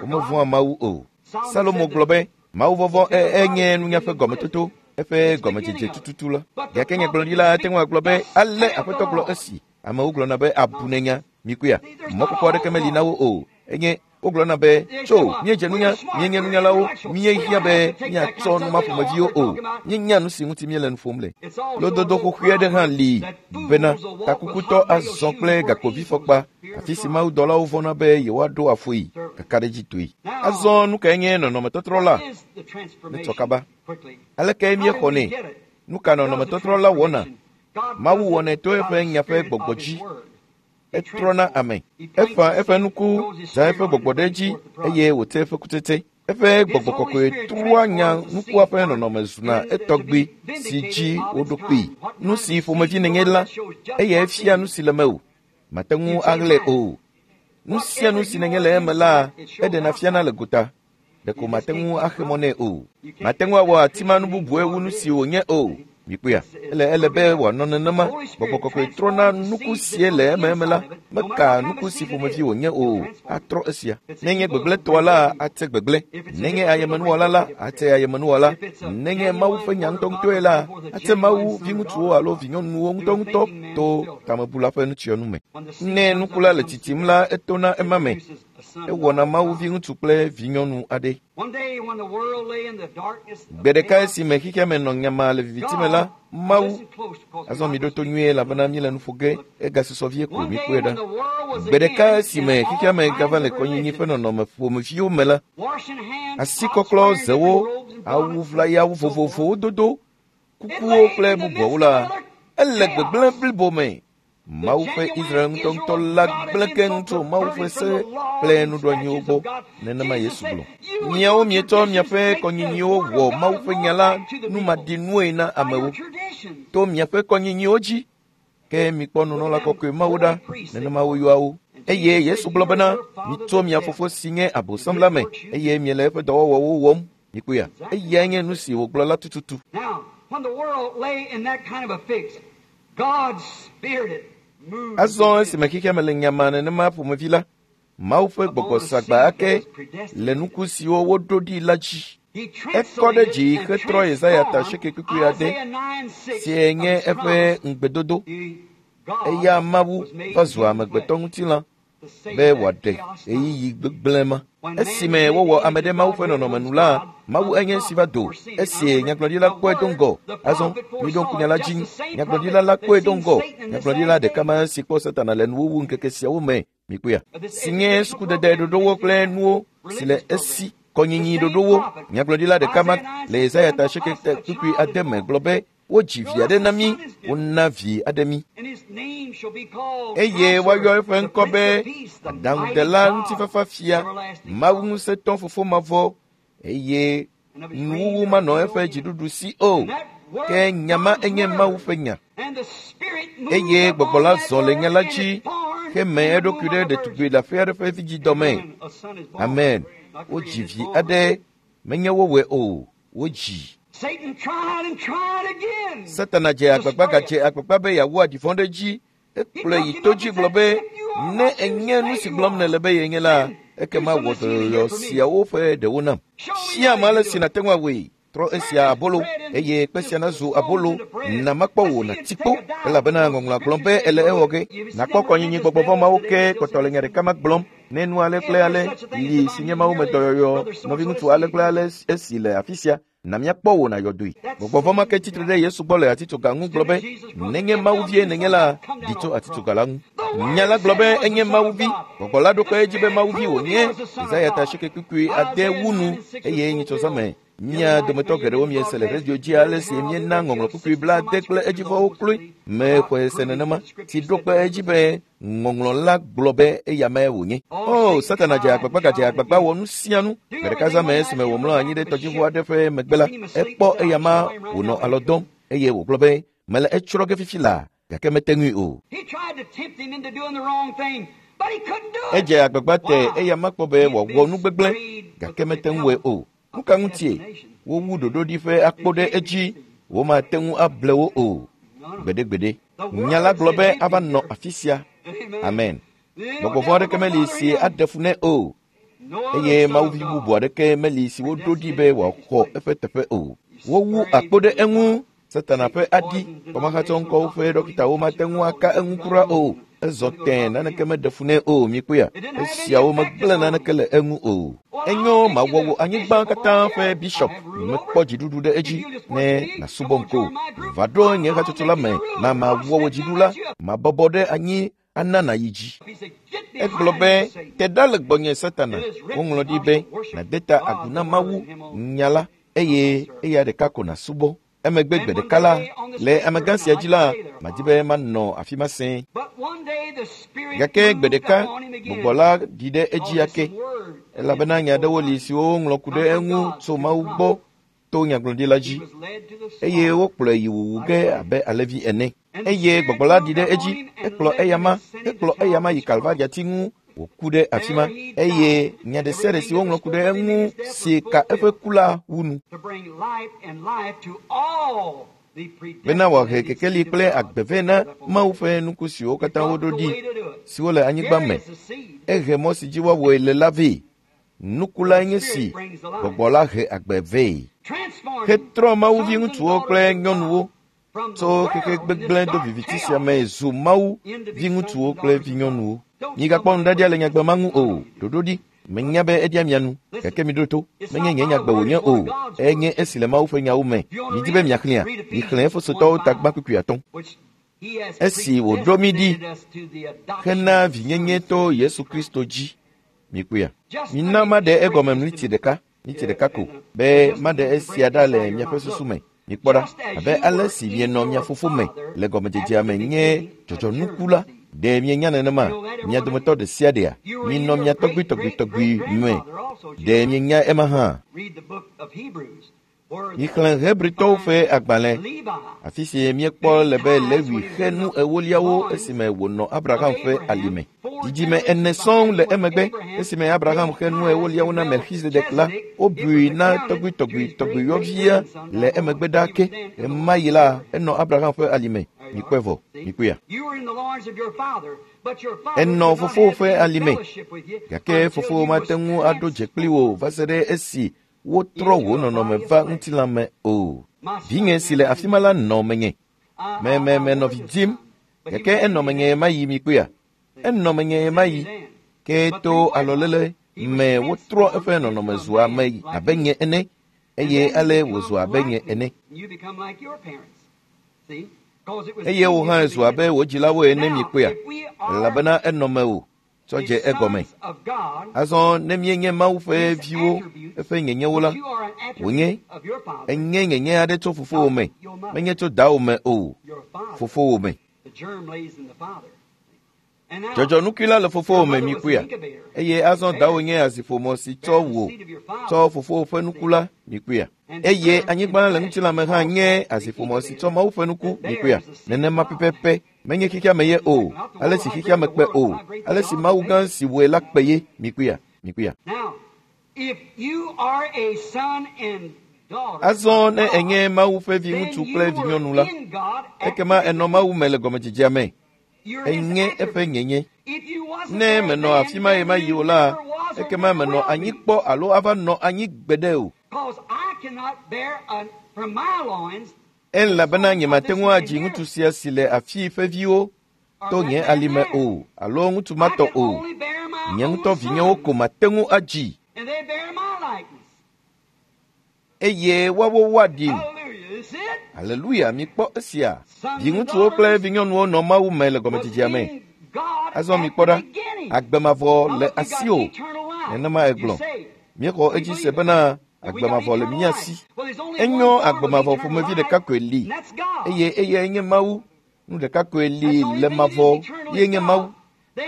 Womevɔ̃a Mawu o. Salomo gblɔ be mawuvɔvɔ̃ enye nunya ƒe gɔmetoto, eƒe gɔmedzedze tututu la. Gake nyagblɔɖila ate ŋu agblɔ be ale Aƒetɔ gblɔ esi. Amewo gblɔna be abu nenya mikuya. Mɔkpɔkpɔ aɖeke meli na wo o. Enye wogblɔna be tso míedze nunya, míenye nunyalawo, míehiã be míatsɔ nu ma ƒomeviwo o. Míenya nu si ŋuti míele nu ƒom le. Lododo xoxoe aɖe hã li bena takukutɔ azɔ kple gakpovifɔkpa, afi si mawudɔlawo vɔ̃na be yewoaɖo afɔe kakaɖedzitɔe. Azɔ nu kae nye nɔnɔmetɔtrɔ la? Netsɔ kaba. Aleke míexɔnɛ? Nu ka nɔnɔmetɔtrɔ la wɔna? Mawu wɔnɛ to eƒe nya ƒe gbɔgbɔ dzi. Etrɔna ame. Eƒã eƒe nuku, zã eƒe gbɔgbɔ ɖe edzi eye wòte eƒe kutsetse. Eƒe gbɔgbɔ kɔkɔe trɔa nya nukua ƒe nɔnɔme zuna etɔgbi si dzi woɖo kpee. Nu si ƒomevi nènye la, eyae fia nu si le mewò. Mate ŋu aɣlae o. Nu sia nu si nènye le eme la, eɖena fiana le gota. Ɖeko mate ŋu axe mɔ nɛ o. Mate ŋu awɔ atima nu bubue wu nu si wònye o. Mikpɔea, ele be wòanɔ nenema. Gbɔgbɔ kɔkɔe trɔna nuku sie le ememe la, meka nuku si ƒomevi wònye o, atrɔ esia. Nenye gbegblẽtɔa la, ate gbegblẽ. Nenye ayemenuwɔla la, ate ayemenuwɔla. Nenye Mawu ƒe nya ŋutɔŋutɔe la, ate Mawu viŋutsuwo alo vinyɔnuwo ŋutɔŋutɔ to tamebula ƒe nutsyɔnu me. Ne nuku la le tsitsim la, etona ema me. Ewɔna Mawu viŋutsu kple vinyɔnu aɖe. Gbe ɖeka esime xexea me nɔ nyamaa le viviti me la, Mawu, azɔ miɖo to nyuie elabena míele nu ƒo ge, egasusɔ vie ko míkpɔe ɖa. Gbe ɖeka esime xexea me gava le kɔnyinyi ƒe nɔnɔme ƒomeviwo me la, asikɔklɔ zewo, awu ʋlayawo vovovowo dodo, kukuwo kple bubuawo la, ele gbegblẽ blibo me. Mawu ƒe Israel ŋutɔŋutɔ la gblẽ keŋ tso Mawu ƒe se kple nuɖoanyiwo gbɔ. Nenema Yesu gblɔ. Miawo mietsɔ miaƒe kɔnyinyiwo wɔ Mawu ƒe nya la numaɖinue na amewo to miaƒe kɔnyinyiwo dzi. Ke mikpɔ nunɔla kɔkɔe Mawu ɖa, nenema woyɔa wo. Eye Yesu gblɔ bena, mitso mia fofo si nye Abosam la me, eye miele eƒe dɔwɔwɔwo wɔm. Mikpɔea, eyae nye nu si wògblɔ la tututu. Azɔ esime xexea me le nyamaa nenema ƒomevi la, Mawu ƒe gbɔgbɔ sagba ake le nuku siwo woɖo ɖi la dzi. Ekɔ ɖe dzi hetrɔ Yesaya ta asieke kpukpui ade, sie nye eƒe ŋugbedodo. Eya Mawu va zu amegbetɔ ŋutilã be wòaɖe ɣeyiɣi gbegblẽ ma. Esime wowɔ ame ɖe Mawu ƒe nɔnɔme nu la, Mawu enye si va do. Esi nyagblɔɖila kpɔe do ŋgɔ. Azɔ, miɖo ŋku nya la dzi. Nyagblɔɖila la kpɔe do ŋgɔ. Nyagblɔɖila ɖeka ma si kpɔ Satana le nuwuwu ŋkeke siawo me. Mikpɔea? Si nye sukudede ɖoɖowo kple nuwo si le esi kɔnyinyi ɖoɖowo. Nyagblɔɖila ɖeka ma le Yesaya ta asieke kpukpui ade me gblɔ be wodzi vi aɖe na mí, wona vi aɖe mí. Eye woayɔ eƒe ŋkɔ be Aɖaŋudela Ŋutifafafia, Mawu Ŋusẽtɔ Fofo Mavɔ, eye nuwuwu manɔ eƒe dziɖuɖu si o. Ke nya ma enye Mawu ƒe nya. Eye gbɔgbɔ la zɔ le nya la dzi heme eɖokui ɖe ɖetugbui leaƒe aɖe ƒe vidzidɔ me. Amen. Wodzi vi aɖe, menye wowɔe o, wodzi. Satana dze agbagba gadze agbagba be yeawu aɖi vɔ̃ ɖe edzi. Ekplɔe yi to dzi gblɔ be, ne enye nu si gblɔm nèle be yenye la, ekema wɔ dɔyɔyɔ siawo ƒe ɖewo nam. Fia ame ale si nàte ŋu awɔe. Trɔ esia abolo, eye kpe sia nazu abolo. Na makpɔ wò nàti kpo, elabena ŋɔŋlɔa gblɔ be ele ewɔ ge. Nàkpɔ kɔnyinyi gbɔgbɔ vɔ̃ mawo ke kpɔtɔ le nya ɖeka ma gblɔm. Ne nu ale kple ale li si nye Mawu me dɔyɔyɔ, nɔviŋutsu ale kple ale esi le afi sia, na míakpɔ wò nàyɔ doe. Gbɔgbɔ vɔ̃ ma ke tsitre ɖe Yesu gbɔ le atitsoga ŋu gblɔ be, nenye Mawu vie nènye la, ɖi tso atitsoga la ŋu. Nya la gblɔ be enye Mawu vi. Gbɔgbɔ la ɖo kpe edzi be Mawu vi wònye. Yesaya ta asieke kpukpui ade wu nu eye nyitsɔzã me. Mía dometɔ geɖewo miese le radio dzi ale si míena ŋɔŋlɔ kpukpui 70 kple edzivɔwo kloe. Mexɔe se nenema si ɖo kpe edzi be ŋɔŋlɔ la gblɔ be eya mae wònye. O, Satana dze agbagba gadze agbagba wɔ nu sia nu. Gbe ɖeka zã me esime wòmlɔ anyi ɖe tɔdziʋu aɖe ƒe megbe la, ekpɔ eya ma wònɔ alɔ dɔm eye wògblɔ be, mele etsrɔ̃ ge fifi laa, gake mete ŋui o. Edze agbagba te eya ma kpɔ be wòawɔ nu gbegblẽ, gake mete ŋu wɔe o. Nu ka ŋutie? Wowu ɖoɖoɖi ƒe akpo ɖe edzi, womate ŋu able wo o. Gbeɖegbeɖe. Nya la gblɔ be ava nɔ afi sia. Amen. Gbɔgbɔ vɔ̃ aɖeke meli si aɖe fu nɛ o. Eye Mawu vi bubu aɖeke meli si woɖo ɖi be wòaxɔ eƒe teƒe o. Wowu akpo ɖe eŋu. Satana ƒe aɖi kɔmahatsɔŋkɔwo ƒe ɖɔkitawo mate ŋu aka eŋu kura o. Ezɔ tẽ, naneke meɖe fu nɛ o. Mikpɔea, esiawo megblẽ naneke le eŋu o. Enyo, mawɔ wò anyigba katã ƒe bishop. Mekpɔ dziɖuɖu ɖe edzi ne nàsubɔm ko. Va ɖo nye hatsotso la me, na mawɔ wò dziɖula. Mabɔbɔ ɖe anyi ana nàyi dzi. Egblɔ be, te ɖa le gbɔnye Satana. Woŋlɔ ɖi be, nàde ta agu na Mawu nya la eye eya ɖeka ko nàsubɔ. Emegbe gbe ɖeka la, le amegã sia dzi la, madi be manɔ afi ma sẽe. Gake gbe ɖeka, gbɔgbɔ la ɖi ɖe edzi ake, elabena nya aɖewo li siwo woŋlɔ ku ɖe eŋu tso Mawu gbɔ to nyagblɔɖila dzi, eye wokplɔe yi wuwu ge abe alẽvi ene. Eye gbɔgbɔ la ɖi ɖe edzi, ekplɔ eyama, ekplɔ eyama yi Kalvariati ŋu wòku ɖe afi ma, eye nya ɖe sia ɖe si woŋlɔ ku ɖe eŋu si ka eƒe ku la wu nu. Bena wòahe kekeli kple agbe vɛ na Mawu ƒe nuku siwo katã woɖo ɖi, siwo le anyigba me. Ehe mɔ si dzi woawɔe le la vɛ. Nuku lae nye si gbɔgbɔ la he agbe vɛ. Hetrɔ Mawu viŋutsuwo kple nyɔnuwo tso xexe gbegblẽ do viviti sia me zu Mawu viŋutsuwo kple vinyɔnuwo. Migakpɔ nuɖaɖia le nyagbe ma ŋu o. Ɖoɖo ɖi. Menya be eɖia mia nu, gake miɖo to. Menye nye nyagbe wònye o. Enye esi le Mawu ƒe nyawo me. Midi be miaxlẽa? Mixlẽ Efesotɔwo tagba kpukpui 5. Esi wòɖo mí ɖi hena vinyenye to Yesu Kristo dzi. Mikpɔea? Mina maɖe egɔme miniti ɖeka, miniti ɖeka ko, be maɖe esia ɖa le miaƒe susu me. Mikpɔ ɖa, abe ale si mienɔ mia fofo me le gɔmedzedzea me nye dzɔdzɔnuku la, ɖe mienya nenema? Mia dometɔ ɖe sia ɖea, minɔ mia tɔgbuitɔgbuitɔgbui me. Ɖe mienya ema hã? Mixlẽ Hebritɔwo ƒe agbalẽ, afi si míekpɔ le be Lewi xe nu ewoliawo esime wònɔ Abraham ƒe alime. Dzidzime ene sɔŋ le emegbe, esime Abraham xe nu ewoliawo na Melchizedek la, wobui na tɔgbuitɔgbuitɔgbuiyɔvia le emegbe ɖaa ke. Ɣemaɣi la, enɔ Abraham ƒe alime. Mikpɔe vɔ, mikpɔea? Enɔ fofowò ƒe alime, gake fofowò mate ŋu aɖo dze kpli wò va se ɖe esi wotrɔ wò nɔnɔme va ŋutilã me o. Vinye si le afi ma la nɔ menye. Me me menɔ vi dim, gake enɔ menye ɣemaɣi mikpɔea? Enɔ menye ɣemaɣi. Ke to alɔlele me wotrɔ eƒe nɔnɔme zu ame abe nye ene, eye ale wòzu abe nye ene. Eye wò hã zu abe wò dzilawo ene mikpɔea? Elabena enɔ mewò tsɔ dze egɔme. Azɔ ne míenye Mawu ƒe viwo eƒe nyenyewo la, wònye enye nyenye aɖe tso fofowò me, menye tso dawò me o, fofowò me. Dzɔdzɔnukui la le fofowò me mikpɔea? Eye azɔ dawò nye aziƒomɔ si tsɔ wò tsɔ fofowò ƒe nuku la mikpɔea? Eye anyigba le ŋutilã me hã nye aziƒomɔ si tsɔ Mawu ƒe nuku mikpɔea? Nenema pɛpɛpɛ. Menye xexea me ye o, ale si xexea me kpe o, ale si Mawu gã si wɔe la kpe ye. Mikpɔea? Mikpɔea? Azɔ ne enye Mawu ƒe viŋutsu kple vinyɔnu la, ekema enɔ Mawu me le gɔmedzedzea me. Enye eƒe nyenye. Ne menɔ afi ma ɣemaɣi o la, ekema menɔ anyi kpɔ alo ava nɔ anyi gbeɖe o. Elabena nyemate ŋu adzi ŋutsu sia si le afii ƒe viwo to nye alime o, alo ŋutsu ma tɔ o. Nye ŋutɔ vinyewo ko mate ŋu adzi. Eye woawo woaɖim. Aleluya, mikpɔ esia. Viŋutsuwo kple vinyɔnuwo nɔ Mawu me le gɔmedzedzea me. Azɔ mikpɔ ɖa, agbe mavɔ le asiwò. Nenema egblɔ. Míexɔ edzi se bena agbe mavɔ le mía si. Enyo, agbe mavɔ ƒomevi ɖeka koe li, eye eyae nye Mawu. Nu ɖeka koe li le mavɔ, ye nye Mawu.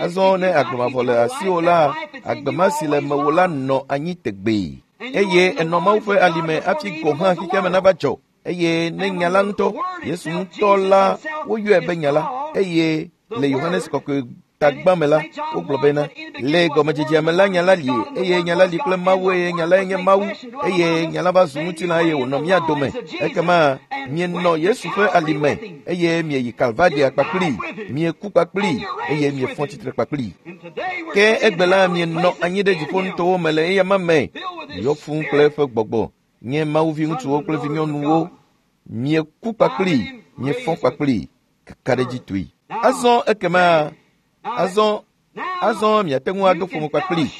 Azɔ ne agbe mavɔ le asiwò la, agbe ma si le mewò la nɔ anyi tegbee. Eye enɔ Mawu ƒe alime hafi gɔ̃ hã xexea me nava dzɔ. Eye ne nya la ŋutɔ, Yesu ŋutɔ la, woyɔe be nya la. Eye le Yohanes Kɔkɔe Tagbã me la, wogblɔ bena, le gɔmedzedzea me la, nya la li, eye nya la li kple Mawu, eye nya lae nye Mawu, eye nya la va zu ŋutilã eye wònɔ mía dome. Ekema mienɔ Yesu ƒe alime, eye mieyi Kalvaria kpakplii, mieku kpakplii, eye miefɔ tsitre kpakplii. Ke egbe la mienɔ anyi ɖe dziƒonutowo me le eyama me, yɔ fũu kple eƒe gbɔgbɔ, nye Mawu viŋutsuwo kple vinyɔnuwo. Mieku kpakplii, miefɔ kpakplii, kakaɖedzitɔe. Azɔ ekema azɔ miate ŋu ado ƒome kpakplii.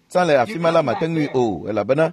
Tsã le afi ma la mate ŋui o, elabena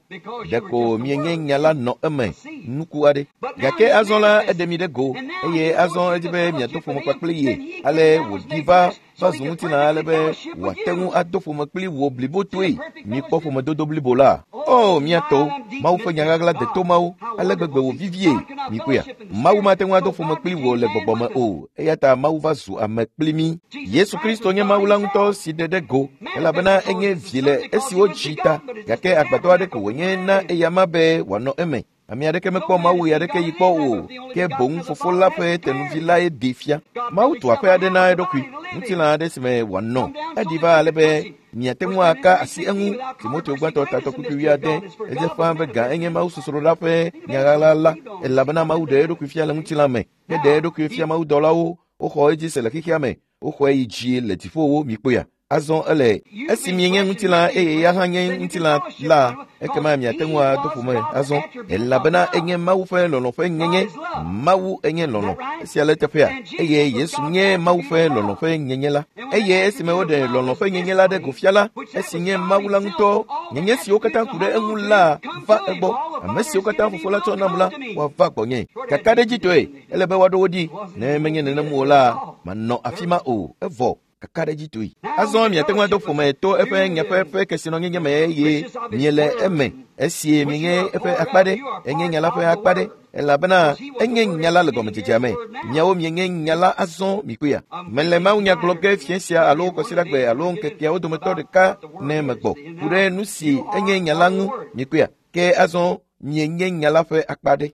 ɖeko mienye nya la nɔ eme nuku aɖe. Gake azɔ la eɖe mi ɖe go, eye azɔ edzi be miado ƒome kpakpli ye. Ale wòɖi va zu ŋutilã ale be wòate ŋu ado ƒome kpli wò blibotoe. Mikpɔ ƒomedodo blibo la. O, mía tɔwo, Mawu ƒe nya ɣaɣla deto mawo, ale gbegbe wòvivie. Mikpɔea, Mawu mate ŋu ado ƒome kpli wò le gbɔgbɔ me o, eya ta Mawu va zu ame kpli mí. Yesu Kristo nye Mawu la ŋutɔ si ɖe ɖe go, elabena enye vi le esi wodzi ta, gake agbadɔ aɖe ko wònye na eyama be wòanɔ eme. Ame aɖeke mekpɔ Mawu ɣe aɖeke yi kpɔ o, ke boŋ fofo la ƒe tenuvi lae ɖee fia. Mawu tu aƒe aɖe na eɖokui, ŋutilã aɖe si me wòanɔ. Eɖi va ale be miate ŋu aka asi eŋu. Timoteo gbãtɔ tatɔ kpukpui wuiade, edze ƒãa be ga enye Mawu sosroɖa ƒe nyaɣaɣla la, elabena Mawu ɖe eɖokui fia le ŋutilã me, heɖe eɖokui fia mawudɔlawo, woxɔ edzi se le xexea me, woxɔe yi dzi le dziƒowo. Mikpɔea? Azɔ ele esi mienye ŋutilã eye ya hã nye ŋutilã la, ekema miate ŋu ado ƒome azɔ, elabena enye Mawu ƒe lɔlɔ̃ ƒe nyenye. Mawu enye lɔlɔ̃. Esia le teƒea, eye Yesu nye Mawu ƒe lɔlɔ̃ ƒe nyenye la. Eye esime woɖe lɔlɔ̃ ƒe nyenye la ɖe go fia la, esi nye Mawu la ŋutɔ, nyenye siwo katã ku ɖe eŋu la va egbɔ. Ame siwo katã fofo la tsɔ nam la, woava gbɔnye. Kakaɖedzitɔe, ele be woaɖo wo ɖi. Ne menye nenem o la, manɔ afi ma o. Evɔ kakaɖedzitɔe. Azɔ miate ŋu ado ƒome to eƒe nyaƒe ƒe kesinɔnyenye me eye miele eme, esi mienye eƒe akpa ɖe, enye nya la ƒe akpa ɖe, elabena enye nya la le gɔmedzedzea me. Miawo mienye nya la azɔ mikpɔea. Mele Mawu nya gblɔ ge fiẽ sia alo kɔsiɖagbe alo ŋkekeawo dometɔ ɖeka ne megbɔ ku ɖe nu si enye nya la ŋu mikpɔea. Ke azɔ mienye nya la ƒe akpa ɖe.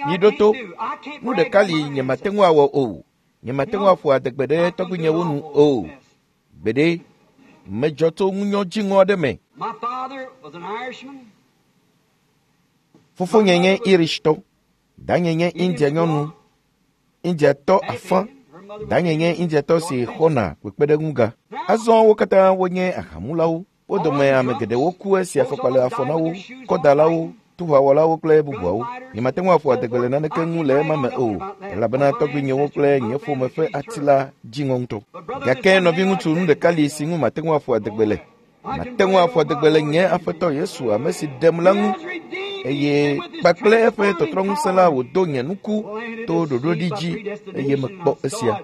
Miɖo to, nu ɖeka li nyemate ŋu awɔ o. Nyemate ŋu aƒo adegbe ɖe tɔgbuinyewo nu o. Gbeɖe, medzɔ tso ŋunyɔ dziŋɔ aɖe me. Fofonye nye Irishtɔ, danye nye India nyɔnu, Indiatɔ afã, danye nye Indiatɔ si xɔna kpekpeɖeŋuga. Azɔ wo katã wonye ahamulawo. Wo dome ame geɖewo ku esi afɔkpa le afɔ na wo, kɔdalawo, tuʋawɔlawo kple bubuawo. Nyemate ŋu aƒo adegbe le naneke ŋu le ema me o, elabena tɔgbuinyewo kple nye ƒome ƒe ati la dziŋɔ ŋutɔ. Gake nɔviŋutsu, nu ɖeka li si ŋu mate ŋu aƒo adegbe le. Mate ŋu aƒo adegbe le nye Aƒetɔ Yesu, ame si ɖem la ŋu, eye kpakple eƒe tɔtrɔŋusẽ la wòdo nye nuku to ɖoɖoɖi dzi, eye mekpɔ esia.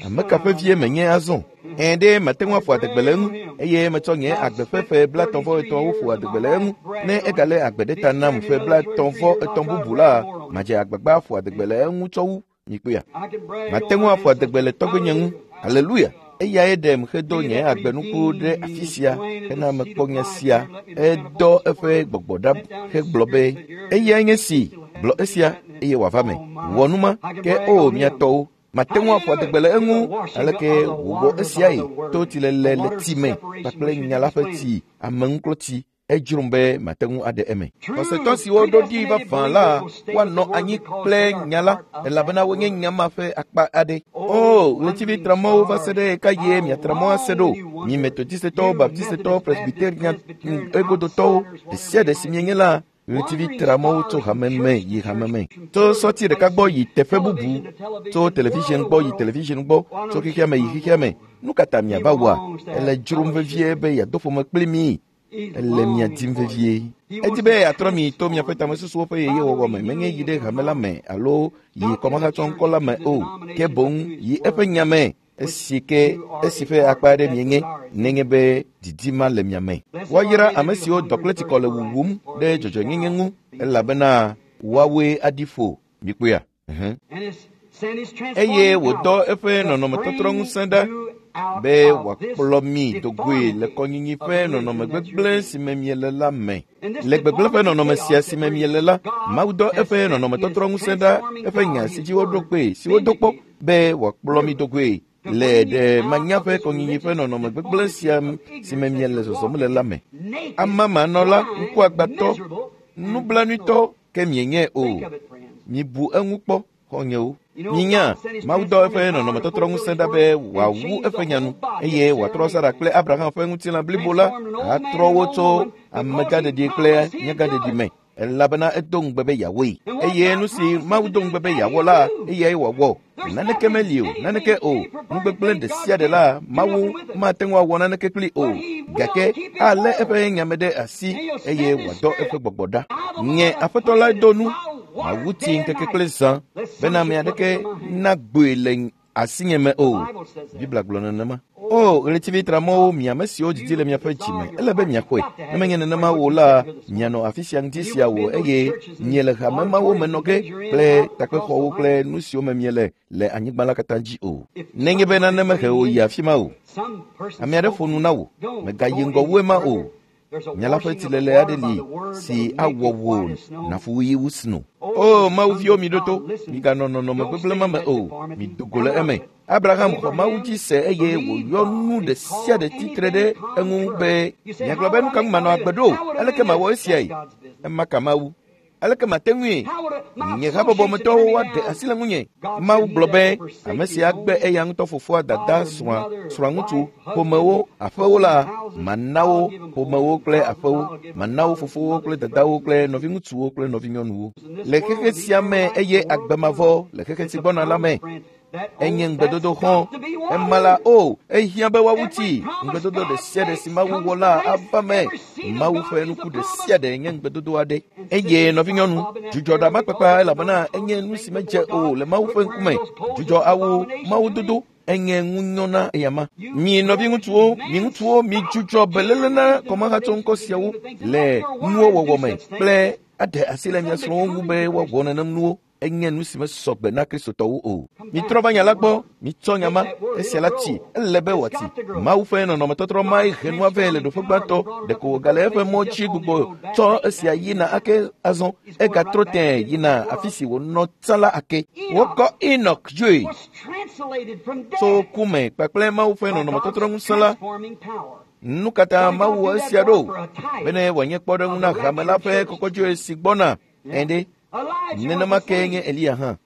Ame ka ƒe vie menye azɔ? Ɛ̃ ɖe mate ŋu aƒo adegbe le eŋu, eye metsɔ nye agbe ƒe ƒe 33 ƒo adegbe le eŋu. Ne egale agbe ɖe ta nam ƒe 33 bubu la, madze agbagba aƒo adegbe le eŋu tsɔ wu. Mikpɔea? Mate ŋu aƒo adegbe le tɔgbuinye ŋu. Aleluya! Eyae ɖem hedo nye agbenuku ɖe afi sia hena mekpɔ nya sia. Edɔ eƒe gbɔgbɔ ɖa hegblɔ be, eyae nye si, gblɔ esia eye wòava me. Wɔ nu ma, ke o mia tɔwo, mate ŋu aƒo adegbe le eŋu. Aleke wòwɔ esiae? To tsilele le tsi me kpakple nya la ƒe tsi, ameŋuklɔtsi. Edzrom be mate ŋu aɖe eme. Xɔsetɔ siwo ɖo ɖi vavã la woanɔ anyi kple nya la, elabena wonye nya ma ƒe akpa aɖe. O, ɣletivi tramɔwo va se ɖe ɣekaɣie miatra mɔ ase ɖo? Mi Metodistetɔwo, Baptistetɔwo, Presbyterian egodotɔwo, ɖe sia ɖe si mienye la, ɣletivi tramɔwo tso hame me yi hame me, tso sɔti ɖeka gbɔ yi teƒe bubu, tso television gbɔ yi television gbɔ, tso xexea me yi xexea me. Nu ka ta miava wɔa? Ele dzrom vevie be yeado ƒome kpli mi. Ele mia dim vevie. Edi be yeatrɔ mi to miaƒe tamesusuwo ƒe yeyewɔwɔ me, menye yi ɖe hame la me alo yi kɔmahatsɔŋkɔ la me o, ke boŋ yi eƒe nya me, esi ke esi ƒe akpa aɖe mienye, nenye be didi ma le mia me. Woayra ame siwo dɔ kple tsikɔ le wuwum ɖe dzɔdzɔenyenye ŋu, elabena woawoe aɖi ƒo. Mikpɔea? Eye wòdɔ eƒe nɔnɔmetɔtrɔŋusẽ ɖa be wòakplɔ mi do goe le kɔnyinyi ƒe nɔnɔme gbegblẽ si me miele la me. Le gbegblẽ ƒe nɔnɔme sia si me miele la, Mawu dɔ eƒe nɔnɔmetɔtrɔŋusẽ ɖa, eƒe nya si dzi woɖo kpee, si wodo kpɔ, be wòakplɔ mi do goe. Le ɖe manya ƒe kɔnyinyi ƒe nɔnɔme gbegblẽ sia si me miele zɔzɔm le la me. Amamanɔla, ŋkuagbãtɔ, nublanuitɔ ke mienye o. Mibu eŋu kpɔ, xɔ̃nyewo. Minya, Mawu dɔ eƒe nɔnɔmetɔtrɔ ŋusẽ ɖa be wòawu eƒe nyanu eye wòatrɔ Sara kple Abraham ƒe ŋutilã blibo la atrɔ wo tso amegãɖeɖi kple nyagãɖeɖi me. Elabena edo ŋugbe be yeawɔe. Eye nu si Mawu do ŋugbe be yeawɔ la, eyae wòawɔ. Naneke meli o, naneke o. Nugbegblẽ ɖe sia ɖe la, Mawu mate ŋu awɔ naneke kpli o. Gake alé eƒe nyame ɖe asi eye wòadɔ eƒe gbɔgbɔ ɖa. Nye Aƒetɔ lae do nu. Mawu ti ŋkeke kple zã bena ame aɖeke nagboe le asinye me o. Biblia gblɔ nenema. O, ɣletivi tramɔwo, mi ame siwo didi le miaƒe dzime, ele be miaxɔe. Ne menye nenema o la, mianɔ afi sia ŋdi sia o eye miele hame mawo me nɔ ge kple takpexɔwo kple nu siwo me miele le anyigba la katã dzi o. Nenye be nane mehe wò yi afi ma o, ame aɖe ƒo nu na wò, mègayi ŋgɔ wu ema o. Nya la ƒe tsilele aɖe li si awɔ wò nàfu ɣi wu sno. O, Mawu viwo, miɖo to, miganɔ nɔnɔme gbegblẽ ma me o, mido go le eme. Abraham xɔ Mawu dzi se eye wòyɔ nu ɖe sia ɖe tsitre ɖe eŋu be, miagblɔ be nu ka ŋu manɔ agbe ɖo? Aleke mawɔ esiae? Ema ka Mawu. Aleke mate ŋui? Nye habɔbɔmetɔwo woaɖe asi le ŋunye. Mawu gblɔ be ame si agbe eya ŋutɔ fofoa, dada, srɔ̃a, srɔ̃aŋutsu, ƒomewo, aƒewo la, mana wo ƒomewo kple aƒewo, mana wo fofowo kple dadawo kple nɔviŋutsuwo kple nɔvinyɔnuwo. Le xexe sia me eye agbe mavɔ le xexe si gbɔna la me. Enye ŋugbedodo xɔ. Ema la, o, ehiã be woawu tsi. Ŋugbedodo ɖe sia ɖe si Mawu wɔ la ava me. Mawu ƒe nuku ɖe sia ɖe nye ŋugbedodo aɖe. Eye nɔvinyɔnu, dzudzɔ ɖamakpakpa elabena enye nu si medze o le Mawu ƒe ŋkume. Dzudzɔ awu Mawu dodo enye ŋunyɔ na eyama. Mi nɔviŋutsuwo, mi ŋutsuwo, mi dzudzɔ beléle na kɔmahatsɔ ŋkɔ siawo le nuwo wɔwɔ me kple aɖe asi le mia srɔ̃wo ŋu be woawɔ nenem nuwo. Enye nu si mesɔ gbe na Kristotɔwo o. Mitrɔ va nya la gbɔ, mitsɔ nya ma, esia la tsi, ele be wòatsi. Mawu ƒe nɔnɔmetɔtrɔ mae he nua vɛ le ɖoƒe gbãtɔ, ɖeko wògale eƒe mɔ dzi gbugbɔ tsɔ esia yina ake azɔ, egatrɔ tẽe yina afi si wònɔ tsã la ake. Wokɔ Enoch dzoe tso ku me kpakple Mawu ƒe nɔnɔmetɔtrɔ ŋusẽ la. Nu katã Mawu wɔ esia ɖo bene wòanye kpɔɖeŋu na hame la ƒe kɔkɔdzoe si gbɔna. Ɛ̃ɖe. Nenema ke nye Eliya hã.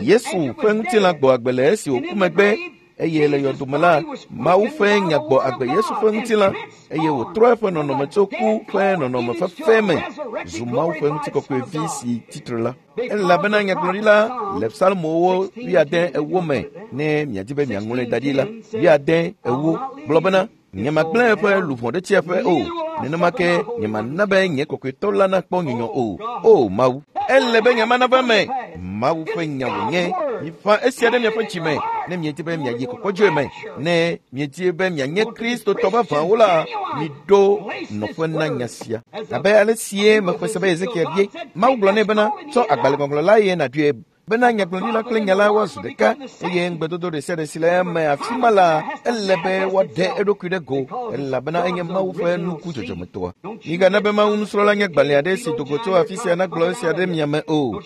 Yesu ƒe ŋutilã gbɔ agbe le esi wòku megbe eye le yɔdome la, Mawu ƒe nya gbɔ agbe Yesu ƒe ŋutilã eye wòtrɔ eƒe nɔnɔme tso ku ƒe nɔnɔme fefe me zu Mawu ƒe ŋutikɔkɔevi si tsitre la. Elabena nyagblɔɖila le Psalmowo 84 me ne miadi be miaŋlɔe da ɖi la, 84 gblɔ bena, nyemagblẽ eƒe luʋɔ ɖe tsiaƒe o, nenema ke nyemana be nye kɔkɔetɔ la nakpɔ nyunyɔ o. O Mawu, ele be nya ma nava eme. Mawu ƒe nya wònye. Miƒã esia ɖe miaƒe dzime ne miedi be miayi kɔkɔdzoe me. Ne miedi be mianye Kristotɔ vavãwo la, miɖo nɔƒe na nya sia. Abe ale sie mexɔe se be Ezekiel bie, Mawu gblɔ nɛ bena, tsɔ agbalẽŋɔŋlɔ la eye nàɖoe bena nyagblɔɖila kple nya la woazu ɖeka eye ŋugbedodo ɖe sia ɖe si le eme afi ma la, ele be woaɖe eɖokui ɖe go elabena enye Mawu ƒe nuku dzɔdzɔmetɔa. Migana be Mawu nusrɔ̃la nye gbalẽ aɖe si do go tso afi sia nagblɔ esia ɖe mia me o.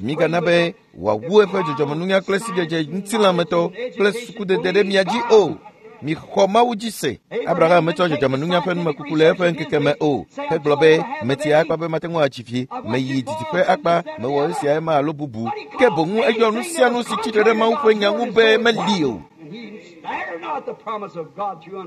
Migana be wòawu eƒe dzɔdzɔmenunya kple sidzedze ŋutilãmetɔ kple sukudede ɖe mia dzi o. Mixɔ Mawu dzi se. Abraham metsɔ dzɔdzɔmenunya ƒe numekuku le eƒe ŋkeke me o. Hegblɔ be, metsi akpa be mate ŋu atsi fi, meyi didiƒe akpa, mewɔ esia ema alo bubu. Ke boŋ eyɔ nu sia nu si tsitre ɖe Mawu ƒe nya ŋu be meli o.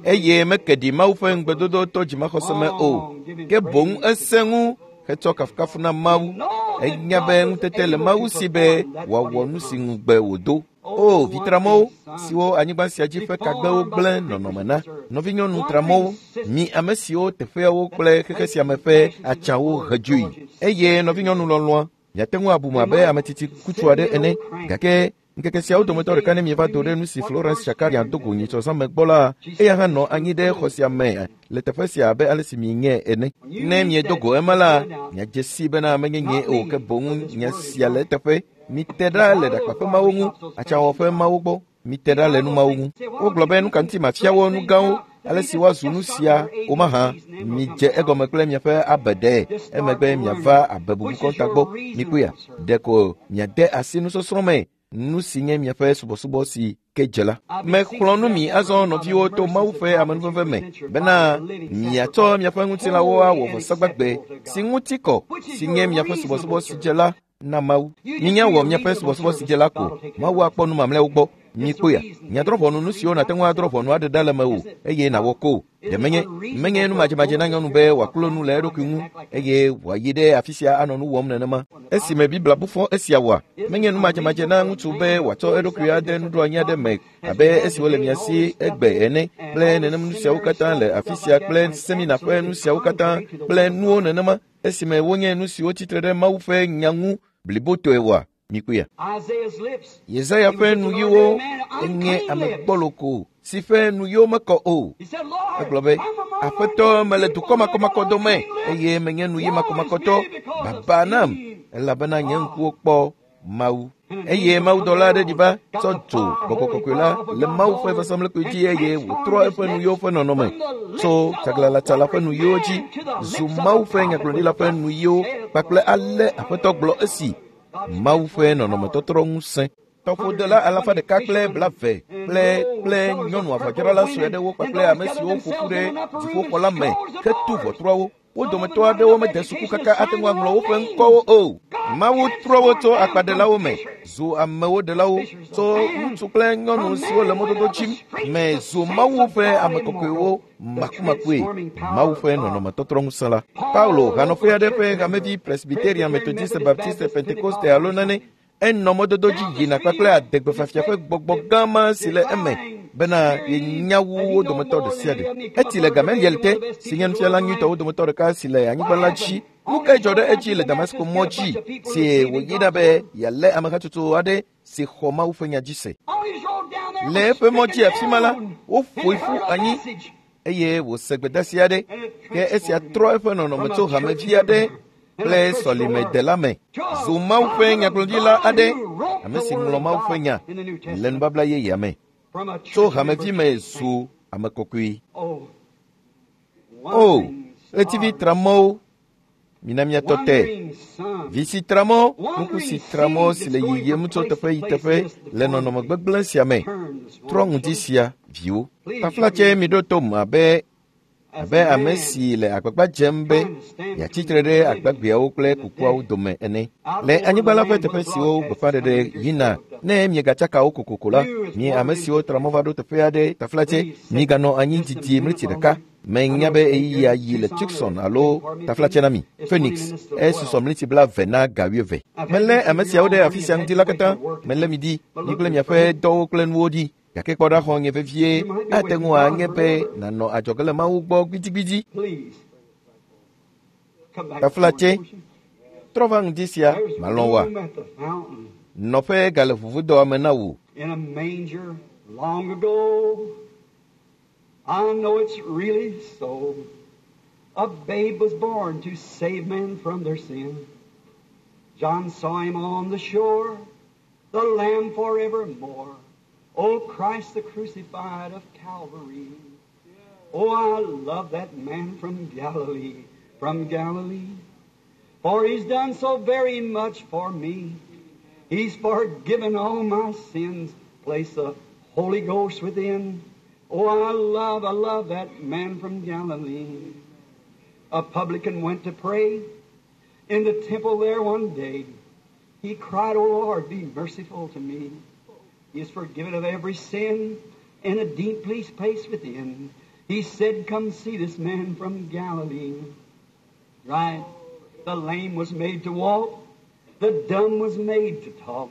Eye meke ɖi Mawu ƒe ŋugbedodo to dzimaxɔse me o. Ke boŋ esẽ ŋu hetsɔ kafukafu na Mawu. Enya be ŋutete le Mawu si be wòawɔ nu si ŋugbe wòdo. O, vi tramɔwo, siwo anyigba sia dzi ƒe kagbewo gblẽ nɔnɔme na, nɔvinyɔnu tramɔwo, mi ame siwo teƒeawo kple xexe sia me ƒe atsawo he dzoe. Eye nɔvinyɔnu lɔlɔ̃a, miate ŋu abu me abe ame tsitsi kutsu aɖe ene, gake ŋkeke siawo dometɔ ɖeka ne mieva do ɖe nu si Florence Shakarian do go nyitsɔ zã me gbɔ la, eya hã nɔ anyi ɖe xɔ sia me le teƒe sia abe ale si mienyae ene. Ne miedo go ema la, miadze sii bena menye nyee o ke boŋ nya sia le eteƒe. Mite ɖa le ɖakpaƒe mawo ŋu, atsãwɔƒe mawo gbɔ. Mite ɖa le nu mawo ŋu. Wogblɔ be nu ka ŋuti mafia wo nu gãwo, ale si woazu nu sia wo mahã. Midze egɔme kple miaƒe abeɖe, emegbe miava abe bubu kɔnta gbɔ. Mikpɔea, ɖeko miade asi nusɔsrɔ̃ me. Nu si nye miaƒe subɔsubɔ si ke dze la. Mexlɔ̃ nu mi azɔ nɔviwo to Mawu ƒe amenuveve me bena miatsɔ miaƒe ŋutilãwo awɔ vɔsagbagbe si ŋuti kɔ si nye miaƒe subɔsubɔ si dze la na Mawu. Minya wɔ miaƒe subɔsubɔ si dze la ko. Mawu akpɔ nu mamlɛawo gbɔ. Mikpɔe, miadrɔ̃ ʋɔnu nu siwo nàte ŋu adrɔ̃ ʋɔnu aɖe ɖa le mewò eye nàwɔ ko. Ɖe menye menye nu madzemadze na nyɔnu be wòaklo nu le eɖokui ŋu eye wòayi ɖe afi sia anɔ nu wɔm nenema. Esime Biblia bu fɔ esia wɔa, menye nu madzemadze na ŋutsu be wòatsɔ eɖokui ade nuɖoanyi aɖe me abe esiwo le mia si egbe ene kple nenem nu siawo katã le afi sia kple semina ƒe nu siawo katã kple nuwo nenema esime wonye nu siwo tsitre ɖe Mawu ƒe nya ŋu blibotɔe wɔa. Mikpɔea? Yesaya ƒe nuyiwo enye ame gbɔlo si ƒe nuyiwo mekɔ o. Egblɔ be, Aƒetɔ, mele dukɔ makɔmakɔ dome eye menye nuyi makɔmakɔtɔ. Baba nam, elabena nye ŋkuwo kpɔ Mawu. Eye mawudɔla aɖe ɖi va tsɔ dzo gbɔgbɔ kɔkɔe la le Mawu ƒe vɔsamlekpui dzi eye wòtrɔ eƒe nuyiwo ƒe nɔnɔme tso tsaglalatsala ƒe nuyiwo dzi zu Mawu ƒe nyagblɔɖila ƒe nuyiwo kpakple ale Aƒetɔ gblɔ esi Mawu ƒe nɔnɔmetɔtrɔ ŋusẽ. Tɔƒodela alafa ɖeka kple blave kple nyɔnu avɔdzrala sue aɖewo kpakple ame siwo ƒo ƒu ɖe dziƒoxɔ la me hetu ʋɔtruawo. Wo dometɔ aɖewo mede suku kaka ate ŋu aŋlɔ woƒe ŋkɔwo o. Mawu trɔ wo tso akpaɖelawo me zu amewo ɖelawo, tso ŋutsu kple nyɔnu siwo le mɔdodo dzi me zu Mawu ƒe ame kɔkɔewo makumakue. Mawu ƒe nɔnɔmetɔtrɔ ŋusẽ la. Paulo, hanɔƒe aɖe ƒe hamevi Presbyterian, Methodiste, Baptiste, Pentekoste alo nane, enɔ mɔdodo dzi yina kpakple adegbefiafia ƒe gbɔgbɔ gã ma si le eme bena yenya wu wo dometɔ ɖe sia ɖe. Eti le Gamaliel te, si nye nufiala nyuitɔwo dometɔ ɖeka si le anyigba la dzi. Nu kae dzɔ ɖe edzi le Damasko mɔ dzi si wòyina be yealé amehatsotso aɖe si xɔ Mawu ƒe nya dzi se? Le eƒe mɔ dzi afi ma la, woƒoe ƒu anyi eye wòse gbedeasi aɖe, ke esia trɔ eƒe nɔnɔme tso hamevi aɖe kple sɔlimedela me zu Mawu ƒe nyagblɔɖila aɖe, ame si ŋlɔ Mawu ƒe nya le nubabla yeyea me. Tso hamevi me zu ame kɔkɔe. O, ɣletivi tramɔwo, mina miatɔ te. Vi si tramɔ, nuku si tramɔ si le yiyim tso teƒe yi teƒe le nɔnɔme gbegblẽ sia me. Trɔ ŋdi sia, viwo. Taflatse miɖo tom abe ame si le agbagba dzem be yeatsitre ɖe agbagbeawo kple kukuawo dome ene. Le anyigba la ƒe teƒe siwo gbeƒãɖeɖe yina, ne miegatsaka wo kokoko la, mi ame siwo tra mɔ va ɖo teƒe aɖe taflatse, miganɔ anyi didi mleti ɖeka. Menya be ɣeyiɣia yi le Tucson alo taflatse na mi. Phoenix, esusɔ mleti 20 na ga 20. Melé ame siawo ɖe afi sia ŋdi la katã. Melé mi ɖi, mi kple miaƒe dɔwo kple nuwo ɖi. Gake kpɔ ɖa xɔ nye vevie, ate ŋu anye be nànɔ adzɔge le Mawu gbɔ gbidigbidi. Taflatse, trɔ va ŋdi sia, malɔ̃ wòa? Nɔƒe gale ʋuʋudɔa me na wò. I know it's really so. A babe was born to save men from their sin. John saw him on the shore, the Lamb forevermore. Oh, Christ the crucified of Calvary. Oh, I love that man from Galilee, from Galilee. For he's done so very much for me. He's forgiven all my sins, placed the Holy Ghost within. Oh, I love that man from Galilee. A publican went to pray in the temple there one day. He cried, Oh, Lord, be merciful to me. He is forgiven of every sin in a deep place within. He said, Come see this man from Galilee. Right. The lame was made to walk. The dumb was made to talk.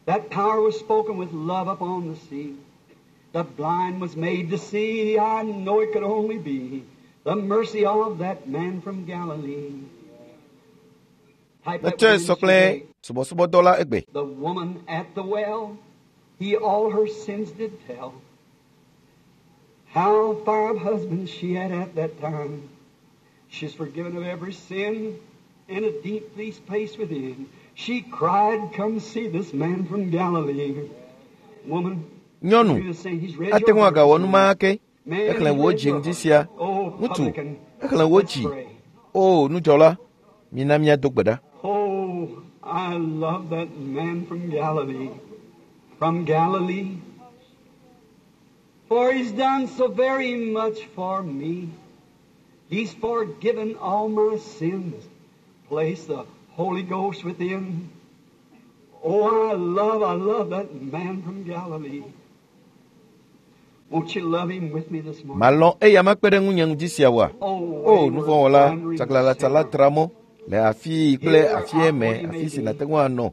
That power was spoken with love upon the sea. The blind was made to see. I know it could only be the mercy of that man from Galilee. Metsɔe sɔ kple subɔsubɔdɔ la egbe. The woman at the well, he all her sins did tell. How 5 husbands she had at that time. She's forgiven of every sin in a deep place within. She cried, Come see this man from Galilee. Woman, Nyɔnu, ate ŋu agawɔ nu ma ke. Exlẽ wò dzi ŋdi sia. Ŋutsu, exlẽ wò dzi. O, nudzɔla, mina míado gbe ɖa. Oh, I love that man from Galilee, from Galilee, for he's done so very much for me. He's forgiven all my sins, placed the Holy Ghost within. Oh, I love that man from Galilee. Won't you love him with me this morning? Malɔ̃ eya makpe ɖe ŋunye ŋdi sia oa? O, nuvɔ̃wɔla, tsaglãlatsala tra mɔ le afii kple afie me afi si nàte ŋu anɔ.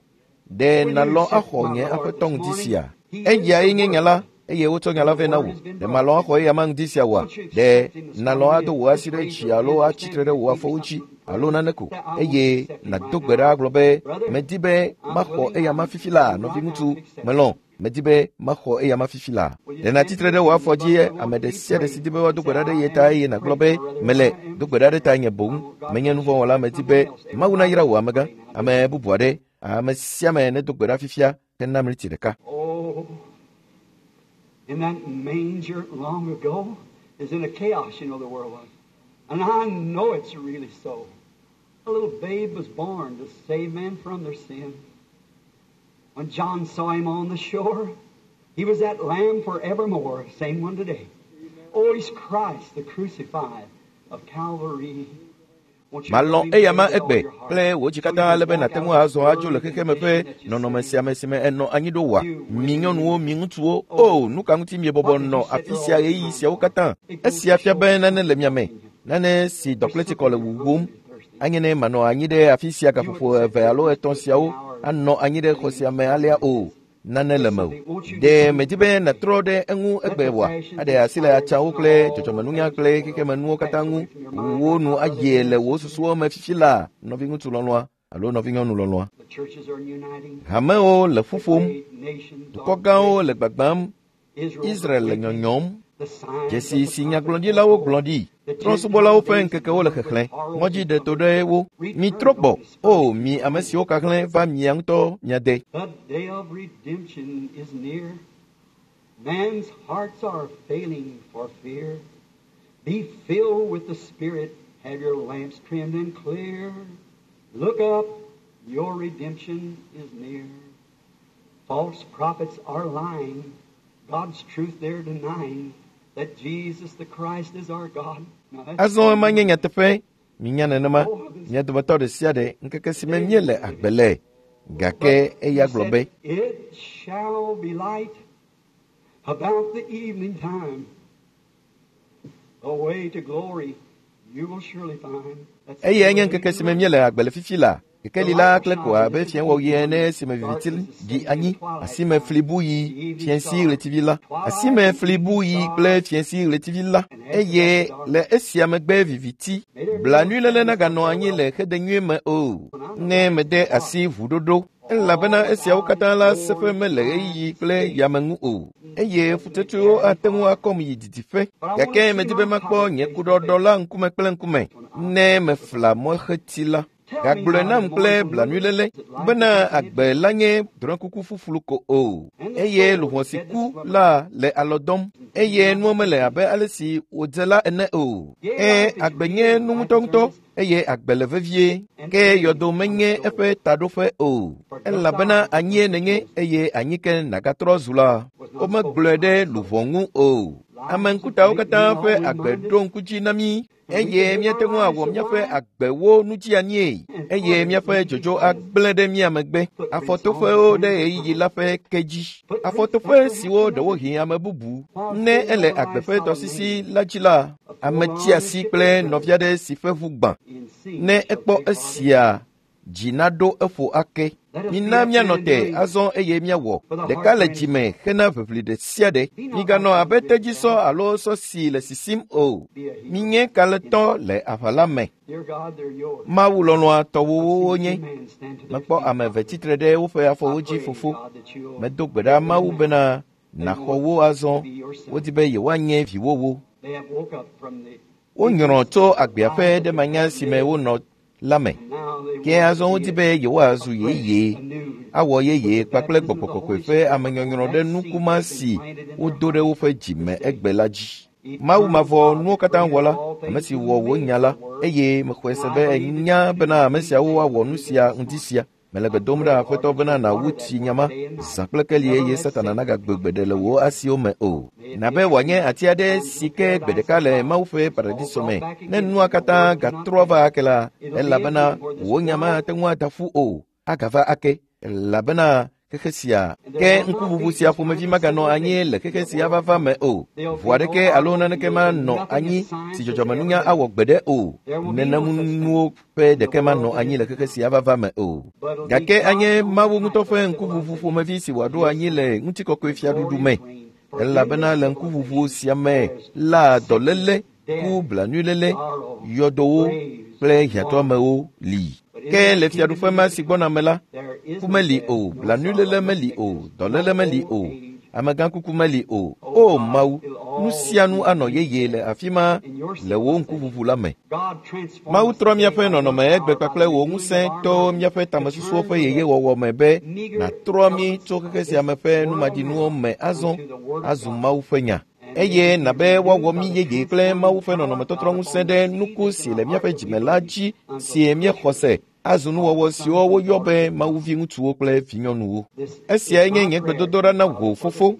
Ɖe nàlɔ̃ axɔ nye aƒetɔ ŋdi sia? Eyae nye nya la, eye wotsɔ nya la vɛ na wò. Ɖe màlɔ̃ axɔ eya ma ŋdi sia oa? Ɖe nàlɔ̃ ado wò asi ɖe dzi alo atsi tre ɖe wò afɔwo dzi alo nane ko eye nàdo gbe ɖa agblɔ be medi be maxɔ eya ma fifi la, nɔviŋutsu, melɔ̃. Medi be maxɔ eya ma fifi la. Ɖe nàtsi tre ɖe wò afɔ dzi ame ɖe sia ɖe si di be woado gbe ɖa ɖe ye ta eye nàgblɔ be mele do gbe ɖa ɖe ta nye boŋ. Menye nuvɔ̃wɔla, medi be Mawu nayra wò amegã, ame bubu aɖe, ame sia ame nedo gbe ɖa fifia hena miniti ɖeka. Oh, in that manger long ago is in a chaos, you know, the world was. And I know it's really so. A little babe was born to save men from their sin. When John saw him on the shore, he was that lamb forevermore, same one today. Oh, he's Christ, the crucified of Calvary. Won't you Malɔ̃ believe eya ma with all egbe your heart? kple wò dzi katã ale be nàte ŋu azɔ adzo le xexeme ƒe nɔnɔme sia me si me enɔ anyi ɖo oa? Mi nyɔnuwo, mi ŋutsuwo, o nu ka ŋuti miebɔbɔ nɔ afi sia ɣeyiɣi siawo katã? Esia fia be nane le mia me, nane si dɔkletsikɔ le wuwum. Anye ne manɔ anyi ɖe afi sia gaƒoƒo eve alo etɔ̃ siawo anɔ anyi ɖe xɔ sia me alea o. Nane le mewò. Ɖe medi be nàtrɔ ɖe eŋu egbe oa? Aɖe asi le atsawo kple dzɔdzɔmenunya kple xexemenuwo katã ŋu. Wò nu ayie le wò susuwo me fifi la, nɔviŋutsu lɔlɔ̃a alo nɔvinyɔnu lɔlɔ̃a. The churches are uniting. Hamewo le ƒu ƒom, Great nations dukɔ are gãwo le gbagbãm, Israel's Israel le awakening. nyɔnyɔm. The signs Dzesi of the si prophets nyagblɔɖilawo gblɔ ɖi. Trɔ̃subɔlawo ƒe ŋkekewo le xexlẽ, ŋɔdzi ɖe to ɖe wo. Mitrɔ gbɔ, o mi ame siwo kahlẽ va mia ŋutɔ mia de. The day of redemption is near. Man's hearts are failing for fear. Be filled with the Spirit. Have your lamps trimmed and clear. Look up. Your redemption is near. False prophets are lying. God's truth they're denying. That Jesus the Christ is our God. Now that's Azɔ ema nye nyateƒe, minya nenema, mia dometɔ ɖe sia ɖe ŋkeke si me míele agbe le. Gake eya gblɔ be, It shall be light about the evening time. The way to glory you will surely find. That's eyae nye ŋkeke si me míele agbe le fifi la. Kekeli la kple ko abe fiẽwɔɣi ene esime viviti ɖi anyi, asime fli bu yi fiẽsi ɣletivi la, asime fli bu yi kple fiẽsi ɣletivi la, eye le esia megbe viviti, blanuiléle naganɔ anyi le xedenyui me o. Ne mede asi ʋuɖoɖo, elabena esiawo katã la seƒe mele ɣeyiɣi kple yame ŋu o, eye ƒutsotsoewo ate ŋu akɔm yi didiƒe. Gake medi be makpɔ nye kuɖɔɖɔ la ŋkume kple ŋkume ne mefla mɔxeti la. Gagblɔe nam kple blanuiléle bena agbe la nye drɔ̃ekuku ƒuƒlu ko o, eye luʋɔ si ku la le alɔ dɔm, eye nuwo mele abe ale si wòdze la ene o. Ẽ, agbe nye nu ŋutɔŋutɔ eye agbe le vevie, ke yɔdo menye eƒe taɖoƒe o, elabena anyie nènye eye anyi ke nàgatrɔ zu la. Womegblɔe ɖe luʋɔ ŋu o. Ame ŋkutawo katã ƒe agbe ɖo ŋku dzi na mí eye míate ŋu awɔ míaƒe agbewo nudzianyie eye míaƒe dzodzo agblẽ ɖe mía megbe. Afɔtoƒewo ɖe ɣeyiɣi la ƒe ke dzi. Afɔtoƒe siwo ɖewohĩ ame bubu ne ele agbe ƒe tɔsisi la dzi la, ame tsi asi kple nɔvi aɖe si ƒe ʋu gbã. In sin Ne shall ekpɔ take part. esia, dzi naɖo eƒo ake. Mina míanɔ te azɔ eye míawɔ ɖeka le dzime hena ʋiʋli ɖe sia ɖe. Miganɔ abe tedzisɔ alo sɔ si le sisim o. Minye kalẽtɔ le aʋa la me. Dear God, they're yours. Mawu lɔlɔ̃a tɔwòwo wonye. Two men stand to their Mekpɔ feet. ame eve tsitre ɖe woƒe afɔwo I dzi pray, fofo. God, that you'll Medo gbe ɖa Mawu bena nàxɔ wo azɔ. Wodi be yewoanye viwòwo. They have woke up from the Wonyrɔ tso agbea ƒe ɖemanya si me wonɔ la me. and now they Ke want azɔ to wodi be be yewoazu afresh, yeye, anew. awɔ yeye With the kpakple baptism of gbɔgbɔ the kɔkɔe Holy ƒe Spirit, amenyɔnyrɔ ɖe that seed nukuma that's been si planted in their wodo ɖe hearts woƒe dzi me this day. egbe la dzi. Mawu mavɔ nuwo katã wɔla, ame si wɔ wò nya la, eye mexɔe se be enya bena ame siawo awɔ nu sia ŋdi sia. Mele gbe dom ɖa Aƒetɔ bena nàwu tsi nyama zã kple keli eye Satana nagagbe gbeɖe le wò asiwo me o. Nabe wòanye ati aɖe si ke gbe ɖeka le Mawu ƒe paradiso me. Ne nua katã gatrɔ va ake la, elabena wò nya mate ŋu ada ƒu o, agava ake, elabena xexe sia ke ŋkuʋuʋu sia ƒomevi maganɔ anyi le xexe sia vava me o. Ʋu aɖeke alo naneke manɔ anyi si dzɔdzɔmenunya awɔ gbeɖe o. Nenemunuwo ƒe ɖeke manɔ anyi le xexe sia vava me o. Gake anye Mawu ŋutɔ ƒe ŋkuʋuʋu ƒomevi si wòaɖo anyi le ŋutikɔkɔe fiaɖuɖu me. Elabena le ŋkuʋuʋu sia me la dɔléle, ku blanuiléle, yɔdowo kple hiãtɔamewo li. Ke le fiaɖuƒe ma si gbɔna me la, ku meli o, blanuiléle meli o, dɔléle meli o, amegãkuku meli o. O Mawu, nu sia nu anɔ yeye le afi ma le wò ŋkuʋuʋu la me. Mawu trɔ míaƒe nɔnɔme egbe kpakple wò ŋusẽ to míaƒe tamesusuwo ƒe yeyewɔwɔ me be nàtrɔ mí tso xexe sia me ƒe numaɖinuwo me azɔ azu Mawu ƒe nya. Eye nabe woawɔ mí yeye kple Mawu ƒe nɔnɔmetɔtrɔ ŋusẽ ɖe nuku si le míaƒe dzime la dzi si míexɔ se azu nuwɔwɔ siwo woyɔ be Mawu viŋutsuwo kple vinyɔnuwo. Esiae nye nye gbedodoɖa na wò Fofo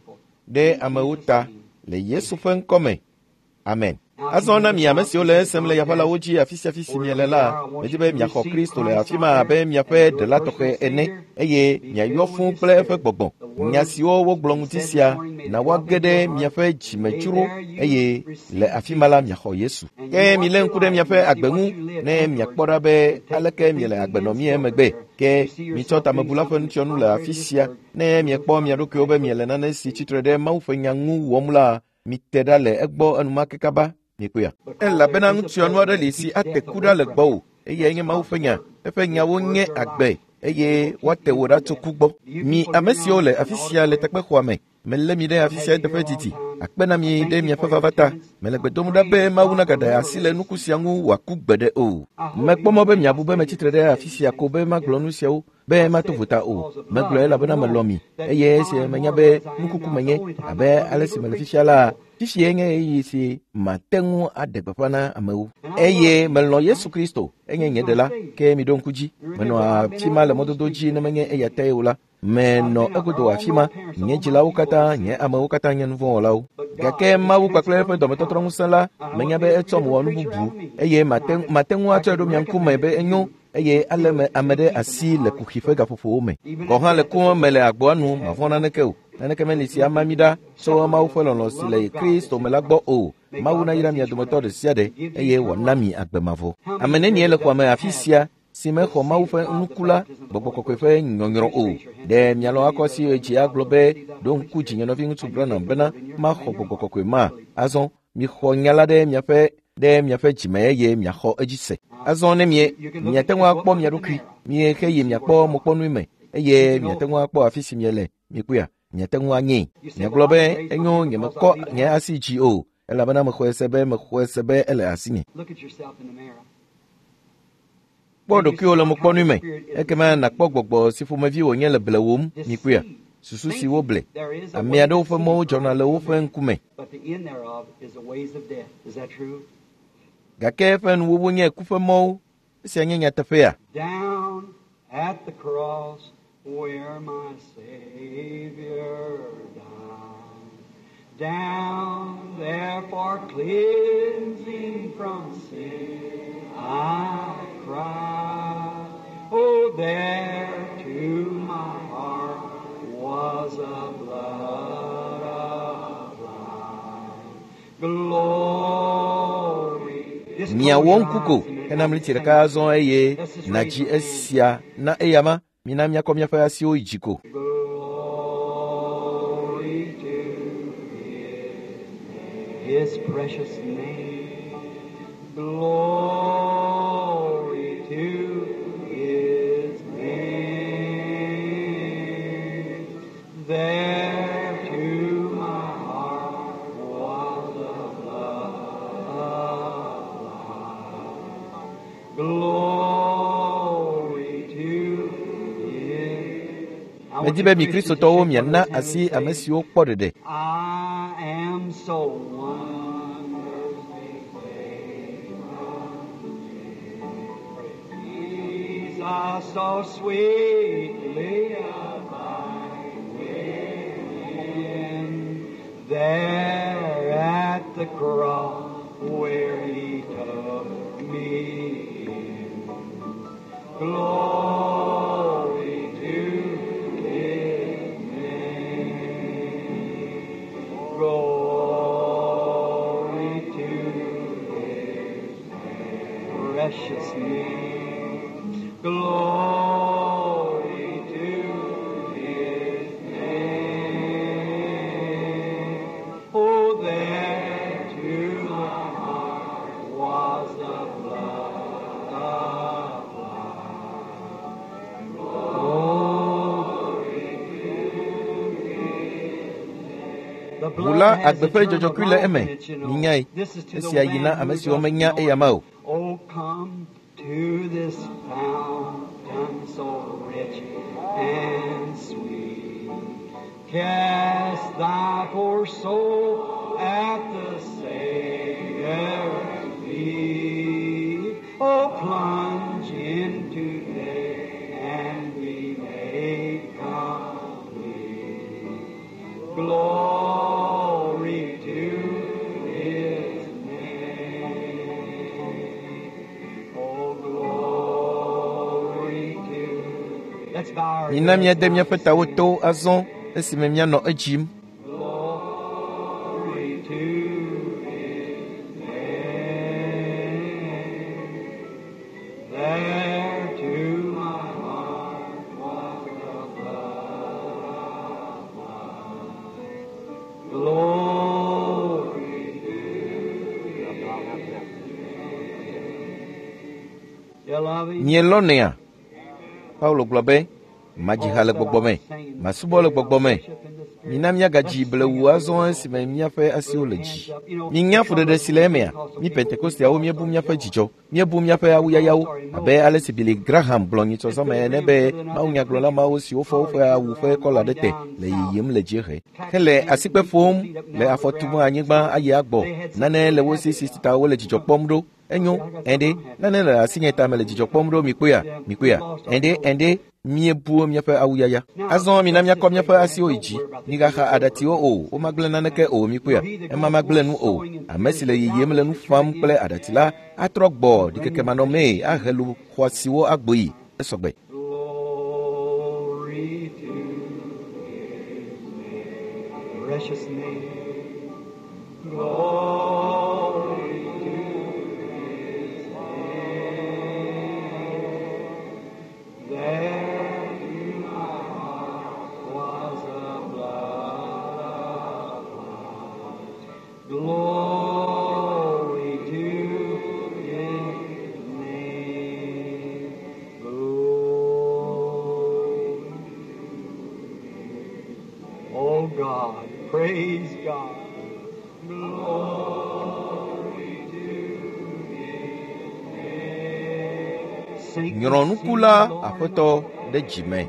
ɖe amewo ta le Yesu ƒe ŋkɔ me. Amen. Azɔ na mi ame siwo le esem le yaƒalawo dzi afi sia afi si miele la, medi be miaxɔ Kristo le afi ma abe miaƒe ɖela tɔxɛ ene eye miayɔ fũu kple eƒe gbɔgbɔ. Nya siwo wogblɔ ŋuti sia na woage ɖe miaƒe dzimedzro eye le afi ma la miaxɔ Yesu. Ke milé ŋku ɖe miaƒe agbe ŋu ne miakpɔ ɖa be aleke miele agbe nɔ mie emegbe. Ke mitsɔ tamebula ƒe nutsyɔnu le afi sia ne miekpɔ mia ɖokuiwo be miele nane si tsitre ɖe Mawu ƒe nya ŋu wɔm la, mite ɖa le egbɔ enumake kaba. Mikpɔea? Elabena nutsyɔnu aɖe li si ate ku ɖa le gbɔwò eyae nye Mawu ƒe nya. Eƒe nyawo nye agbe eye woate wò ɖa tso ku gbɔ. Mi ame siwo le afi sia le takpexɔa me, melé mi ɖe afi sia eteƒe didi. Akpe na mi ɖe miaƒe vava ta. Mele gbe dom ɖa be Mawu nagaɖe asi le nuku sia ŋu wòaku gbeɖe o. Mekpɔ mɔ be miabu be metsitre ɖe afi sia ko be magblɔ nu siawo be mato vota o. Megblɔe elabena melɔ̃ mi eye esi menya be nukuku menye abe ale si mele fifia la, fifia nye ɣeyiɣi si mate ŋu aɖe gbeƒã na amewo. Eye melɔ̃ Yesu Kristo, enye nye ɖela, ke miɖo ŋku dzi. Menɔ afi ma le mɔdodo dzi ne menye eya tae o la. Menɔ egodo afi ma, nye dzilawo katã, nye amewo katã nye nuvɔ̃wɔlawo. Gake Mawu kpakple eƒe dɔmetɔtrɔ ŋusẽ la, menya be etsɔm wɔ nu bubu eye mate ŋu atsɔe ɖo mia ŋkume be enyo eye ale me ame ɖe asi le kuxi ƒe gaƒoƒowo me. Gɔ̃ hã le ku me le agboa nu, mavɔ̃ naneke o. Naneke meli si ama mí ɖa tso Mawu ƒe lɔlɔ̃ si le Kristo me la gbɔ o. Mawu nayra mia dometɔ ɖe sia ɖe eye wòana mi agbe mavɔ. Ame nenie le xɔa me afi sia si mexɔ Mawu ƒe nuku la, gbɔgbɔ kɔkɔe ƒe nyɔnyrɔ o? Ɖe mialɔ̃ akɔ asi dzi agblɔ be, ɖo ŋku dzinye nɔviŋutsu Branham bena maxɔ gbɔgbɔ kɔkɔe ma. Azɔ mixɔ nya la ɖe miaƒe dzime eye miaxɔ edzi se. Azɔ ne miate ŋu akpɔ mia ɖokui, miexe yi miakpɔ mokpɔnui me eye miate ŋu akpɔ afi si miele, mikpɔea, miate ŋu anyee. Miagblɔ be enyo nyemekɔ nye asi dzi o, elabena mexɔe se be ele asinye. Kpɔ ɖokuiwò le mokpɔnui me, ekema nàkpɔ gbɔgbɔ si ƒomevi wònye le blewòm, mikpɔea, susu si woble. Ame aɖewo ƒe mɔwo dzɔna le woƒe ŋkume. Gake eƒe nuwuwu nye ku ƒe mɔwo. Esia nye nyateƒea? Down at the cross where my Savior died, down there for cleansing from sin I cried. Oh, there to my heart was a blood applied. Glory. Miawɔ ŋku ko hena mliti ɖeka azɔ eye nàdzi esia na eyama. Mina miakɔ miaƒe asiwo yi dzi ko. Glory to His precious name. Glory to His name. There to my heart was the blood applied. Glory to His. Medi be mi Kristotɔwo miana asi ame siwo kpɔ ɖeɖe. I am so wonderfully saved. Jesus Doth so sweetly abide with him there at the cross where he took me in. Glory to his name. Glory to his precious name. Glory to his name. Oh, there to my heart was the blood applied. Glory to his name. The Ʋu blood la has agbe ƒe eternal dzɔdzɔkui le life eme. in it, you know. Minyae. This is to the Esia yi na man ame who siwo doesn't menya know eyama o. Oh, come to this fountain so rich and sweet. Cast thy poor soul at the Savior's feet. Oh, plunge in today and be made complete. Glory to His name. Oh, glory to. Let's bow our Mina heads míade now míaƒe to tawo sing. to azɔ esime míanɔ edzim. Glory to His name. There to my heart was the blood applied. Glory to His name. You love Him? Mielɔnɛa? Paulo gblɔ be, madzi ha le gbɔgbɔ me, masubɔ le gbɔgbɔ me. Mina míagadzi blewu azɔ esime míaƒe asiwo le dzi. Minya fuɖeɖe si le emea? Mí Pentekosteawo míebu míaƒe dzidzɔ, míebu míaƒe awuyayawo abe ale si Billy Graham gblɔ nyitsɔzɔme ene be mawunyagblɔla mawo siwo fɔ woƒe awu ƒe kɔla ɖe te le yiyim le dziehe hele asikpe ƒom le afɔ tum anyigba ayi agbɔ. Nane le wo si si ta wole dzidzɔ kpɔm ɖo. Enyo, ɛɖe, nane le asinye ta mele dzidzɔ kpɔm ɖo mikpɔea, mikpɔea. Ɛɖe, ɛɖe, míebu míaƒe awuyaya. Azɔ mina míakɔ míaƒe asiwo yi dzi. Migaxa aɖatiwo o, womagblẽ naneke o mikpɔea. Ema magblẽ nu o. Ame si le yiyim le nu fam kple aɖati la atrɔ gbɔ ɖikekemanɔmee ahe lu xɔasiwo agboyi. Esɔgbe. Glory to His name, precious name. Glory to His name. There to my heart was a blood applied. Glory to His name. Glory. Oh God, praise God. Glory to His name. Sing, Nyrɔnuku la Aƒetɔ ɖe dzime.